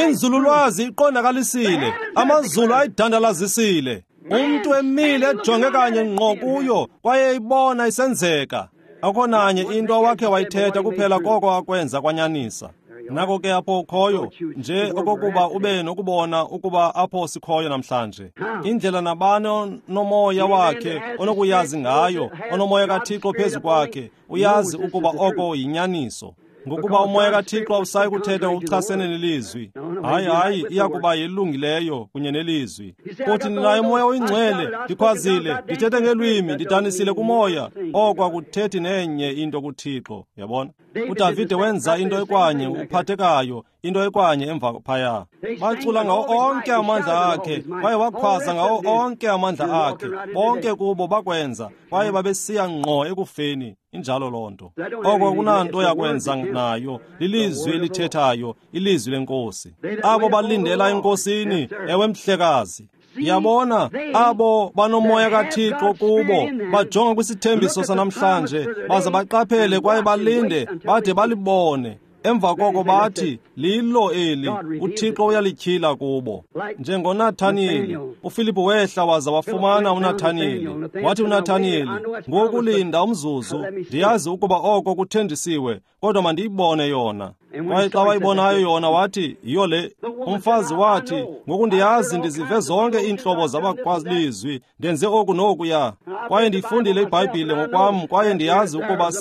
A: inzululwazi iqondakalisile, amazulu ayidandalazisile. Umntu emile ejonge kanye ngqo kuyo, kwaye ibona isenzeka. Akho nanye into awakhe wayithetha kuphela koko akwenza kwanyanisa. Nako ke apho ukhoyo, nje okokuba ube nokubona ukuba apho sikhoyo namhlanje. Indlela nabani nomoya wakhe onokuyazi ngayo, onomoya kaThixo phezu kwakhe, uyazi ukuba oko yinyaniso. Ngokuba umoya kaThixo awusayi kuthetha ngokuchasene nelizwi. Hayi, hayi, iyakuba yelungileyo kunye nelizwi. Uthi ndinaye umoya oyingcwele, ndikhwazile, ndithethe ngelwimi, ndidanisile kumoya. Oko akuthethi nenye into kuThixo, yabona. uDavide wenza into ekwanye, uphathekayo, into ekwanye emva phaya. Bacula ngawo onke amandla akhe, kwaye wakhwaza ngawo onke amandla akhe. Bonke kubo bakwenza, kwaye babesiya ngqo ekufeni. Injalo loo nto. Oko akunanto yakwenza nayo, lilizwi elithethayo, ilizwi lenkosi. Abo balindela enkosini, ewe mhlekazi. Yabona, abo banomoya kaThixo kubo bajonga kwisithembiso sanamhlanje, baze baqaphele kwaye balinde bade balibone. Emva koko bathi, lilo eli, uThixo uyalityhila kubo. NjengoNathaniyeli, uFilipu wehla waza wafumana uNathaniyeli. Wathi uNathaniyeli, ngoku linda umzuzu, ndiyazi ukuba oko kuthenjisiwe, kodwa mandiyibone yona. Kwaye xa wayibonayo yona wathi, yiyo le. Umfazi wathi, ngoku ndiyazi ndizive zonke iintlobo zabakwalizwi, ndenze oku nokuya. Kwaye ndiyifundile iBhayibhile ngokwam, kwaye ndiyazi ukuba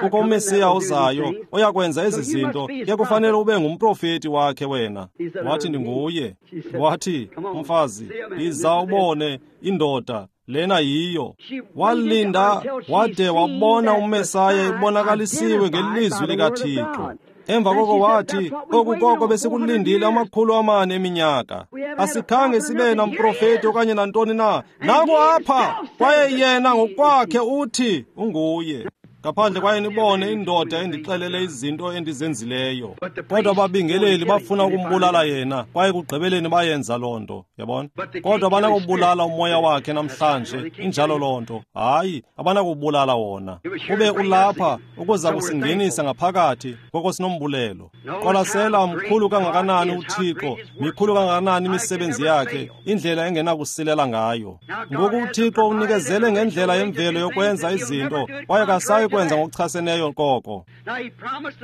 A: kukho uMesiya ozayo oyakwenza ezi zinto, ke kufanele ube ngumprofeti wakhe wena. Wathi, ndinguye. Wathi, umfazi, yiza ubone indoda, lena yiyo. Walinda wade wabona uMesaya ebonakalisiwe ngelizwi likaThixo. Emva koko wathi, oku koko besikulindile 400 eminyaka. Asikhange sibe namprofeti okanye nantoni na. Nanku apha, kwaye yena ngokwakhe uthi unguye. Ngaphandle kwaye nibone indoda endixelele izinto endizenzileyo. Kodwa ababingeleli bafuna ukumbulala yena, kwaye kugqibeleni bayenza loo nto, yabona. Kodwa abanakubulala umoya wakhe namhlanje, injalo loo nto. Hayi, abanakubulala wona. Ube ulapha ukuza kusingenisa ngaphakathi, ngoko sinombulelo. Qwalasela, mkhulu kangakanani uThixo, mikhulu kangakanani imisebenzi yakhe, indlela engenakusilela ngayo. Ngoku uThixo unikezele ngendlela yemvelo yokwenza izinto, kwaye akasayi kwenza ngokuchaseneyo koko.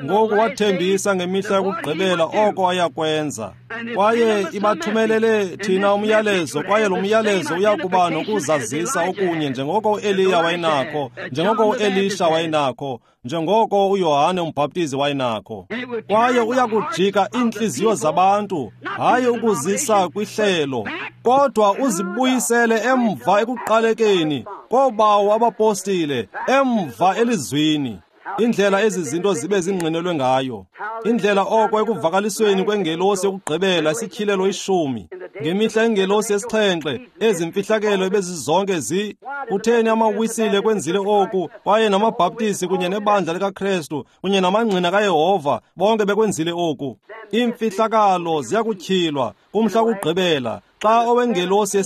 A: Ngoku wathembisa ngemihla yokugqibela oko ayakwenza, kwaye ibathumelele thina umyalezo, kwaye lo myalezo uyakuba nokuzazisa okunye njengoko uEliya wayenakho, njengoko uElisha wayenakho, njengoko uYohane umbhaptizi wayenakho. Kwaye uyakujika iintliziyo zabantu, hayi ukuzisa kwihlelo, kodwa uzibuyisele emva ekuqalekeni koobawo abapostile, emva elizwini. Indlela ezi zinto zibe zingqinelwe ngayo, indlela oko ekuvakalisweni kwengelosi yokugqibela isityhilelo 10, Ngemihla yengelosi yesixhenxe, ezi mfihlakelo ebezizonke zi. Kutheni amaWisile kwenzile oku, kwaye namaBhaptisi kunye nebandla likaKrestu kunye namangqina kaYehova bonke bekwenzile oku. Iimfihlakalo ziyakutyhilwa kumhla wokugqibela, xa owengelosi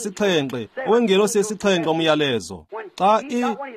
A: yesixhenxe umyalezo. Xa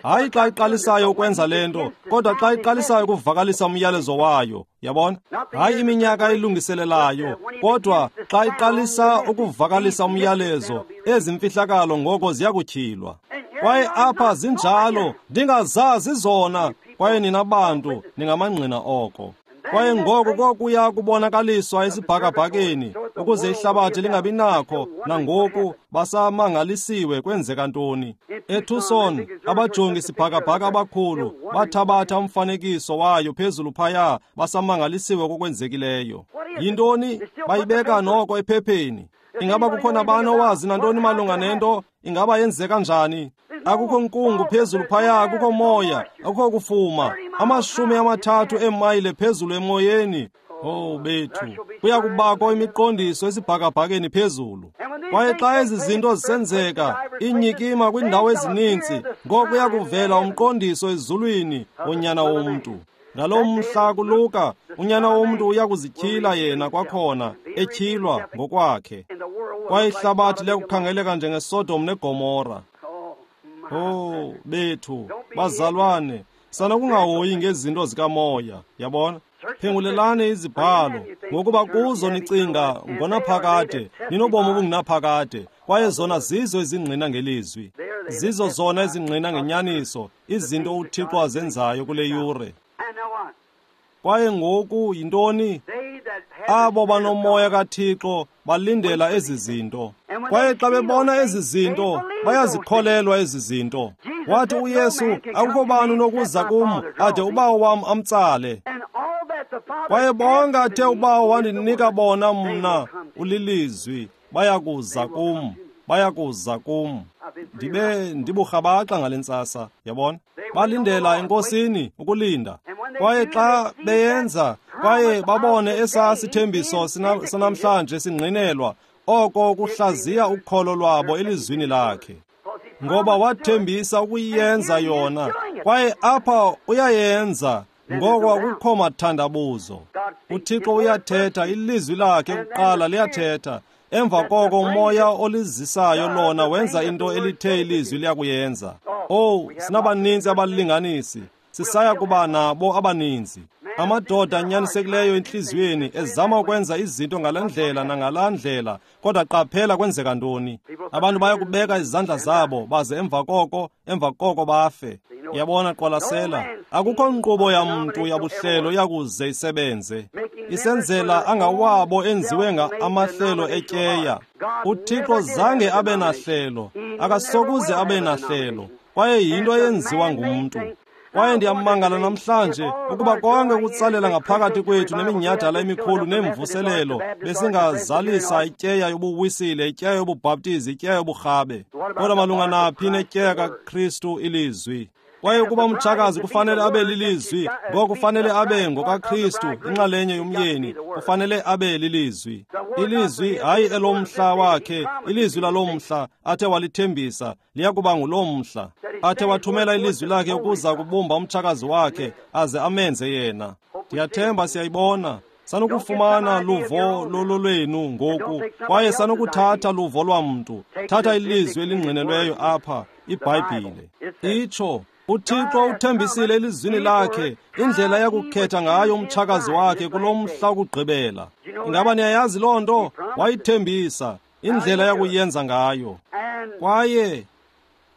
A: hayi xa iqalisayo ukwenza le nto, kodwa xa iqalisayo ukuvakalisa umyalezo wayo, yabona? Hayi iminyaka ilungiselelayo, kodwa xa iqalisa ukuvakalisa umyalezo, ezi mfihlakalo ngoko ziyakutyhilwa. Kwaye apha zinjalo, ndingazazi zona, kwaye nina bantu ningamangqina oko. Kwaye ngoko kokuya kubonakaliswa esibhakabhakeni, ukuze ihlabathi lingabi nakho, nangoku basamangalisiwe kwenzeka ntoni. ETucson, abajongi sibhakabhaka abakhulu bathabatha umfanekiso wayo phezulu phaya, basamangalisiwe kokwenzekileyo. Yintoni? Bayibeka noko ephepheni. Ingaba kukho nabani owazi nantoni malunga nento? Ingaba yenzeka njani? Akukho nkungu phezulu phaya, akukho moya, akukho kufuma. 30 eemayile phezulu emoyeni. Oh bethu, kuya kubakho imiqondiso esibhakabhakeni phezulu. Kwaye xa ezi zinto zisenzeka, inyikima kwiindawo ezininzi, ngoko kuya kuvela umqondiso ezulwini woNyana womntu. Ngaloo mhla kuLuka, uNyana womntu uya kuzityhila yena kwakhona, etyhilwa ngokwakhe. Kwaye ihlabathi liyakukhangeleka njengeSodom neGomora. Oh bethu, bazalwane, sanokungahoyi ngezinto zikamoya, yabona? Phengulelani izibhalo, ngokuba kuzo nicinga ngonaphakade, ninobomi obungunaphakade, kwaye zona zizo ezingqina ngelizwi. Zizo zona ezingqina ngenyaniso, izinto uThixo azenzayo kule yure. Kwaye ngoku yintoni? Abo banomoya kaThixo balindela ezi zinto. Kwaye xa bebona ezi zinto, bayazikholelwa ezi zinto. Wathi uYesu, akukho bani unokuza kum ade uBawo wam amtsale. Kwaye bonke athe uBawo wandinika bona mna, ulilizwi, bayakuza kum, bayakuza kum. Ndibe ndiburhabaxa ngale ntsasa, yabona? Balindela eNkosini ukulinda. Kwaye xa beyenza, kwaye babone esaa sithembiso sanamhlanje singqinelwa, oko kuhlaziya ukholo lwabo elizwini lakhe. Ngoba wathembisa ukuyenza yona, kwaye apha uyayenza, ngoko akukho mathandabuzo. UThixo uyathetha, ilizwi lakhe kuqala liyathetha. Emva koko umoya olizisayo lona wenza into elithe ilizwi liyakuyenza. Oh, sinabaninzi abalinganisi, sisaya kuba nabo abaninzi. Amadoda anyanisekileyo entliziyweni ezama ukwenza izinto ngale ndlela nangalaa ndlela, kodwa qaphela kwenzeka ntoni. Abantu baya kubeka izandla zabo baze emva koko bafe. Yabona, qwalasela, akukho nkqubo yamntu yabuhlelo yakuze isebenze. Isenzela angawabo enziwe amahlelo etyeya. UThixo zange abe nahlelo, akasokuze abe nahlelo, kwaye yinto eyenziwa ngumntu. Kwaye ndiyamangala namhlanje ukuba konke kutsalela ngaphakathi kwethu neminyhadala emikhulu neemvuselelo besingazalisa ityeya yobuwisile, ityeya yobubhaptizi, ityeya yoburhabe. Kodwa malunga naphi netyeya kaKristu ilizwi? Kwaye ukuba umtshakazi kufanele abe lilizwi, ngoko kufanele abe ngokaKristu, inxalenye yomyeni, kufanele abe lilizwi. Ilizwi hayi elomhla wakhe, ilizwi lalomhla athe walithembisa, liyakuba ngulomhla. Athe wathumela ilizwi lakhe ukuza kubumba umtshakazi wakhe, aze amenze yena. Ndiyathemba siyayibona. Sanukufumana luvo lololwenu ngoku, kwaye sanukuthatha luvo lwamntu. Thatha ilizwi elingqinelweyo apha, iBhayibhile. Itsho, uThixo uthembisile elizwini lakhe indlela yakukhetha ngayo umtshakazi wakhe kulo mhla wokugqibela. Ingaba niyayazi loo nto? Wayithembisa indlela yakuyenza ngayo. Kwaye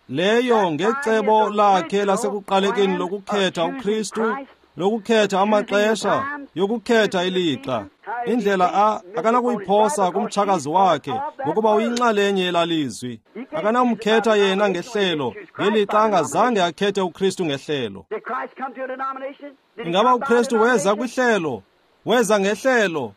A: leyo ngecebo lakhe lasekuqalekeni lokukhetha uKristu, lokukhetha amaxesha, yokukhetha ilixa. Indlela akanakuyiphosa kumtshakazi wakhe ngokuba uyinxalenye yelalizwi. Akanamkhetha yena ngehlelo, ngelixa angazange akhethe uKristu ngehlelo. Ingaba uKristu weza kwihlelo? Weza ngehlelo?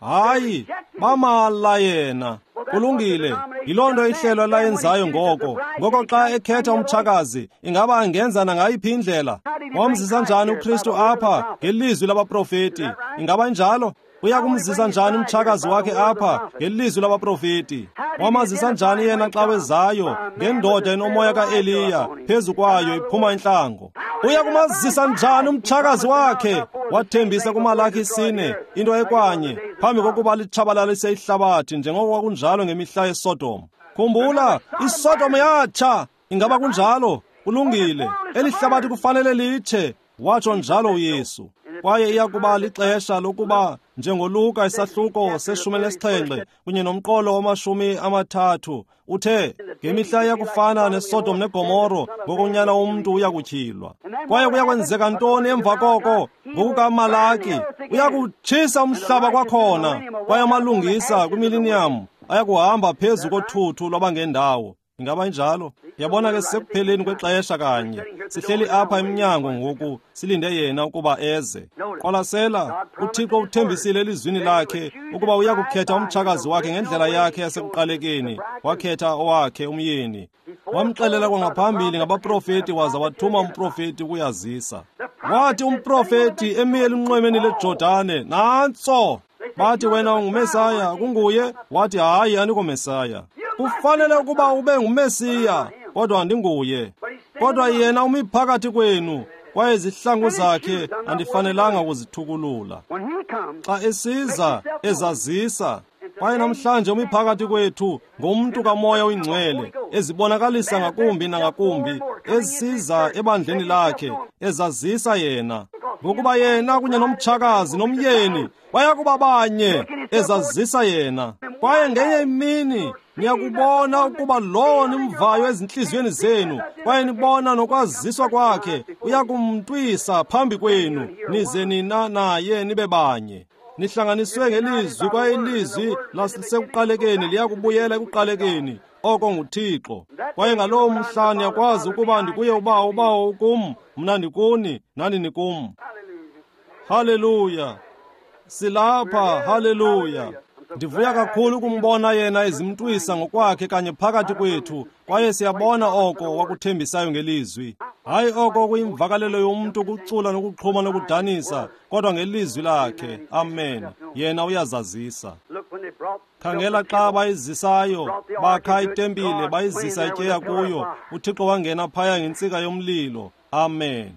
A: Hayi, bamala yena. Kulungile, yiloo nto ihlelo layenzayo ngoko. Ngoko xa ekhetha umtshakazi, ingaba angenza nangayiphi indlela? Wamzisa njani uKristu apha ngelizwi labaprofeti? Ingaba njalo? Uyakumzisa njani umtshakazi wakhe apha ngelizwi labaprofeti? Wamazisa njani yena xa wezayo ngendoda enomoya kaEliya phezu kwayo iphuma intlango? Uyakumazisa njani umtshakazi wakhe? Wathembisa kuMalaki 4 into ekwanye phambi kokuba litshabalalise ihlabathi njengoko kwakunjalo ngemihla yeSodom. Khumbula, iSodom yatsha. Ingaba kunjalo? Kulungile. Eli hlabathi kufanele litshe, watsho njalo uYesu. Kwaye iyakuba lixesha lokuba njengoLuka isahluko se-17 kunye nomqolo wama-30 uthe ngemihla iyakufana neSodom neGomoro, ngokonyana womntu uyakutyhilwa. Kwaye kuyakwenzeka ntoni emva koko? NgokukaMalaki uyakutshisa umhlaba kwakhona, kwaye amalungisa kwimiliniyam ayakuhamba phezu kothuthu lwabangendawo. Ingaba injalo? Yabona ke, sekupheleni kwexesha kanye. Sihleli apha emnyango ngoku, silinde yena ukuba eze. Qwalasela, uThixo uthembisile elizwini lakhe ukuba uyakukhetha umtshakazi wakhe ngendlela yakhe yasekuqalekeni. Wakhetha owakhe umyeni. Wamxelela kwangaphambili ngabaprofeti, waza wathuma umprofeti ukuyazisa. Wathi umprofeti emi elunxwemeni leJordane, nantso! Bathi, wena unguMesaya, kunguye? Wathi, hayi, andingomesaya. Kufanele ukuba ube nguMesiya, kodwa andinguye. Kodwa yena umi phakathi kwenu, kwaye izihlangu zakhe andifanelanga kuzithukulula. Xa esiza, ezazisa. Kwaye namhlanje umi phakathi kwethu ngumntu kaMoya oyiNgcwele, ezibonakalisa ngakumbi nangakumbi, esiza ebandleni lakhe, ezazisa yena. Ngokuba yena kunye nomtshakazi nomyeni bayakuba banye, ezazisa yena. Kwaye ngenye imini niyakubona ukuba lowo nimvayo ezintliziyweni zenu, kwaye nibona nokwaziswa kwakhe, uyakumntwisa phambi kwenu, nize nina naye nibe banye. Nihlanganiswe ngelizwi, kwaye ilizwi lasekuqalekeni liyakubuyela ekuqalekeni, oko nguThixo. Kwaye ngaloo mhla niyakwazi ukuba ndikuye uBawo, uBawo ukum, mna ndikuni, nani nikum. Haleluya! Silapha, haleluya! Ndivuya kakhulu ukumbona yena ezimntwisa ngokwakhe kanye phakathi kwethu, kwaye siyabona oko wakuthembisayo ngelizwi. Hayi oko kuyimvakalelo yomntu ukucula nokuxhuma nokudanisa, kodwa ngelizwi lakhe. Amen. Yena uyazazisa. Khangela xa bayizisayo, bakha itempile, bayizisa ityeya kuyo, uThixo wangena phaya ngentsika yomlilo. Amen.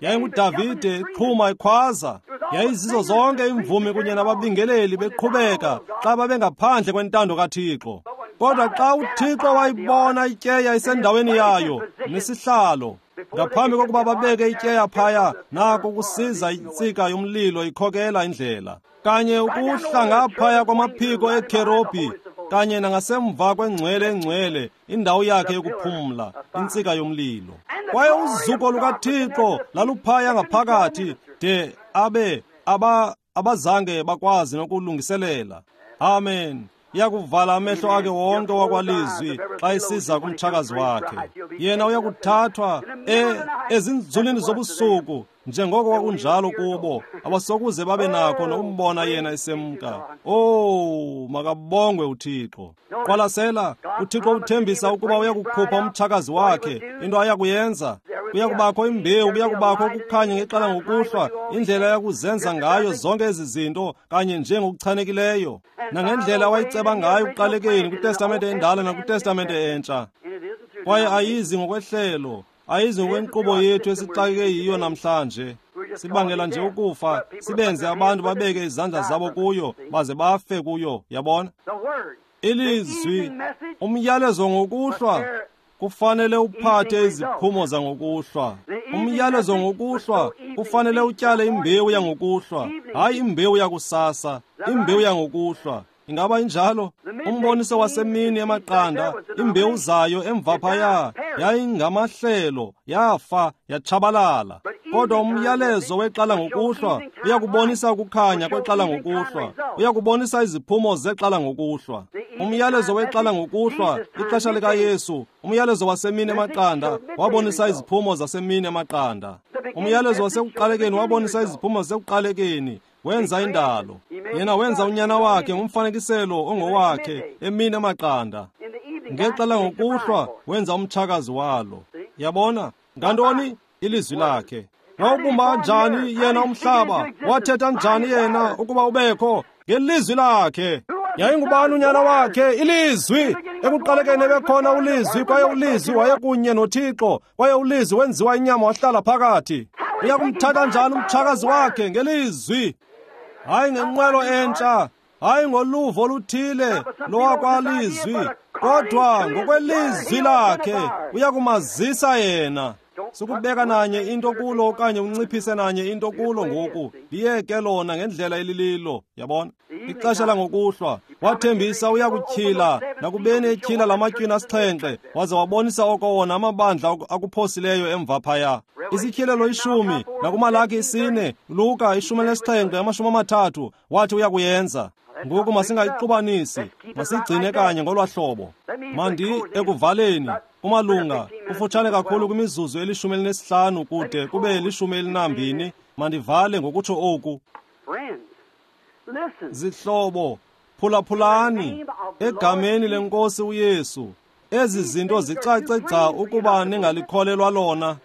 A: YayinguDavide iqhuma ikhwaza. Yayizizo zonke imvumi kunye nababingeleli beqhubeka xa babengaphandle kwentando kaThixo. Kodwa xa uThixo wayibona ityeya isendaweni yayo nesihlalo, ngaphambi kokuba babeke ityeya phaya, nako kusiza intsika yomlilo ikhokela indlela. Kanye ukuhla ngaphaya kwamaphiko eKherobhi, kanye nangasemva kwengcwele engcwele, indawo yakhe yokuphumla, intsika yomlilo. Kwaye uzuko lukaThixo laluphaya ngaphakathi de abe abazange bakwazi nokulungiselela. Amen. Iyakuvala amehlo akhe wonke wakwalizwi xa isiza kumtshakazi wakhe. Yena uyakuthathwa ezinzulwini zobusuku, njengoko kwakunjalo kubo, abasokuze babe nakho nokumbona yena esemka. Oh, makabongwe uThixo. Qwalasela, uThixo uthembisa ukuba uyakukhupha umtshakazi wakhe. Into ayakuyenza, kuyakubakho imbewu, kuyakubakho ukukhanya ngexesha ngokuhlwa, indlela yakuzenza ngayo zonke ezi zinto kanye njengokuchanekileyo, nangendlela wayiceba ngayo ekuqalekeni kwiTestamente endala nakwiTestamente entsha. Kwaye ayizi ngokwehlelo, ayizi ngokwenkqubo yethu esixakeke yiyo namhlanje. Sibangela nje ukufa, sibenze abantu babeke izandla zabo kuyo, baze bafe kuyo. Yabona? Ilizwi, umyalezo ngokuhlwa, kufanele uphathe iziphumo zangokuhlwa. Umyalezo ngokuhlwa kufanele utyale imbewu yangokuhlwa, hayi imbewu yakusasa, imbewu yangokuhlwa. Ingaba injalo? Umboniso wasemini emaqanda, imbewu zayo emva phaya yayingamahlelo, yafa, yatshabalala. Kodwa umyalezo wexhala ngokuhlwa uyakubonisa ukukhanya kwexhala ngokuhlwa, uyakubonisa iziphumo zexhala ngokuhlwa. Umyalezo wexhala ngokuhlwa, ixesha likaYesu, umyalezo wasemini emaqanda wabonisa iziphumo zasemini emaqanda. Umyalezo wasekuqalekeni wabonisa iziphumo zasekuqalekeni. Wenza indalo. Yena wenza unyana wakhe ngumfanekiselo ongowakhe emini emaqanda. Ngexesha ngokuhlwa wenza umtshakazi walo. Yabona? Ngantoni? Ilizwi lakhe. Wawubumba njani yena umhlaba? Wathetha njani yena ukuba ubekho? Ngelizwi lakhe. Yayingubani unyana wakhe? Ilizwi. Ekuqalekeni ebekhona uLizwi, kwaye uLizwi wayekunye noThixo, kwaye uLizwi wenziwa inyama wahlala phakathi. Uyakumthatha njani umtshakazi wakhe? Ngelizwi. Hayi ngenqwelo entsha, hayi ngoluvo oluthile lowakwalizwi, kodwa ngokwelizwi lakhe uyakumazisa yena. Sukubeka nanye into kulo okanye unciphise nanye into kulo ngoku. Liyeke lona ngendlela elililo, yabona? Ixesha langokuhlwa wathembisa uyakutyhila, nakubeni etyhila lamatywina 7, waze wabonisa oko wona amabandla akuphosileyo emva phaya. Isityhilelo 10, nakuMalaki 4, Luka 17, 30, wathi uyakuyenza. Ngoku masingayixubanisi, masigcine kanye ngolwa hlobo. Mandi ekuvaleni kumalunga kufutshane kakhulu kwimizuzu eli-15 kude kube 12. Mandivale ngokutsho oku. Zihlobo, phulaphulani egameni lenkosi uYesu. Ezi zinto zicace gca ukuba ningalikholelwa lona.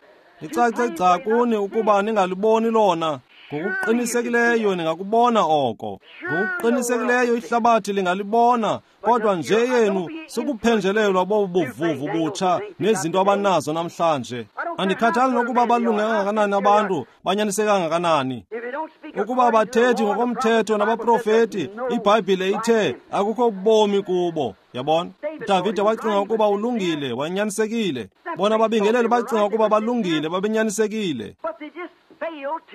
A: Licace gca kuni ukuba ningaliboni lona. Ngokuqinisekileyo ningakubona oko. Ngokuqinisekileyo ihlabathi lingalibona, kodwa nje yenu sukuphenjelelwa bobu buvuvu butsha nezinto abanazo namhlanje. Andikhathali nokuba balunge kangakanani abantu, banyaniseke kangakanani. Ukuba bathethi ngokomthetho nabaprofeti, iBhayibhile ithe akukho bomi kubo. Yabona? uDavide wacinga ukuba ulungile, wanyanisekile. Bona babingeleli bacinga ukuba balungile, babenyanisekile.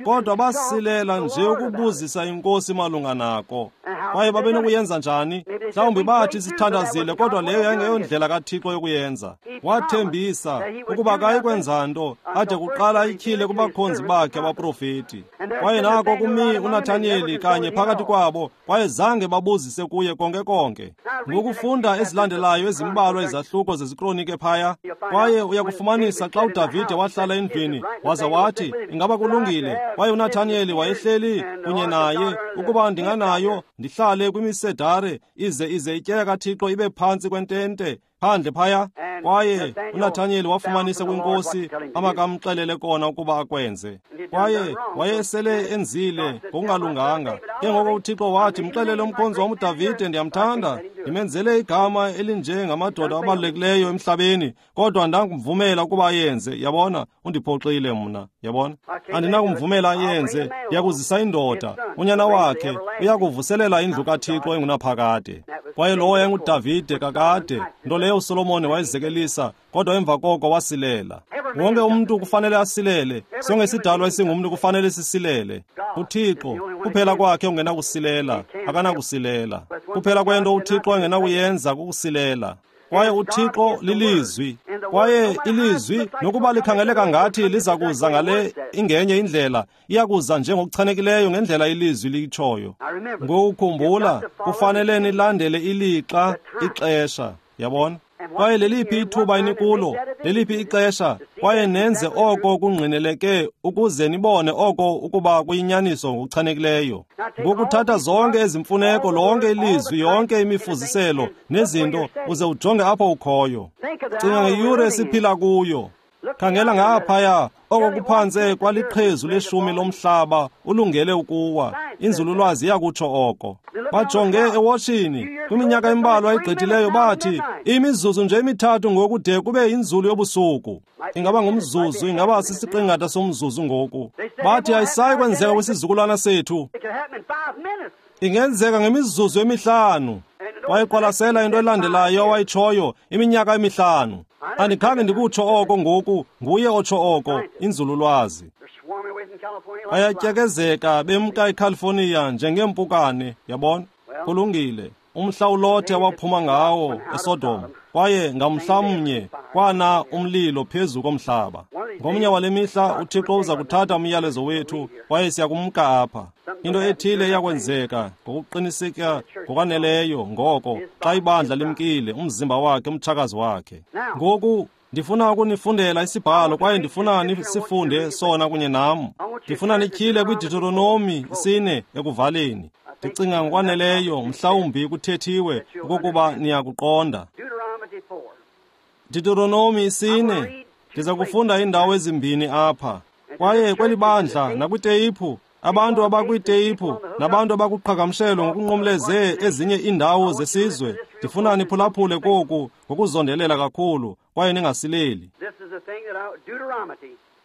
A: Kodwa basilela nje ukubuzisa inkosi malunga nako. Kwaye babenokuyenza njani? Mhlawumbi bathi sithandazile, kodwa leyo yayingeyondlela kaThixo yokuyenza. Wathembisa ukuba akayikwenza nto ade kuqala ayityhile kubakhonzi bakhe abaprofeti. Kwaye nako kumi uNathaniyeli kanye phakathi kwabo, kwaye zange babuzise kuye konke konke. Ngokufunda ezilandelayo ezimbalwa izahluko zezikronike phaya, kwaye uyakufumanisa xa uDavide wahlala endlwini waza wathi, ingaba kulungile? Kwaye uNathaniyeli wayehleli kunye naye, ukuba ndinganayo ndihlale kwimisedare ize ityeya kaThixo ibe phantsi kwentente phandle phaya. Kwaye uNathaniyeli wafumanisa kwinkosi amakamxelele kona ukuba akwenze. Kwaye wayesele enzile ngokungalunganga. Ke ngoko uThixo wathi, mxelele umkhonzi wam uDavide, ndiyamthanda, ndimenzele igama elinjengamadoda abalulekileyo emhlabeni, kodwa ndangumvumela ukuba ayenze. Yabona, undiphoxile mna. Yabona, andinakumvumela ayenze. Ndiyakuzisa indoda, unyana wakhe, uyakuvuselela indlu kaThixo engunaphakade. Kwaye lowo yayinguDavide kakade, nto leyo uSolomon wayezekelisa, kodwa emva koko wasilela. Wonke umntu kufanele asilele. Sonke isidalwa esingumntu kufanele sisilele. uThixo kuphela kwakhe ungenakusilela, akanakusilela. Kuphela kwento uThixo angenakuyenza kukusilela. Kwaye uThixo lilizwi, kwaye ilizwi nokuba likhangeleka ngathi liza kuza ngale ingenye indlela, iyakuza njengokuchanekileyo ngendlela ilizwi litshoyo. Ngokukhumbula, kufanele nilandele ilixa, ixesha. Yabona? Kwaye leliphi ithuba enikulo, leliphi ixesha, kwaye nenze oko kungqineleke ukuze nibone oko ukuba kuyinyaniso ngokuchanekileyo. Ngokuthatha zonke ezimfuneko, lonke ilizwi, yonke imifuziselo nezinto, uze ujonge apho ukhoyo. Cinga ngeyure esiphila kuyo. Khangela ngaphaya, oko kuphantse kwaliqhezu leshumi lomhlaba ulungele ukuwa. Inzululwazi iyakutsho oko. Bajonge ewotshini kwiminyaka embalwa egqithileyo, bathi imizuzu nje emithathu ngoku de kube yinzulu yobusuku. Ingaba ngumzuzu, ingaba sisiqingatha somzuzu ngoku. Bathi ayisayi kwenzeka kwisizukulwana sethu, ingenzeka ngemizuzu emihlanu. Wayeqwalasela into elandelayo awayitshoyo, iminyaka emihlanu. Andikhange ndikutsho oko ngoku, nguye otsho oko, inzululwazi. Bayatyekezeka bemka eCalifornia njengeempukane, yabona? Kulungile. Umhla uLothe waphuma ngawo eSodom, kwaye ngamhlamnye kwana umlilo phezu komhlaba. Ngomnye wale mihla uThixo uza kuthatha umyalezo wethu, kwaye siyakumka apha. Into ethile iyakwenzeka ngokuqiniseka ngokwaneleyo ngoko xa ibandla limkile, umzimba wakhe, umtshakazi wakhe. Ngoku ndifuna ukunifundela isibhalo, kwaye ndifuna nisifunde sona kunye nam. Ndifuna nityhile kwiDeuteronomi 4 ekuvaleni. Ndicinga ngokwaneleyo, mhlawumbi kuthethiwe okokuba niyakuqonda. Deuteronomi 4, ndiza kufunda iindawo ezimbini apha. Kwaye kweli bandla nakwiteyiphu, Abantu abakwiteyiphu nabantu abakuqhagamshelo ngokunqumleze ezinye iindawo zesizwe, ndifuna niphulaphule koku ngokuzondelela kakhulu kwaye ningasileli.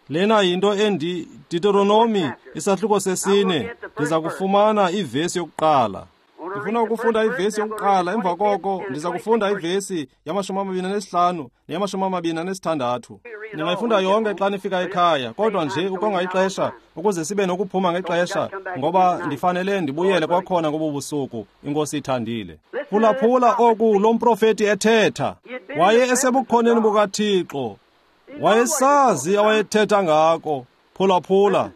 A: Lena yinto endi Deuteronomy isahluko 4, ndiza kufumana ivesi yokuqala. Ndifuna ukufunda ivesi yokuqala, emva koko ndiza kufunda ivesi yama-25 neyama-26. Ningayifunda yonke xa nifika ekhaya, kodwa nje ukonga ixesha ukuze sibe nokuphuma ngexesha, ngoba ndifanele ndibuyele kwakhona ngobu busuku, iNkosi ithandile. Phulaphula oku lo mprofeti ethetha. Waye esebukhoneni bukaThixo. Wayesazi awayethetha ngako. Phulaphula.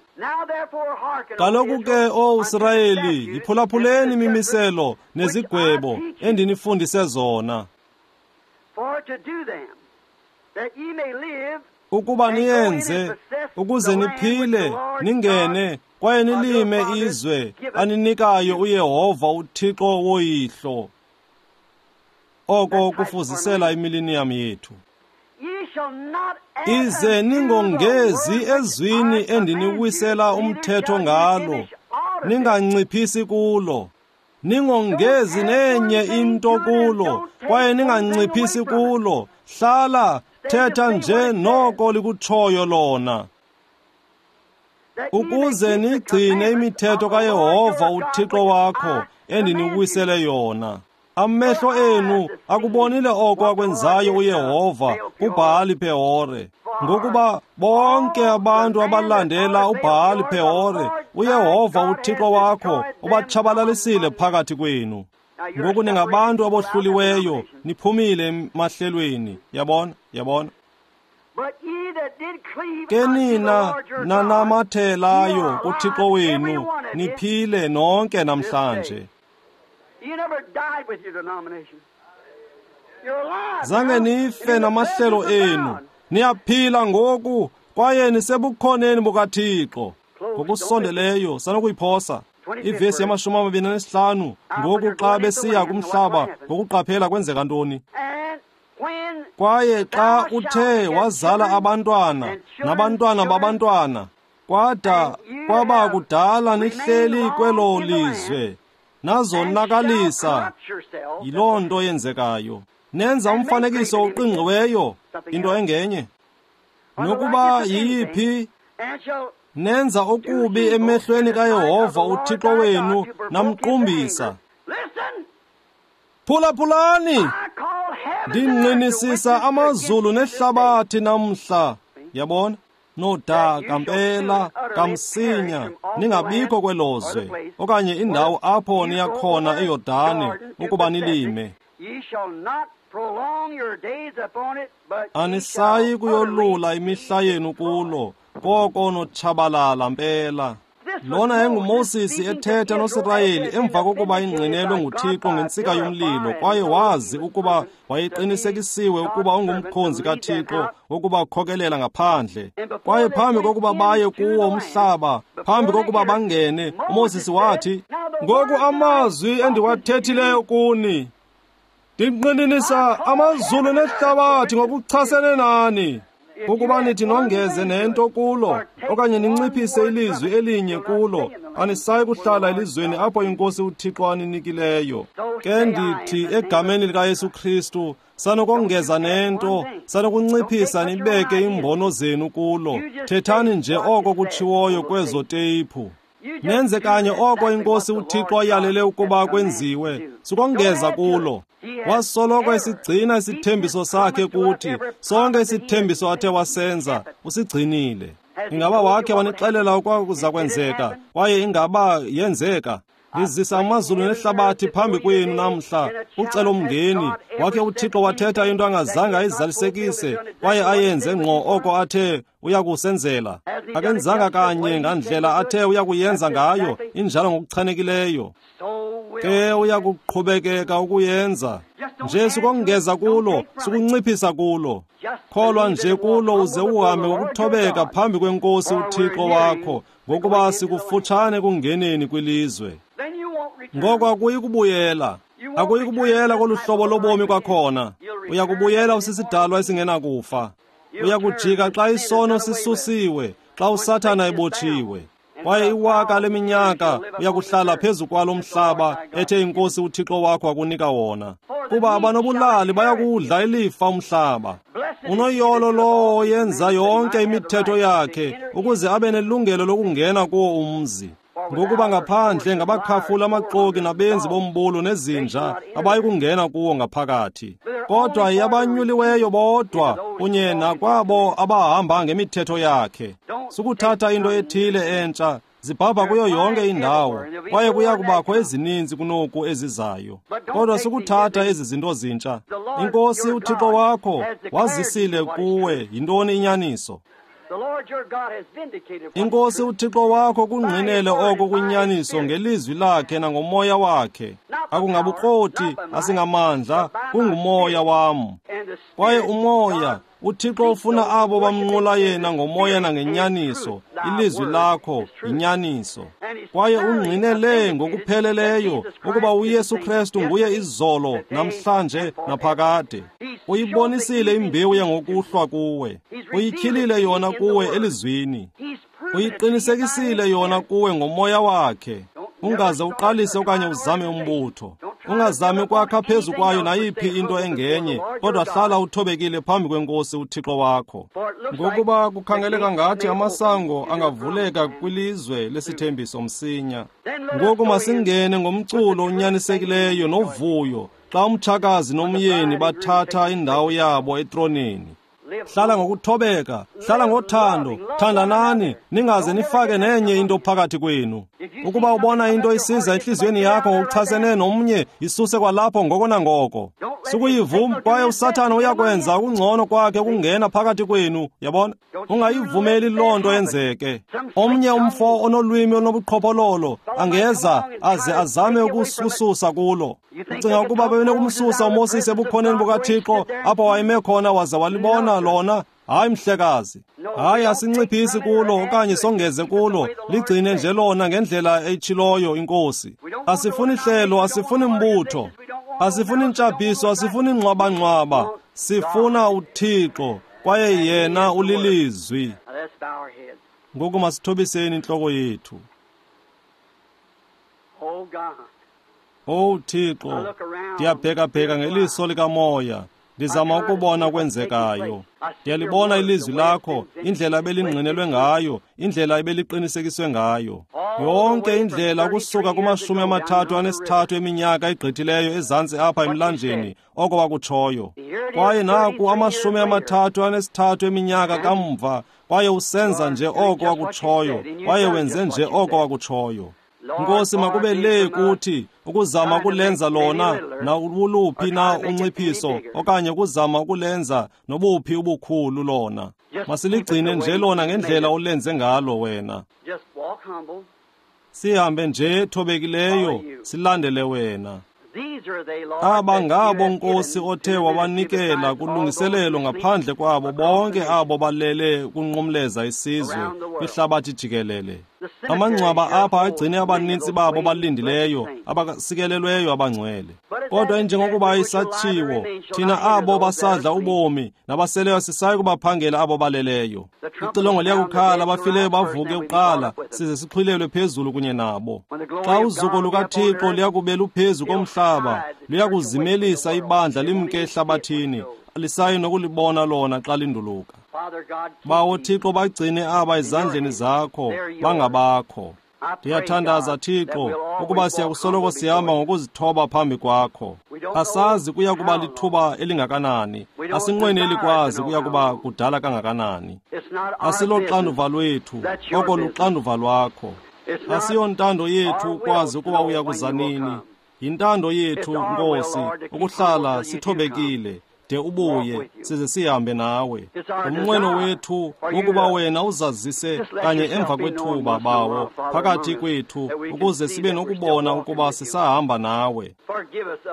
A: Kaloku ke, O Sirayeli, yiphulaphuleni imimiselo nezigwebo endinifundise zona, ukuba niyenze, ukuze niphile, ningene kwaye nilime izwe aninikayo uYehova uThixo woyihlo. Oko kufuzisela imiliniyam yethu. Ize ningongezi ezwini endiniwisela umthetho ngalo, ninganciphisi kulo. Ningongezi nenye into kulo, kwaye ninganciphisi kulo. Hlala, thetha nje noko likutshoyo lona, ukuze nigcine imithetho kaYehova uThixo wakho endiniwisele yona. Amehlo enu akubonile oko akwenzayo uYehova kuBhali Pehore, ngokuba bonke abantu abalandela uBhali Pehore, uYehova uThixo wakho ubatshabalalisile phakathi kwenu. Ngoku ningabantu abohluliweyo, niphumile emahlelweni. Yabona, yabona. Ke nina nanamathelayo kuThixo wenu, niphile nonke namhlanje. Zange nife namahlelo enu, niyaphila ngoku kwaye nisebukhoneni bukaThixo. Ngokusondeleyo sanokuyiphosa ivesi yama-25. Ngoku xa besiya kumhlaba ngokuqaphela kwenzeka ntoni? Kwaye xa uthe wazala abantwana nabantwana babantwana, kwada kwaba kudala nihleli kwelo lizwe, nazonakalisa. Yiloo nto yenzekayo. Nenza umfanekiso oqingqiweyo, into engenye. Nokuba yiyiphi, nenza okubi emehlweni kaYehova uThixo wenu, namqumbisa. Phulaphulani, ndingqinisisa amazulu nehlabathi namhla. Yabona? Nodaka mpela kamsinya ningabikho kwelo zwe okanye indawo apho niyakhona eYordane ukuba nilime. Anisayi kuyolula imihla yenu kulo, koko notshabalala mpela. Lona yayinguMoses ethetha noSirayeli emva kokuba ingqinelwe nguThixo ngentsika yomlilo, kwaye wazi ukuba wayeqinisekisiwe ukuba ungumkhonzi kaThixo wokubakhokelela ngaphandle. Kwaye phambi kokuba baye kuwo umhlaba, phambi kokuba bangene, uMoses wathi, ngoku amazwi endiwathethileyo kuni, ndinqininisa amazulu nehlabathi ngokuchasene nani, ukuba nithi nongeze nento kulo okanye ninciphise ilizwi elinye kulo, anisayi kuhlala elizweni apho iNkosi uThixo aninikileyo. Ke ndithi egameni likaYesu Kristu, sanokongeza nento, sanokunciphisa nibeke iimbono zenu kulo. Thethani nje oko kutshiwoyo kwezo teyiphu. Nenze kanye oko iNkosi uThixo ayalele ukuba kwenziwe, sukongeza kulo. Wasoloko esigcina isithembiso sakhe kuthi, sonke isithembiso athe wasenza, usigcinile. Ingaba wakhe wanixelela okwakuza kwenzeka, kwaye ingaba yenzeka? Ndizisa amazulu nehlabathi phambi kwenu namhla, ucelomngeni. Wakhe uThixo wathetha into angazange ayizalisekise, kwaye ayenze ngqo oko athe uyakusenzela. Akenzanga kanye ngandlela athe uyakuyenza ngayo, injalo ngokuchanekileyo. Ke uyakuqhubekeka ukuyenza. Nje sukongeza kulo, sukunciphisa kulo. Kholwa nje kulo uze uhambe ngokuthobeka phambi kweNkosi uThixo wakho, ngokuba sikufutshane kungeneni kwilizwe. Ngoko akuyi kubuyela. Akuyi kubuyela kolu hlobo lobomi kwakhona. Uyakubuyela usisidalwa esingenakufa. Uyakujika xa isono sisusiwe, xa uSathana ebotshiwe. Kwaye iwaka leminyaka uyakuhlala phezu kwalo mhlaba ethe iNkosi uThixo wakho akunika wona. Kuba abanobulali bayakudla ilifa umhlaba. Unoyolo lowo oyenza yonke imithetho yakhe ukuze abe nelungelo lokungena kuwo umzi. Ngokuba ngaphandle ngabakhafula amaxoki nabenzi bombulo nezinja abayi kungena kuwo ngaphakathi. Kodwa yabanyuliweyo bodwa kunye nakwabo abahamba ngemithetho yakhe. Sukuthatha into ethile entsha, zibhabha kuyo yonke indawo, kwaye kuya kubakho ezininzi kunoku ezizayo. Kodwa sukuthatha ezi zinto zintsha. INkosi uThixo wakho wazisile kuwe yintoni inyaniso. INkosi uThixo wakho kungqinele oko kwinyaniso ngelizwi lakhe nangomoya wakhe. Akungabukroti, asingamandla, kungumoya wam. Kwaye umoya, uThixo ufuna abo bamnqula yena ngomoya nangenyaniso. Ilizwi lakho yinyaniso. Kwaye ungqinele ngokupheleleyo ukuba uYesu Kristu nguye izolo, namhlanje, naphakade. Uyibonisile imbewu yangokuhlwa kuwe. Uyityhilile yona kuwe elizwini. Uyiqinisekisile yona kuwe ngomoya wakhe. Ungaze uqalise okanye uzame umbutho. Ungazami ukwakha phezu kwayo nayiphi into engenye, kodwa hlala uthobekile phambi kweNkosi uThixo wakho. Ngokuba kukhangeleka ngathi amasango angavuleka kwilizwe lesithembiso msinya. Ngoku masingene ngomculo onyanisekileyo novuyo xa umtshakazi nomyeni bathatha indawo yabo etroneni. Hlala ngokuthobeka, hlala ngothando, thandanani, ningaze nifake nenye into phakathi kwenu. Ukuba ubona into isiza enhliziyweni yakho ngokuchasene nomnye, isuse kwalapho ngoko nangoko. Sukuyivuma, kwaye uSathana uyakwenza okungcono kwakhe ukungena phakathi kwenu, yabona? Ungayivumeli loo nto yenzeke. Omnye umfo onolwimi olunobuqhophololo angeza aze azame ukususa kulo. Ucinga ukuba bebenokumsusa uMoses ebukhoneni bukaThixo apho wayeme khona waze walibona lona? Hayi mhlekazi, hayi, asinciphisi kulo okanye songeze kulo, ligcine nje lona ngendlela eyitshiloyo iNkosi. Asifuni hlelo, asifuni mbutho, asifuni ntshabhiso, asifuni ngxwabangxwaba, sifuna uThixo, kwaye yena ulilizwi. Ngoku masithobiseni intloko yethu. Owu Thixo, ndiyabhekabheka ngeliso likamoya, ndizama ukubona okwenzekayo. Ndiyalibona ilizwi lakho, indlela ebelingqinelwe ngayo, indlela ebeliqinisekiswe ngayo. Yonke indlela ukusuka kuma-33 eminyaka egqithileyo ezantsi apha emlanjeni, oko wakutshoyo. Kwaye naku 33 eminyaka kamva, kwaye usenza nje oko wakutshoyo, kwaye wenze nje oko wakutshoyo. Nkosi, makube le kuthi ukuzama ukulenza lona nawuluphi na unciphiso okanye ukuzama ukulenza nobuphi ubukhulu lona. Masiligcine nje lona ngendlela olenze ngalo wena. Sihambe nje thobekileyo, silandele wena. Aba ngabo Nkosi othe wabanikela kulungiselelo ngaphandle kwabo bonke abo balele kunqumleza isizwe kwihlabathi jikelele. Amangcwaba apha agcine abanintsi babo balindileyo, abasikelelweyo abangcwele. Kodwa njengokuba isatshiwo, thina abo basadla ubomi nabaseleyo sisayi kubaphangela abo baleleyo. Ixilongo liyakukhala, abafileyo bavuke kuqala, size sixhwilelwe phezulu kunye nabo. Xa uzuko lukaThixo luyakube luphezu komhlaba, luyakuzimelisa ibandla limke ehlabathini, alisayi nokulibona lona xa linduluka. Bawo Thixo, bagcine aba ezandleni zakho, bangabakho. Ndiyathandaza Thixo ukuba siyakusoloko sihamba ngokuzithoba phambi kwakho. Asazi kuya kuba lithuba elingakanani, asinqweneli kwazi kuya kuba kudala kangakanani. Asiloxanduva lwethu, oko luxanduva lwakho. Asiyontando yethu ukwazi ukuba uya kuza nini. Yintando yethu, Nkosi, ukuhlala sithobekile de ubuye size sihambe nawe. Umnqweno wethu wokuba wena uzazise kanye emva kwethuba, Bawo, phakathi kwethu, ukuze sibe nokubona ukuba sisahamba nawe.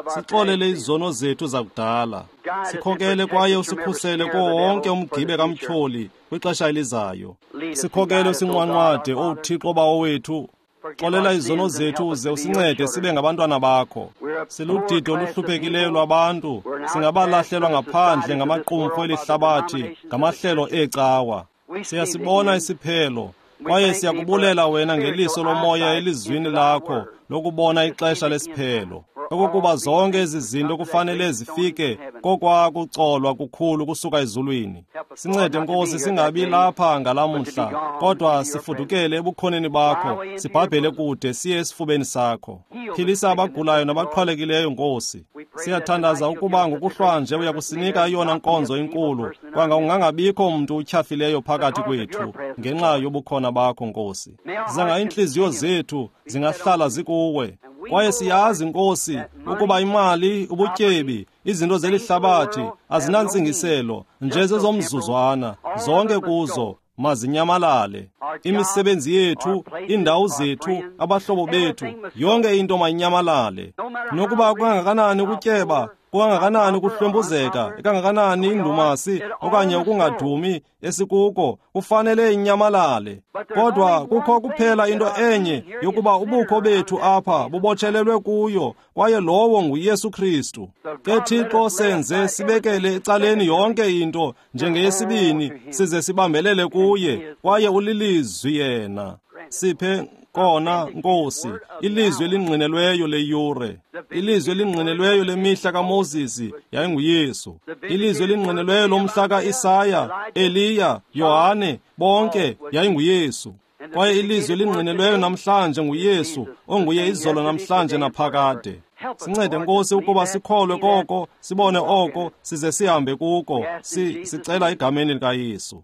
A: Sixolele izono zethu zakudala. Sikhokele kwaye usikhusele kuwo wonke umgibe kamtyholi kwixesha elizayo. Sikhokele usinqwanqwade, Owu Thixo Bawo wethu. Xolela izono zethu uze usincede sibe ngabantwana bakho. Siludidi oluhluphekileyo lwabantu, singabalahlelwa ngaphandle ngamaqumrhu elihlabathi, ngamahlelo eecawa. Siyasibona isiphelo. Kwaye siyakubulela wena ngeliso lomoya elizwini lakho lokubona ixesha lesiphelo, okokuba zonke ezi zinto kufanele zifike kokwakucolwa kukhulu kusuka ezulwini. Sincede Nkosi, singabi lapha ngalamhla, kodwa sifudukele ebukhoneni bakho, sibhabhele kude siye esifubeni sakho. Philisa abagulayo nabaqhwalekileyo Nkosi. Siyathandaza ukuba ngokuhlwanje uyakusinika eyona nkonzo inkulu, kwanga ungangabikho mntu utyhafileyo phakathi kwethu ngenxa yobukhona bakho Nkosi. Zanga iintliziyo zethu zingahlala zikuwe. Kwaye siyazi Nkosi ukuba imali, ubutyebi, izinto zelihlabathi azinantsingiselo, nje zezomzuzwana, zonke kuzo mazinyamalale. Imisebenzi yethu, iindawo zethu, abahlobo bethu, yonke into mayinyamalale. Nokuba kungakanani ukutyeba, kukangakanani ukuhlwempuzeka, ikangakanani indumasi okanye ukungadumi esikuko, kufanele inyamalale. Kodwa kukho kuphela into enye yokuba ubukho bethu apha bubotshelelwe kuyo, kwaye lowo nguYesu Kristu. Ke Thixo, senze sibekele ecaleni yonke into njengeyesibini, size sibambelele kuye, kwaye ulilizwi yena. Siphe kona Nkosi, ilizwi elingqinelweyo leyure, ilizwi elingqinelweyo lemihla kaMoses yayinguYesu, ilizwi elingqinelweyo lomhla kaIsaya, Eliya, Yohane, bonke yayinguYesu. Kwaye ilizwi elingqinelweyo namhlanje nguYesu, onguye izolo, namhlanje naphakade. Sincede Nkosi ukuba sikholwe koko, sibone oko, size sihambe kuko. Sicela egameni likaYesu.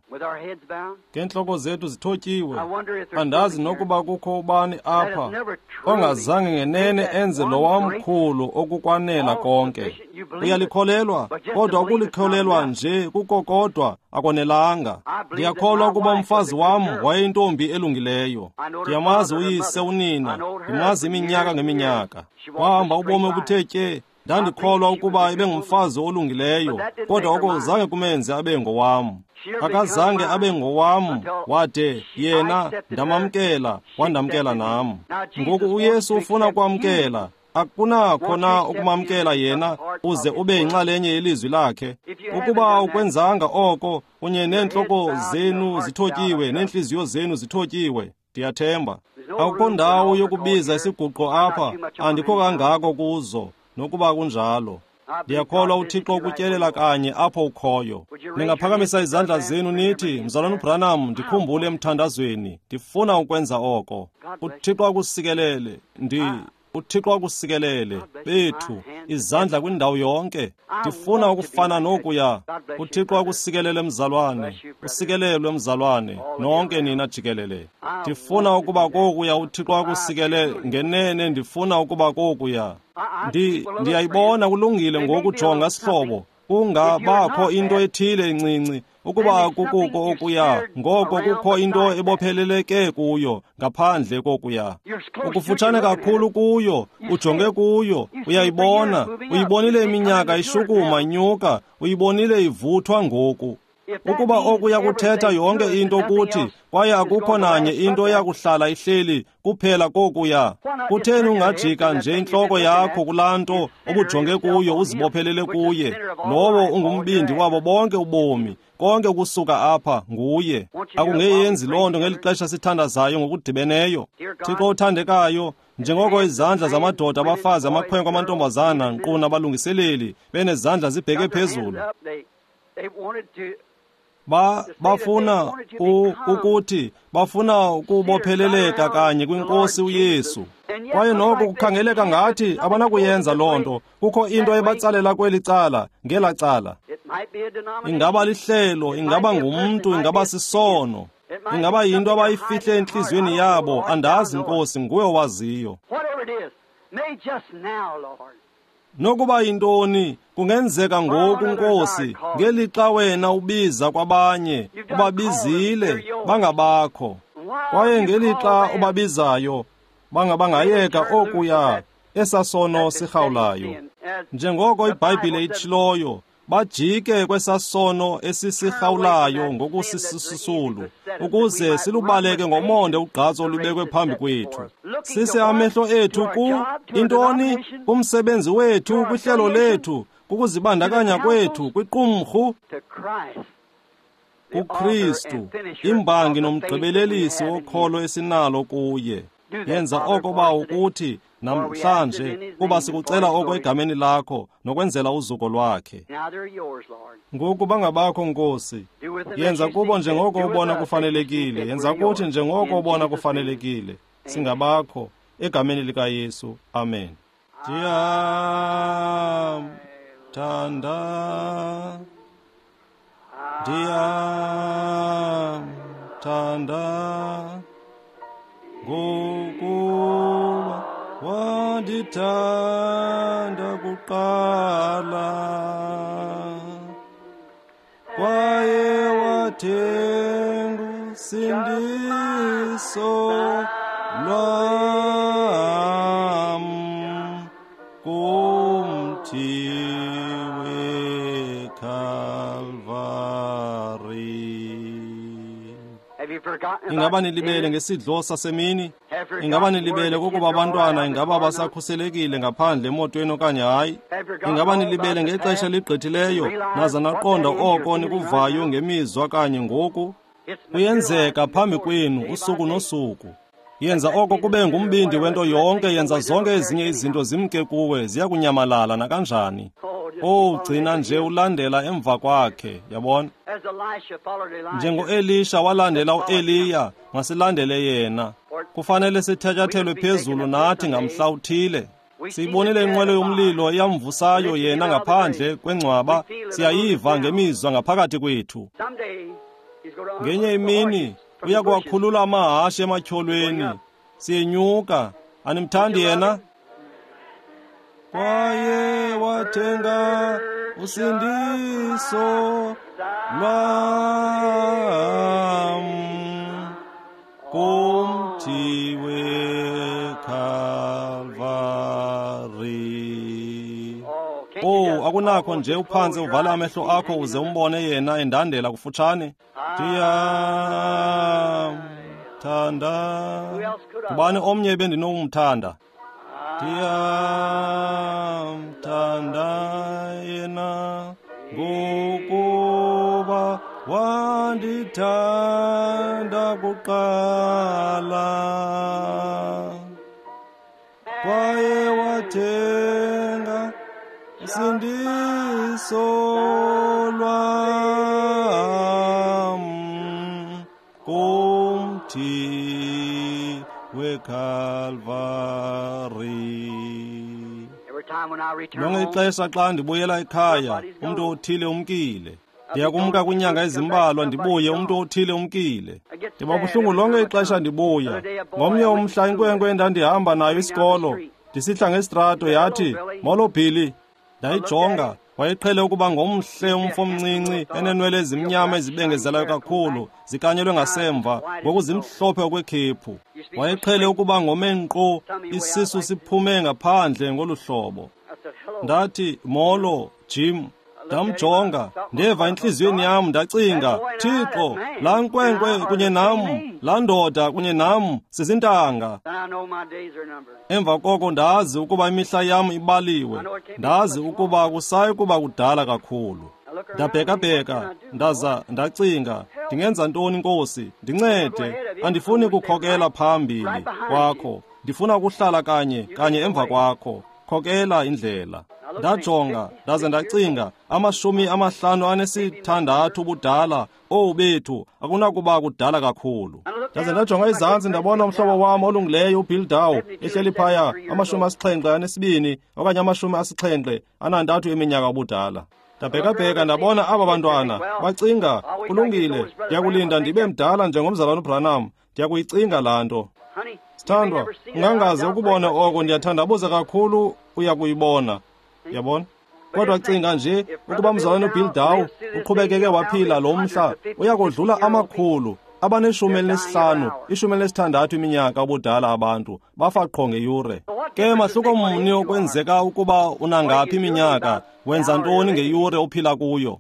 A: Ngeentloko zethu zithotyiwe, andazi nokuba kukho ubani apha ongazange ngenene enze lowa mkhulu okukwanela konke. Uyalikholelwa, kodwa ukulikholelwa nje kuko kodwa akonelanga. Ndiyakholwa ukuba umfazi wam wayeyintombi elungileyo. Ndiyamazi uyise, unina, ndimazi iminyaka ngeminyaka. Wahamba ubomi obuthe tye. Ndandikholwa ukuba ebengumfazi olungileyo, kodwa oko zange kumenze abe ngowam. Akazange abe ngowam wade yena ndamamkela, wandamkela nam. Ngoku uYesu ufuna ukwamkela. Akunakho na ukumamkela yena uze ube yinxalenye yelizwi lakhe? Ukuba ukwenzanga oko, kunye neentloko zenu zithotyiwe neentliziyo zenu zithotyiwe, ndiyathemba akukho ndawo yokubiza isiguqo apha, andikho kangako kuzo. Nokuba kunjalo, ndiyakholwa uThixo ukutyelela kanye apho ukhoyo. Ningaphakamisa izandla zenu nithi, Mzalwana uBranham, ndikhumbule emthandazweni, ndifuna ukwenza oko. UThixo akusikelele. UThixo akusikelele. Bethu, izandla kwindawo yonke. Ndifuna ukufana nokuya. UThixo akusikelele mzalwane, usikelelwe mzalwane, nonke nina jikelele. Ndifuna ukuba kokuya. UThixo akusikelele ngenene, ndifuna ukuba kokuya. Ndiyayibona kulungile ngoku, jonga sihlobo. Kungabakho into ethile encinci, ukuba kukuko okuya, ngoko kukho into ebopheleleke kuyo ngaphandle kokuya. Ukufutshane kakhulu kuyo, ujonge kuyo, uyayibona, uyibonile iminyaka ishukuma inyuka, uyibonile ivuthwa ngoku. Ukuba okuya kuthetha yonke into kuthi, kwaye akukho nanye into eyakuhlala ihleli kuphela kokuya, kutheni ungajika nje intloko yakho kulaa nto obujonge kuyo uzibophelele kuye, lowo ungumbindi wabo bonke ubomi, konke ukusuka apha nguye. Akungeyenzi loo nto ngeli xesha sithandazayo ngokudibeneyo? Thixo othandekayo, njengoko izandla zamadoda, abafazi, amakhwenkwe, amantombazana, nkqu nabalungiseleli benezandla zibheke phezulu, bafuna ukuthi bafuna ukubopheleleka kanye kwinkosi uYesu. Kwaye noko kukhangeleka ngathi abanakuyenza loo nto. Kukho into ebatsalela kweli cala, ngela cala. Ingaba lihlelo, ingaba ngumntu, ingaba sisono, ingaba yinto abayifihle entliziyweni yabo. Andazi Nkosi, nguwe owaziyo. Nokuba yintoni, kungenzeka ngoku Nkosi, ngelixa wena ubiza kwabanye, ubabizile, bangabakho. Kwaye ngelixa ubabizayo, bangabangayeka okuya, esasono sirhawulayo. Njengoko iBhayibhile itshiloyo, bajike kwesasono esisirhawulayo ngokusisisulu, ukuze silubaleke ngomonde ugqatso olubekwe phambi kwethu. Sise amehlo ethu ku intoni? Kumsebenzi wethu, kwihlelo lethu, kukuzibandakanya kwethu, kwiqumrhu. kuKristu, imbangi nomgqibelelisi wokholo esinalo kuye. Yenza oko Bawo kuthi namhlanje, kuba sikucela oko egameni lakho nokwenzela uzuko lwakhe. Ngoku bangabakho, Nkosi. Yenza kubo njengoko ubona kufanelekile, yenza kuthi njengoko ubona kufanelekile. Singabakho egameni likaYesu. Amen. Ndiyamthanda, ndiyamthanda, ngokuba wandithanda kuqala, kwaye wathenga usindiso lwam kumthi weKalvari. Ingaba nilibele ngesidlo sasemini? Ingaba nilibele kokuba abantwana ingaba basakhuselekile ngaphandle emotweni okanye hayi? Ingaba nilibele ngexesha eligqithileyo naza naqonda oko nikuvayo ngemizwa kanye ngoku? Kuyenzeka phambi kwenu usuku nosuku. Yenza oko kube ngumbindi wento yonke, yenza zonke ezinye izinto zimke kuwe, ziyakunyamalala nakanjani. Oh, gcina nje ulandela emva kwakhe, yabona? Njengo-Elisha walandela u-Eliya, masilandele yena. Kufanele sithatyathelwe phezulu nathi ngamhla uthile. Siyibonile inqwelo yomlilo eyamvusayo yena ngaphandle kwengcwaba, siyayiva ngemizwa ngaphakathi kwethu. Ngenye imini uya kuwakhulula amahashe ematyholweni. Siyenyuka. Animthandi yena? Kwaye wathenga usindiso lwam kumthi weKalvari. Oh, akunakho nje uphantse uvale amehlo akho uze umbone yena endandela kufutshane. Ndiyamthanda. Ngubani omnye ebendinokumthanda? Ndiyamthanda yena ngokuba wandithanda kuqala, kwaye wathenga usindiso lwam kumthi weKalvari. Lonke ixesha xa ndibuyela ekhaya, umntu othile umkile. Ndiyakumka kwiinyanga ezimbalwa ndibuye, umntu othile umkile. Ndiba buhlungu lonke ixesha ndibuya. Ngomnye umhla inkwenkwe endandihamba nayo isikolo, ndisihla ngesitrato, yathi, "Molo Billy." Ndayijonga, wayeqhele ukuba ngomhle umfo omncinci, enenwele ezimnyama ezibengezelayo kakhulu, zikanyelwe ngasemva, ngoku zimhlophe okwekhephu. Wayeqhele ukuba ngome nkqo, isisu siphume ngaphandle ngolu hlobo. Ndathi, "Molo, Jim." Ndamjonga, ndeva entliziyweni yam, ndacinga, Thixo, laa nkwenkwe kunye nam, laa ndoda kunye nam, sizintanga. Emva koko ndazi ukuba imihla yam ibaliwe, ndazi ukuba akusayi kuba kudala kakhulu. Ndabhekabheka, ndaza ndacinga, ndingenza ntoni, Nkosi? Ndincede, andifuni kukhokela phambili kwakho, ndifuna ukuhlala kanye kanye emva kwakho. Khokela indlela. Ndajonga, ndaze ndacinga, 56 ubudala, owu bethu, akunakuba kudala kakhulu. Ndaze ndajonga izantsi, ndabona umhlobo wam olungileyo uBill Dow ehleli phaya, 72 okanye 73 eminyaka ubudala. Ndabhekabheka, ndabona aba bantwana, bacinga, kulungile, ndiyakulinda ndibe mdala njengomzalwana uBranham, ndiyakuyicinga laa nto. Sithandwa, ungangaze ukubone oko, ndiyathandabuza kakhulu uyakuyibona. Yabona? Kodwa cinga nje ukuba mzalwana uBill Dow uqhubekeke waphila lo mhla, uyakodlula 115, 16 iminyaka ubudala abantu, bafa qho ngeyure. Ke mahluko mni okwenzeka ukuba unangaphi iminyaka, wenza ntoni ngeyure ophila kuyo?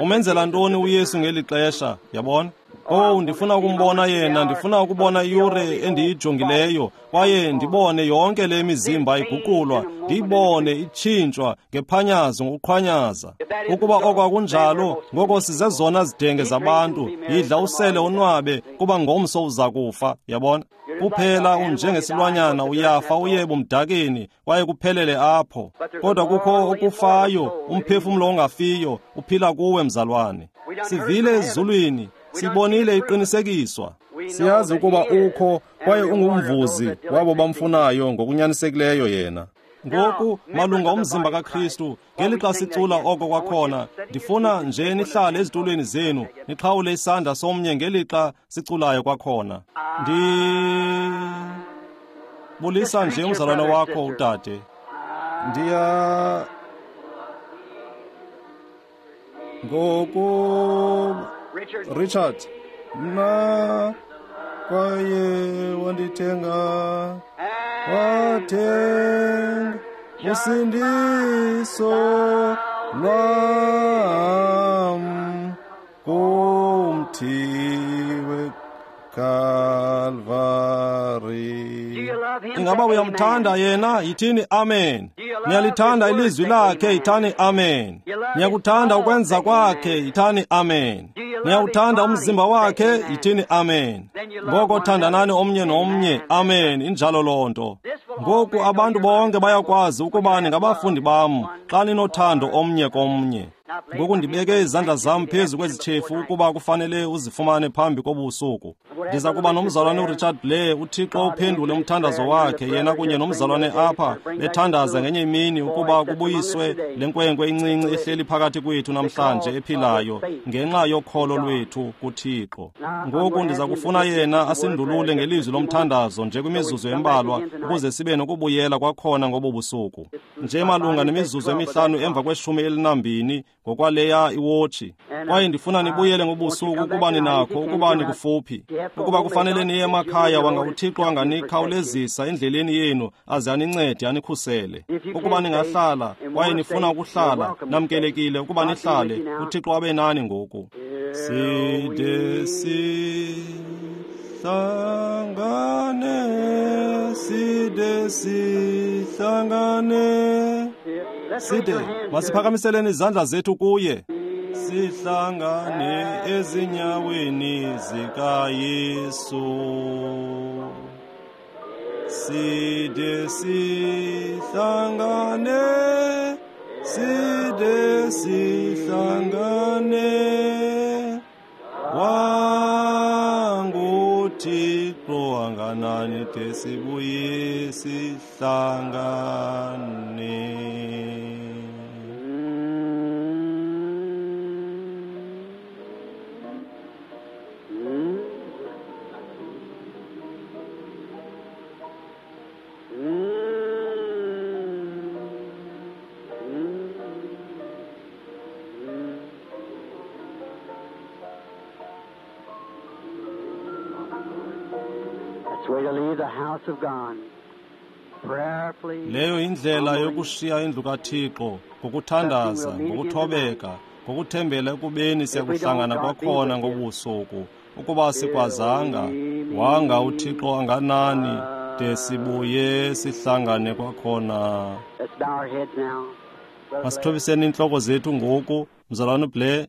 A: Umenzela ntoni uYesu ngeli xesha, yabona? Owu, ndifuna ukumbona yena, ndifuna ukubona iyure endiyijongileyo, kwaye ndibone yonke le mizimba iguqulwa, ndiyibone itshintshwa ngephanyazo ngokuqhwanyaza. Ukuba oko akunjalo, ngoko sizezona zidenge zabantu. Yidla usele onwabe, kuba ngomso uza kufa, yabona? Kuphela unjengesilwanyana, uyafa uye ebumdakeni, kwaye kuphelele apho. Kodwa kukho okufayo, umphefumlo ongafiyo, uphila kuwe, mzalwane. Sivile ezulwini, sibonile iqinisekiswa. Siyazi ukuba ukho kwaye ungumvuzi wabo bamfunayo ngokunyanisekileyo yena. Ngoku malunga umzimba kaKristu, ngelixa sicula oko kwakhona, ndifuna nje nihlale ezitulweni zenu, nixhawule isandla somnye ngelixa siculayo kwakhona. Ndibulisa nje umzalwane wakho udade. Ndiya ngoku Richard, mna kwaye wandithenga, wathenga usindiso lwam kumthi weKalvari. Ingaba uyamthanda yena? Yithini amen. Niyalithanda ilizwi lakhe? Yithani amen. Niyakuthanda ukwenza kwakhe? Yithani amen. Niyawuthanda umzimba wakhe? Yithini amen. Ngoko thandanani omnye nomnye. Amen. Injalo loo nto. Ngoku abantu bonke bayakwazi ukuba ningabafundi bam xa ninothando omnye komnye. Ngoku ndibeke izandla zam phezu kwezi tshefu ukuba kufanele uzifumane phambi kobusuku. Ndiza kuba nomzalwane uRichard Blair, uThixo uphendule umthandazo wakhe, yena kunye nomzalwane apha bethandaza ngenye imini ukuba kubuyiswe le nkwenkwe incinci ehleli phakathi kwethu namhlanje ephilayo ngenxa yokholo lwethu kuThixo. Ngoku ndiza kufuna yena asindulule ngelizwi lomthandazo nje kwimizuzu embalwa ukuze sibe nokubuyela kwakhona ngobu busuku. Nje malunga nemizuzu emihlanu emva kwelishumi elinambini ngokwaleya iwotshi. Kwaye ndifuna nibuyele ngobusuku ukuba ninakho, ukuba nikufuphi. Ukuba kufanele niye emakhaya, wanga uThixo anganikhawulezisa endleleni yenu aze anincede anikhusele. Ukuba ningahlala kwaye nifuna ukuhlala, namkelekile ukuba nihlale. uThixo abe nani ngoku. Side sihlangane, side sihlangane. Side, masiphakamiseleni izandla zethu kuye. Sihlangane ezinyaweni zikaYesu. Side sihlangane, side sihlangane. WanguThixo anganani de sibuye sihlangane.
B: That's the way to leave the house of God. Prayerfully,
A: Leyo indlela yokushiya indlu kaThixo, ngokuthandaza, ngokuthobeka, ngokuthembela ekubeni siyakuhlangana kwakhona ngobusuku. Ukuba sikwazanga, wanga uThixo anganani de sibuye sihlangane kwakhona.
B: Let's bow our heads now. Brother
A: Masithobiseni iintloko zethu ngoku, mzalwane uBlair.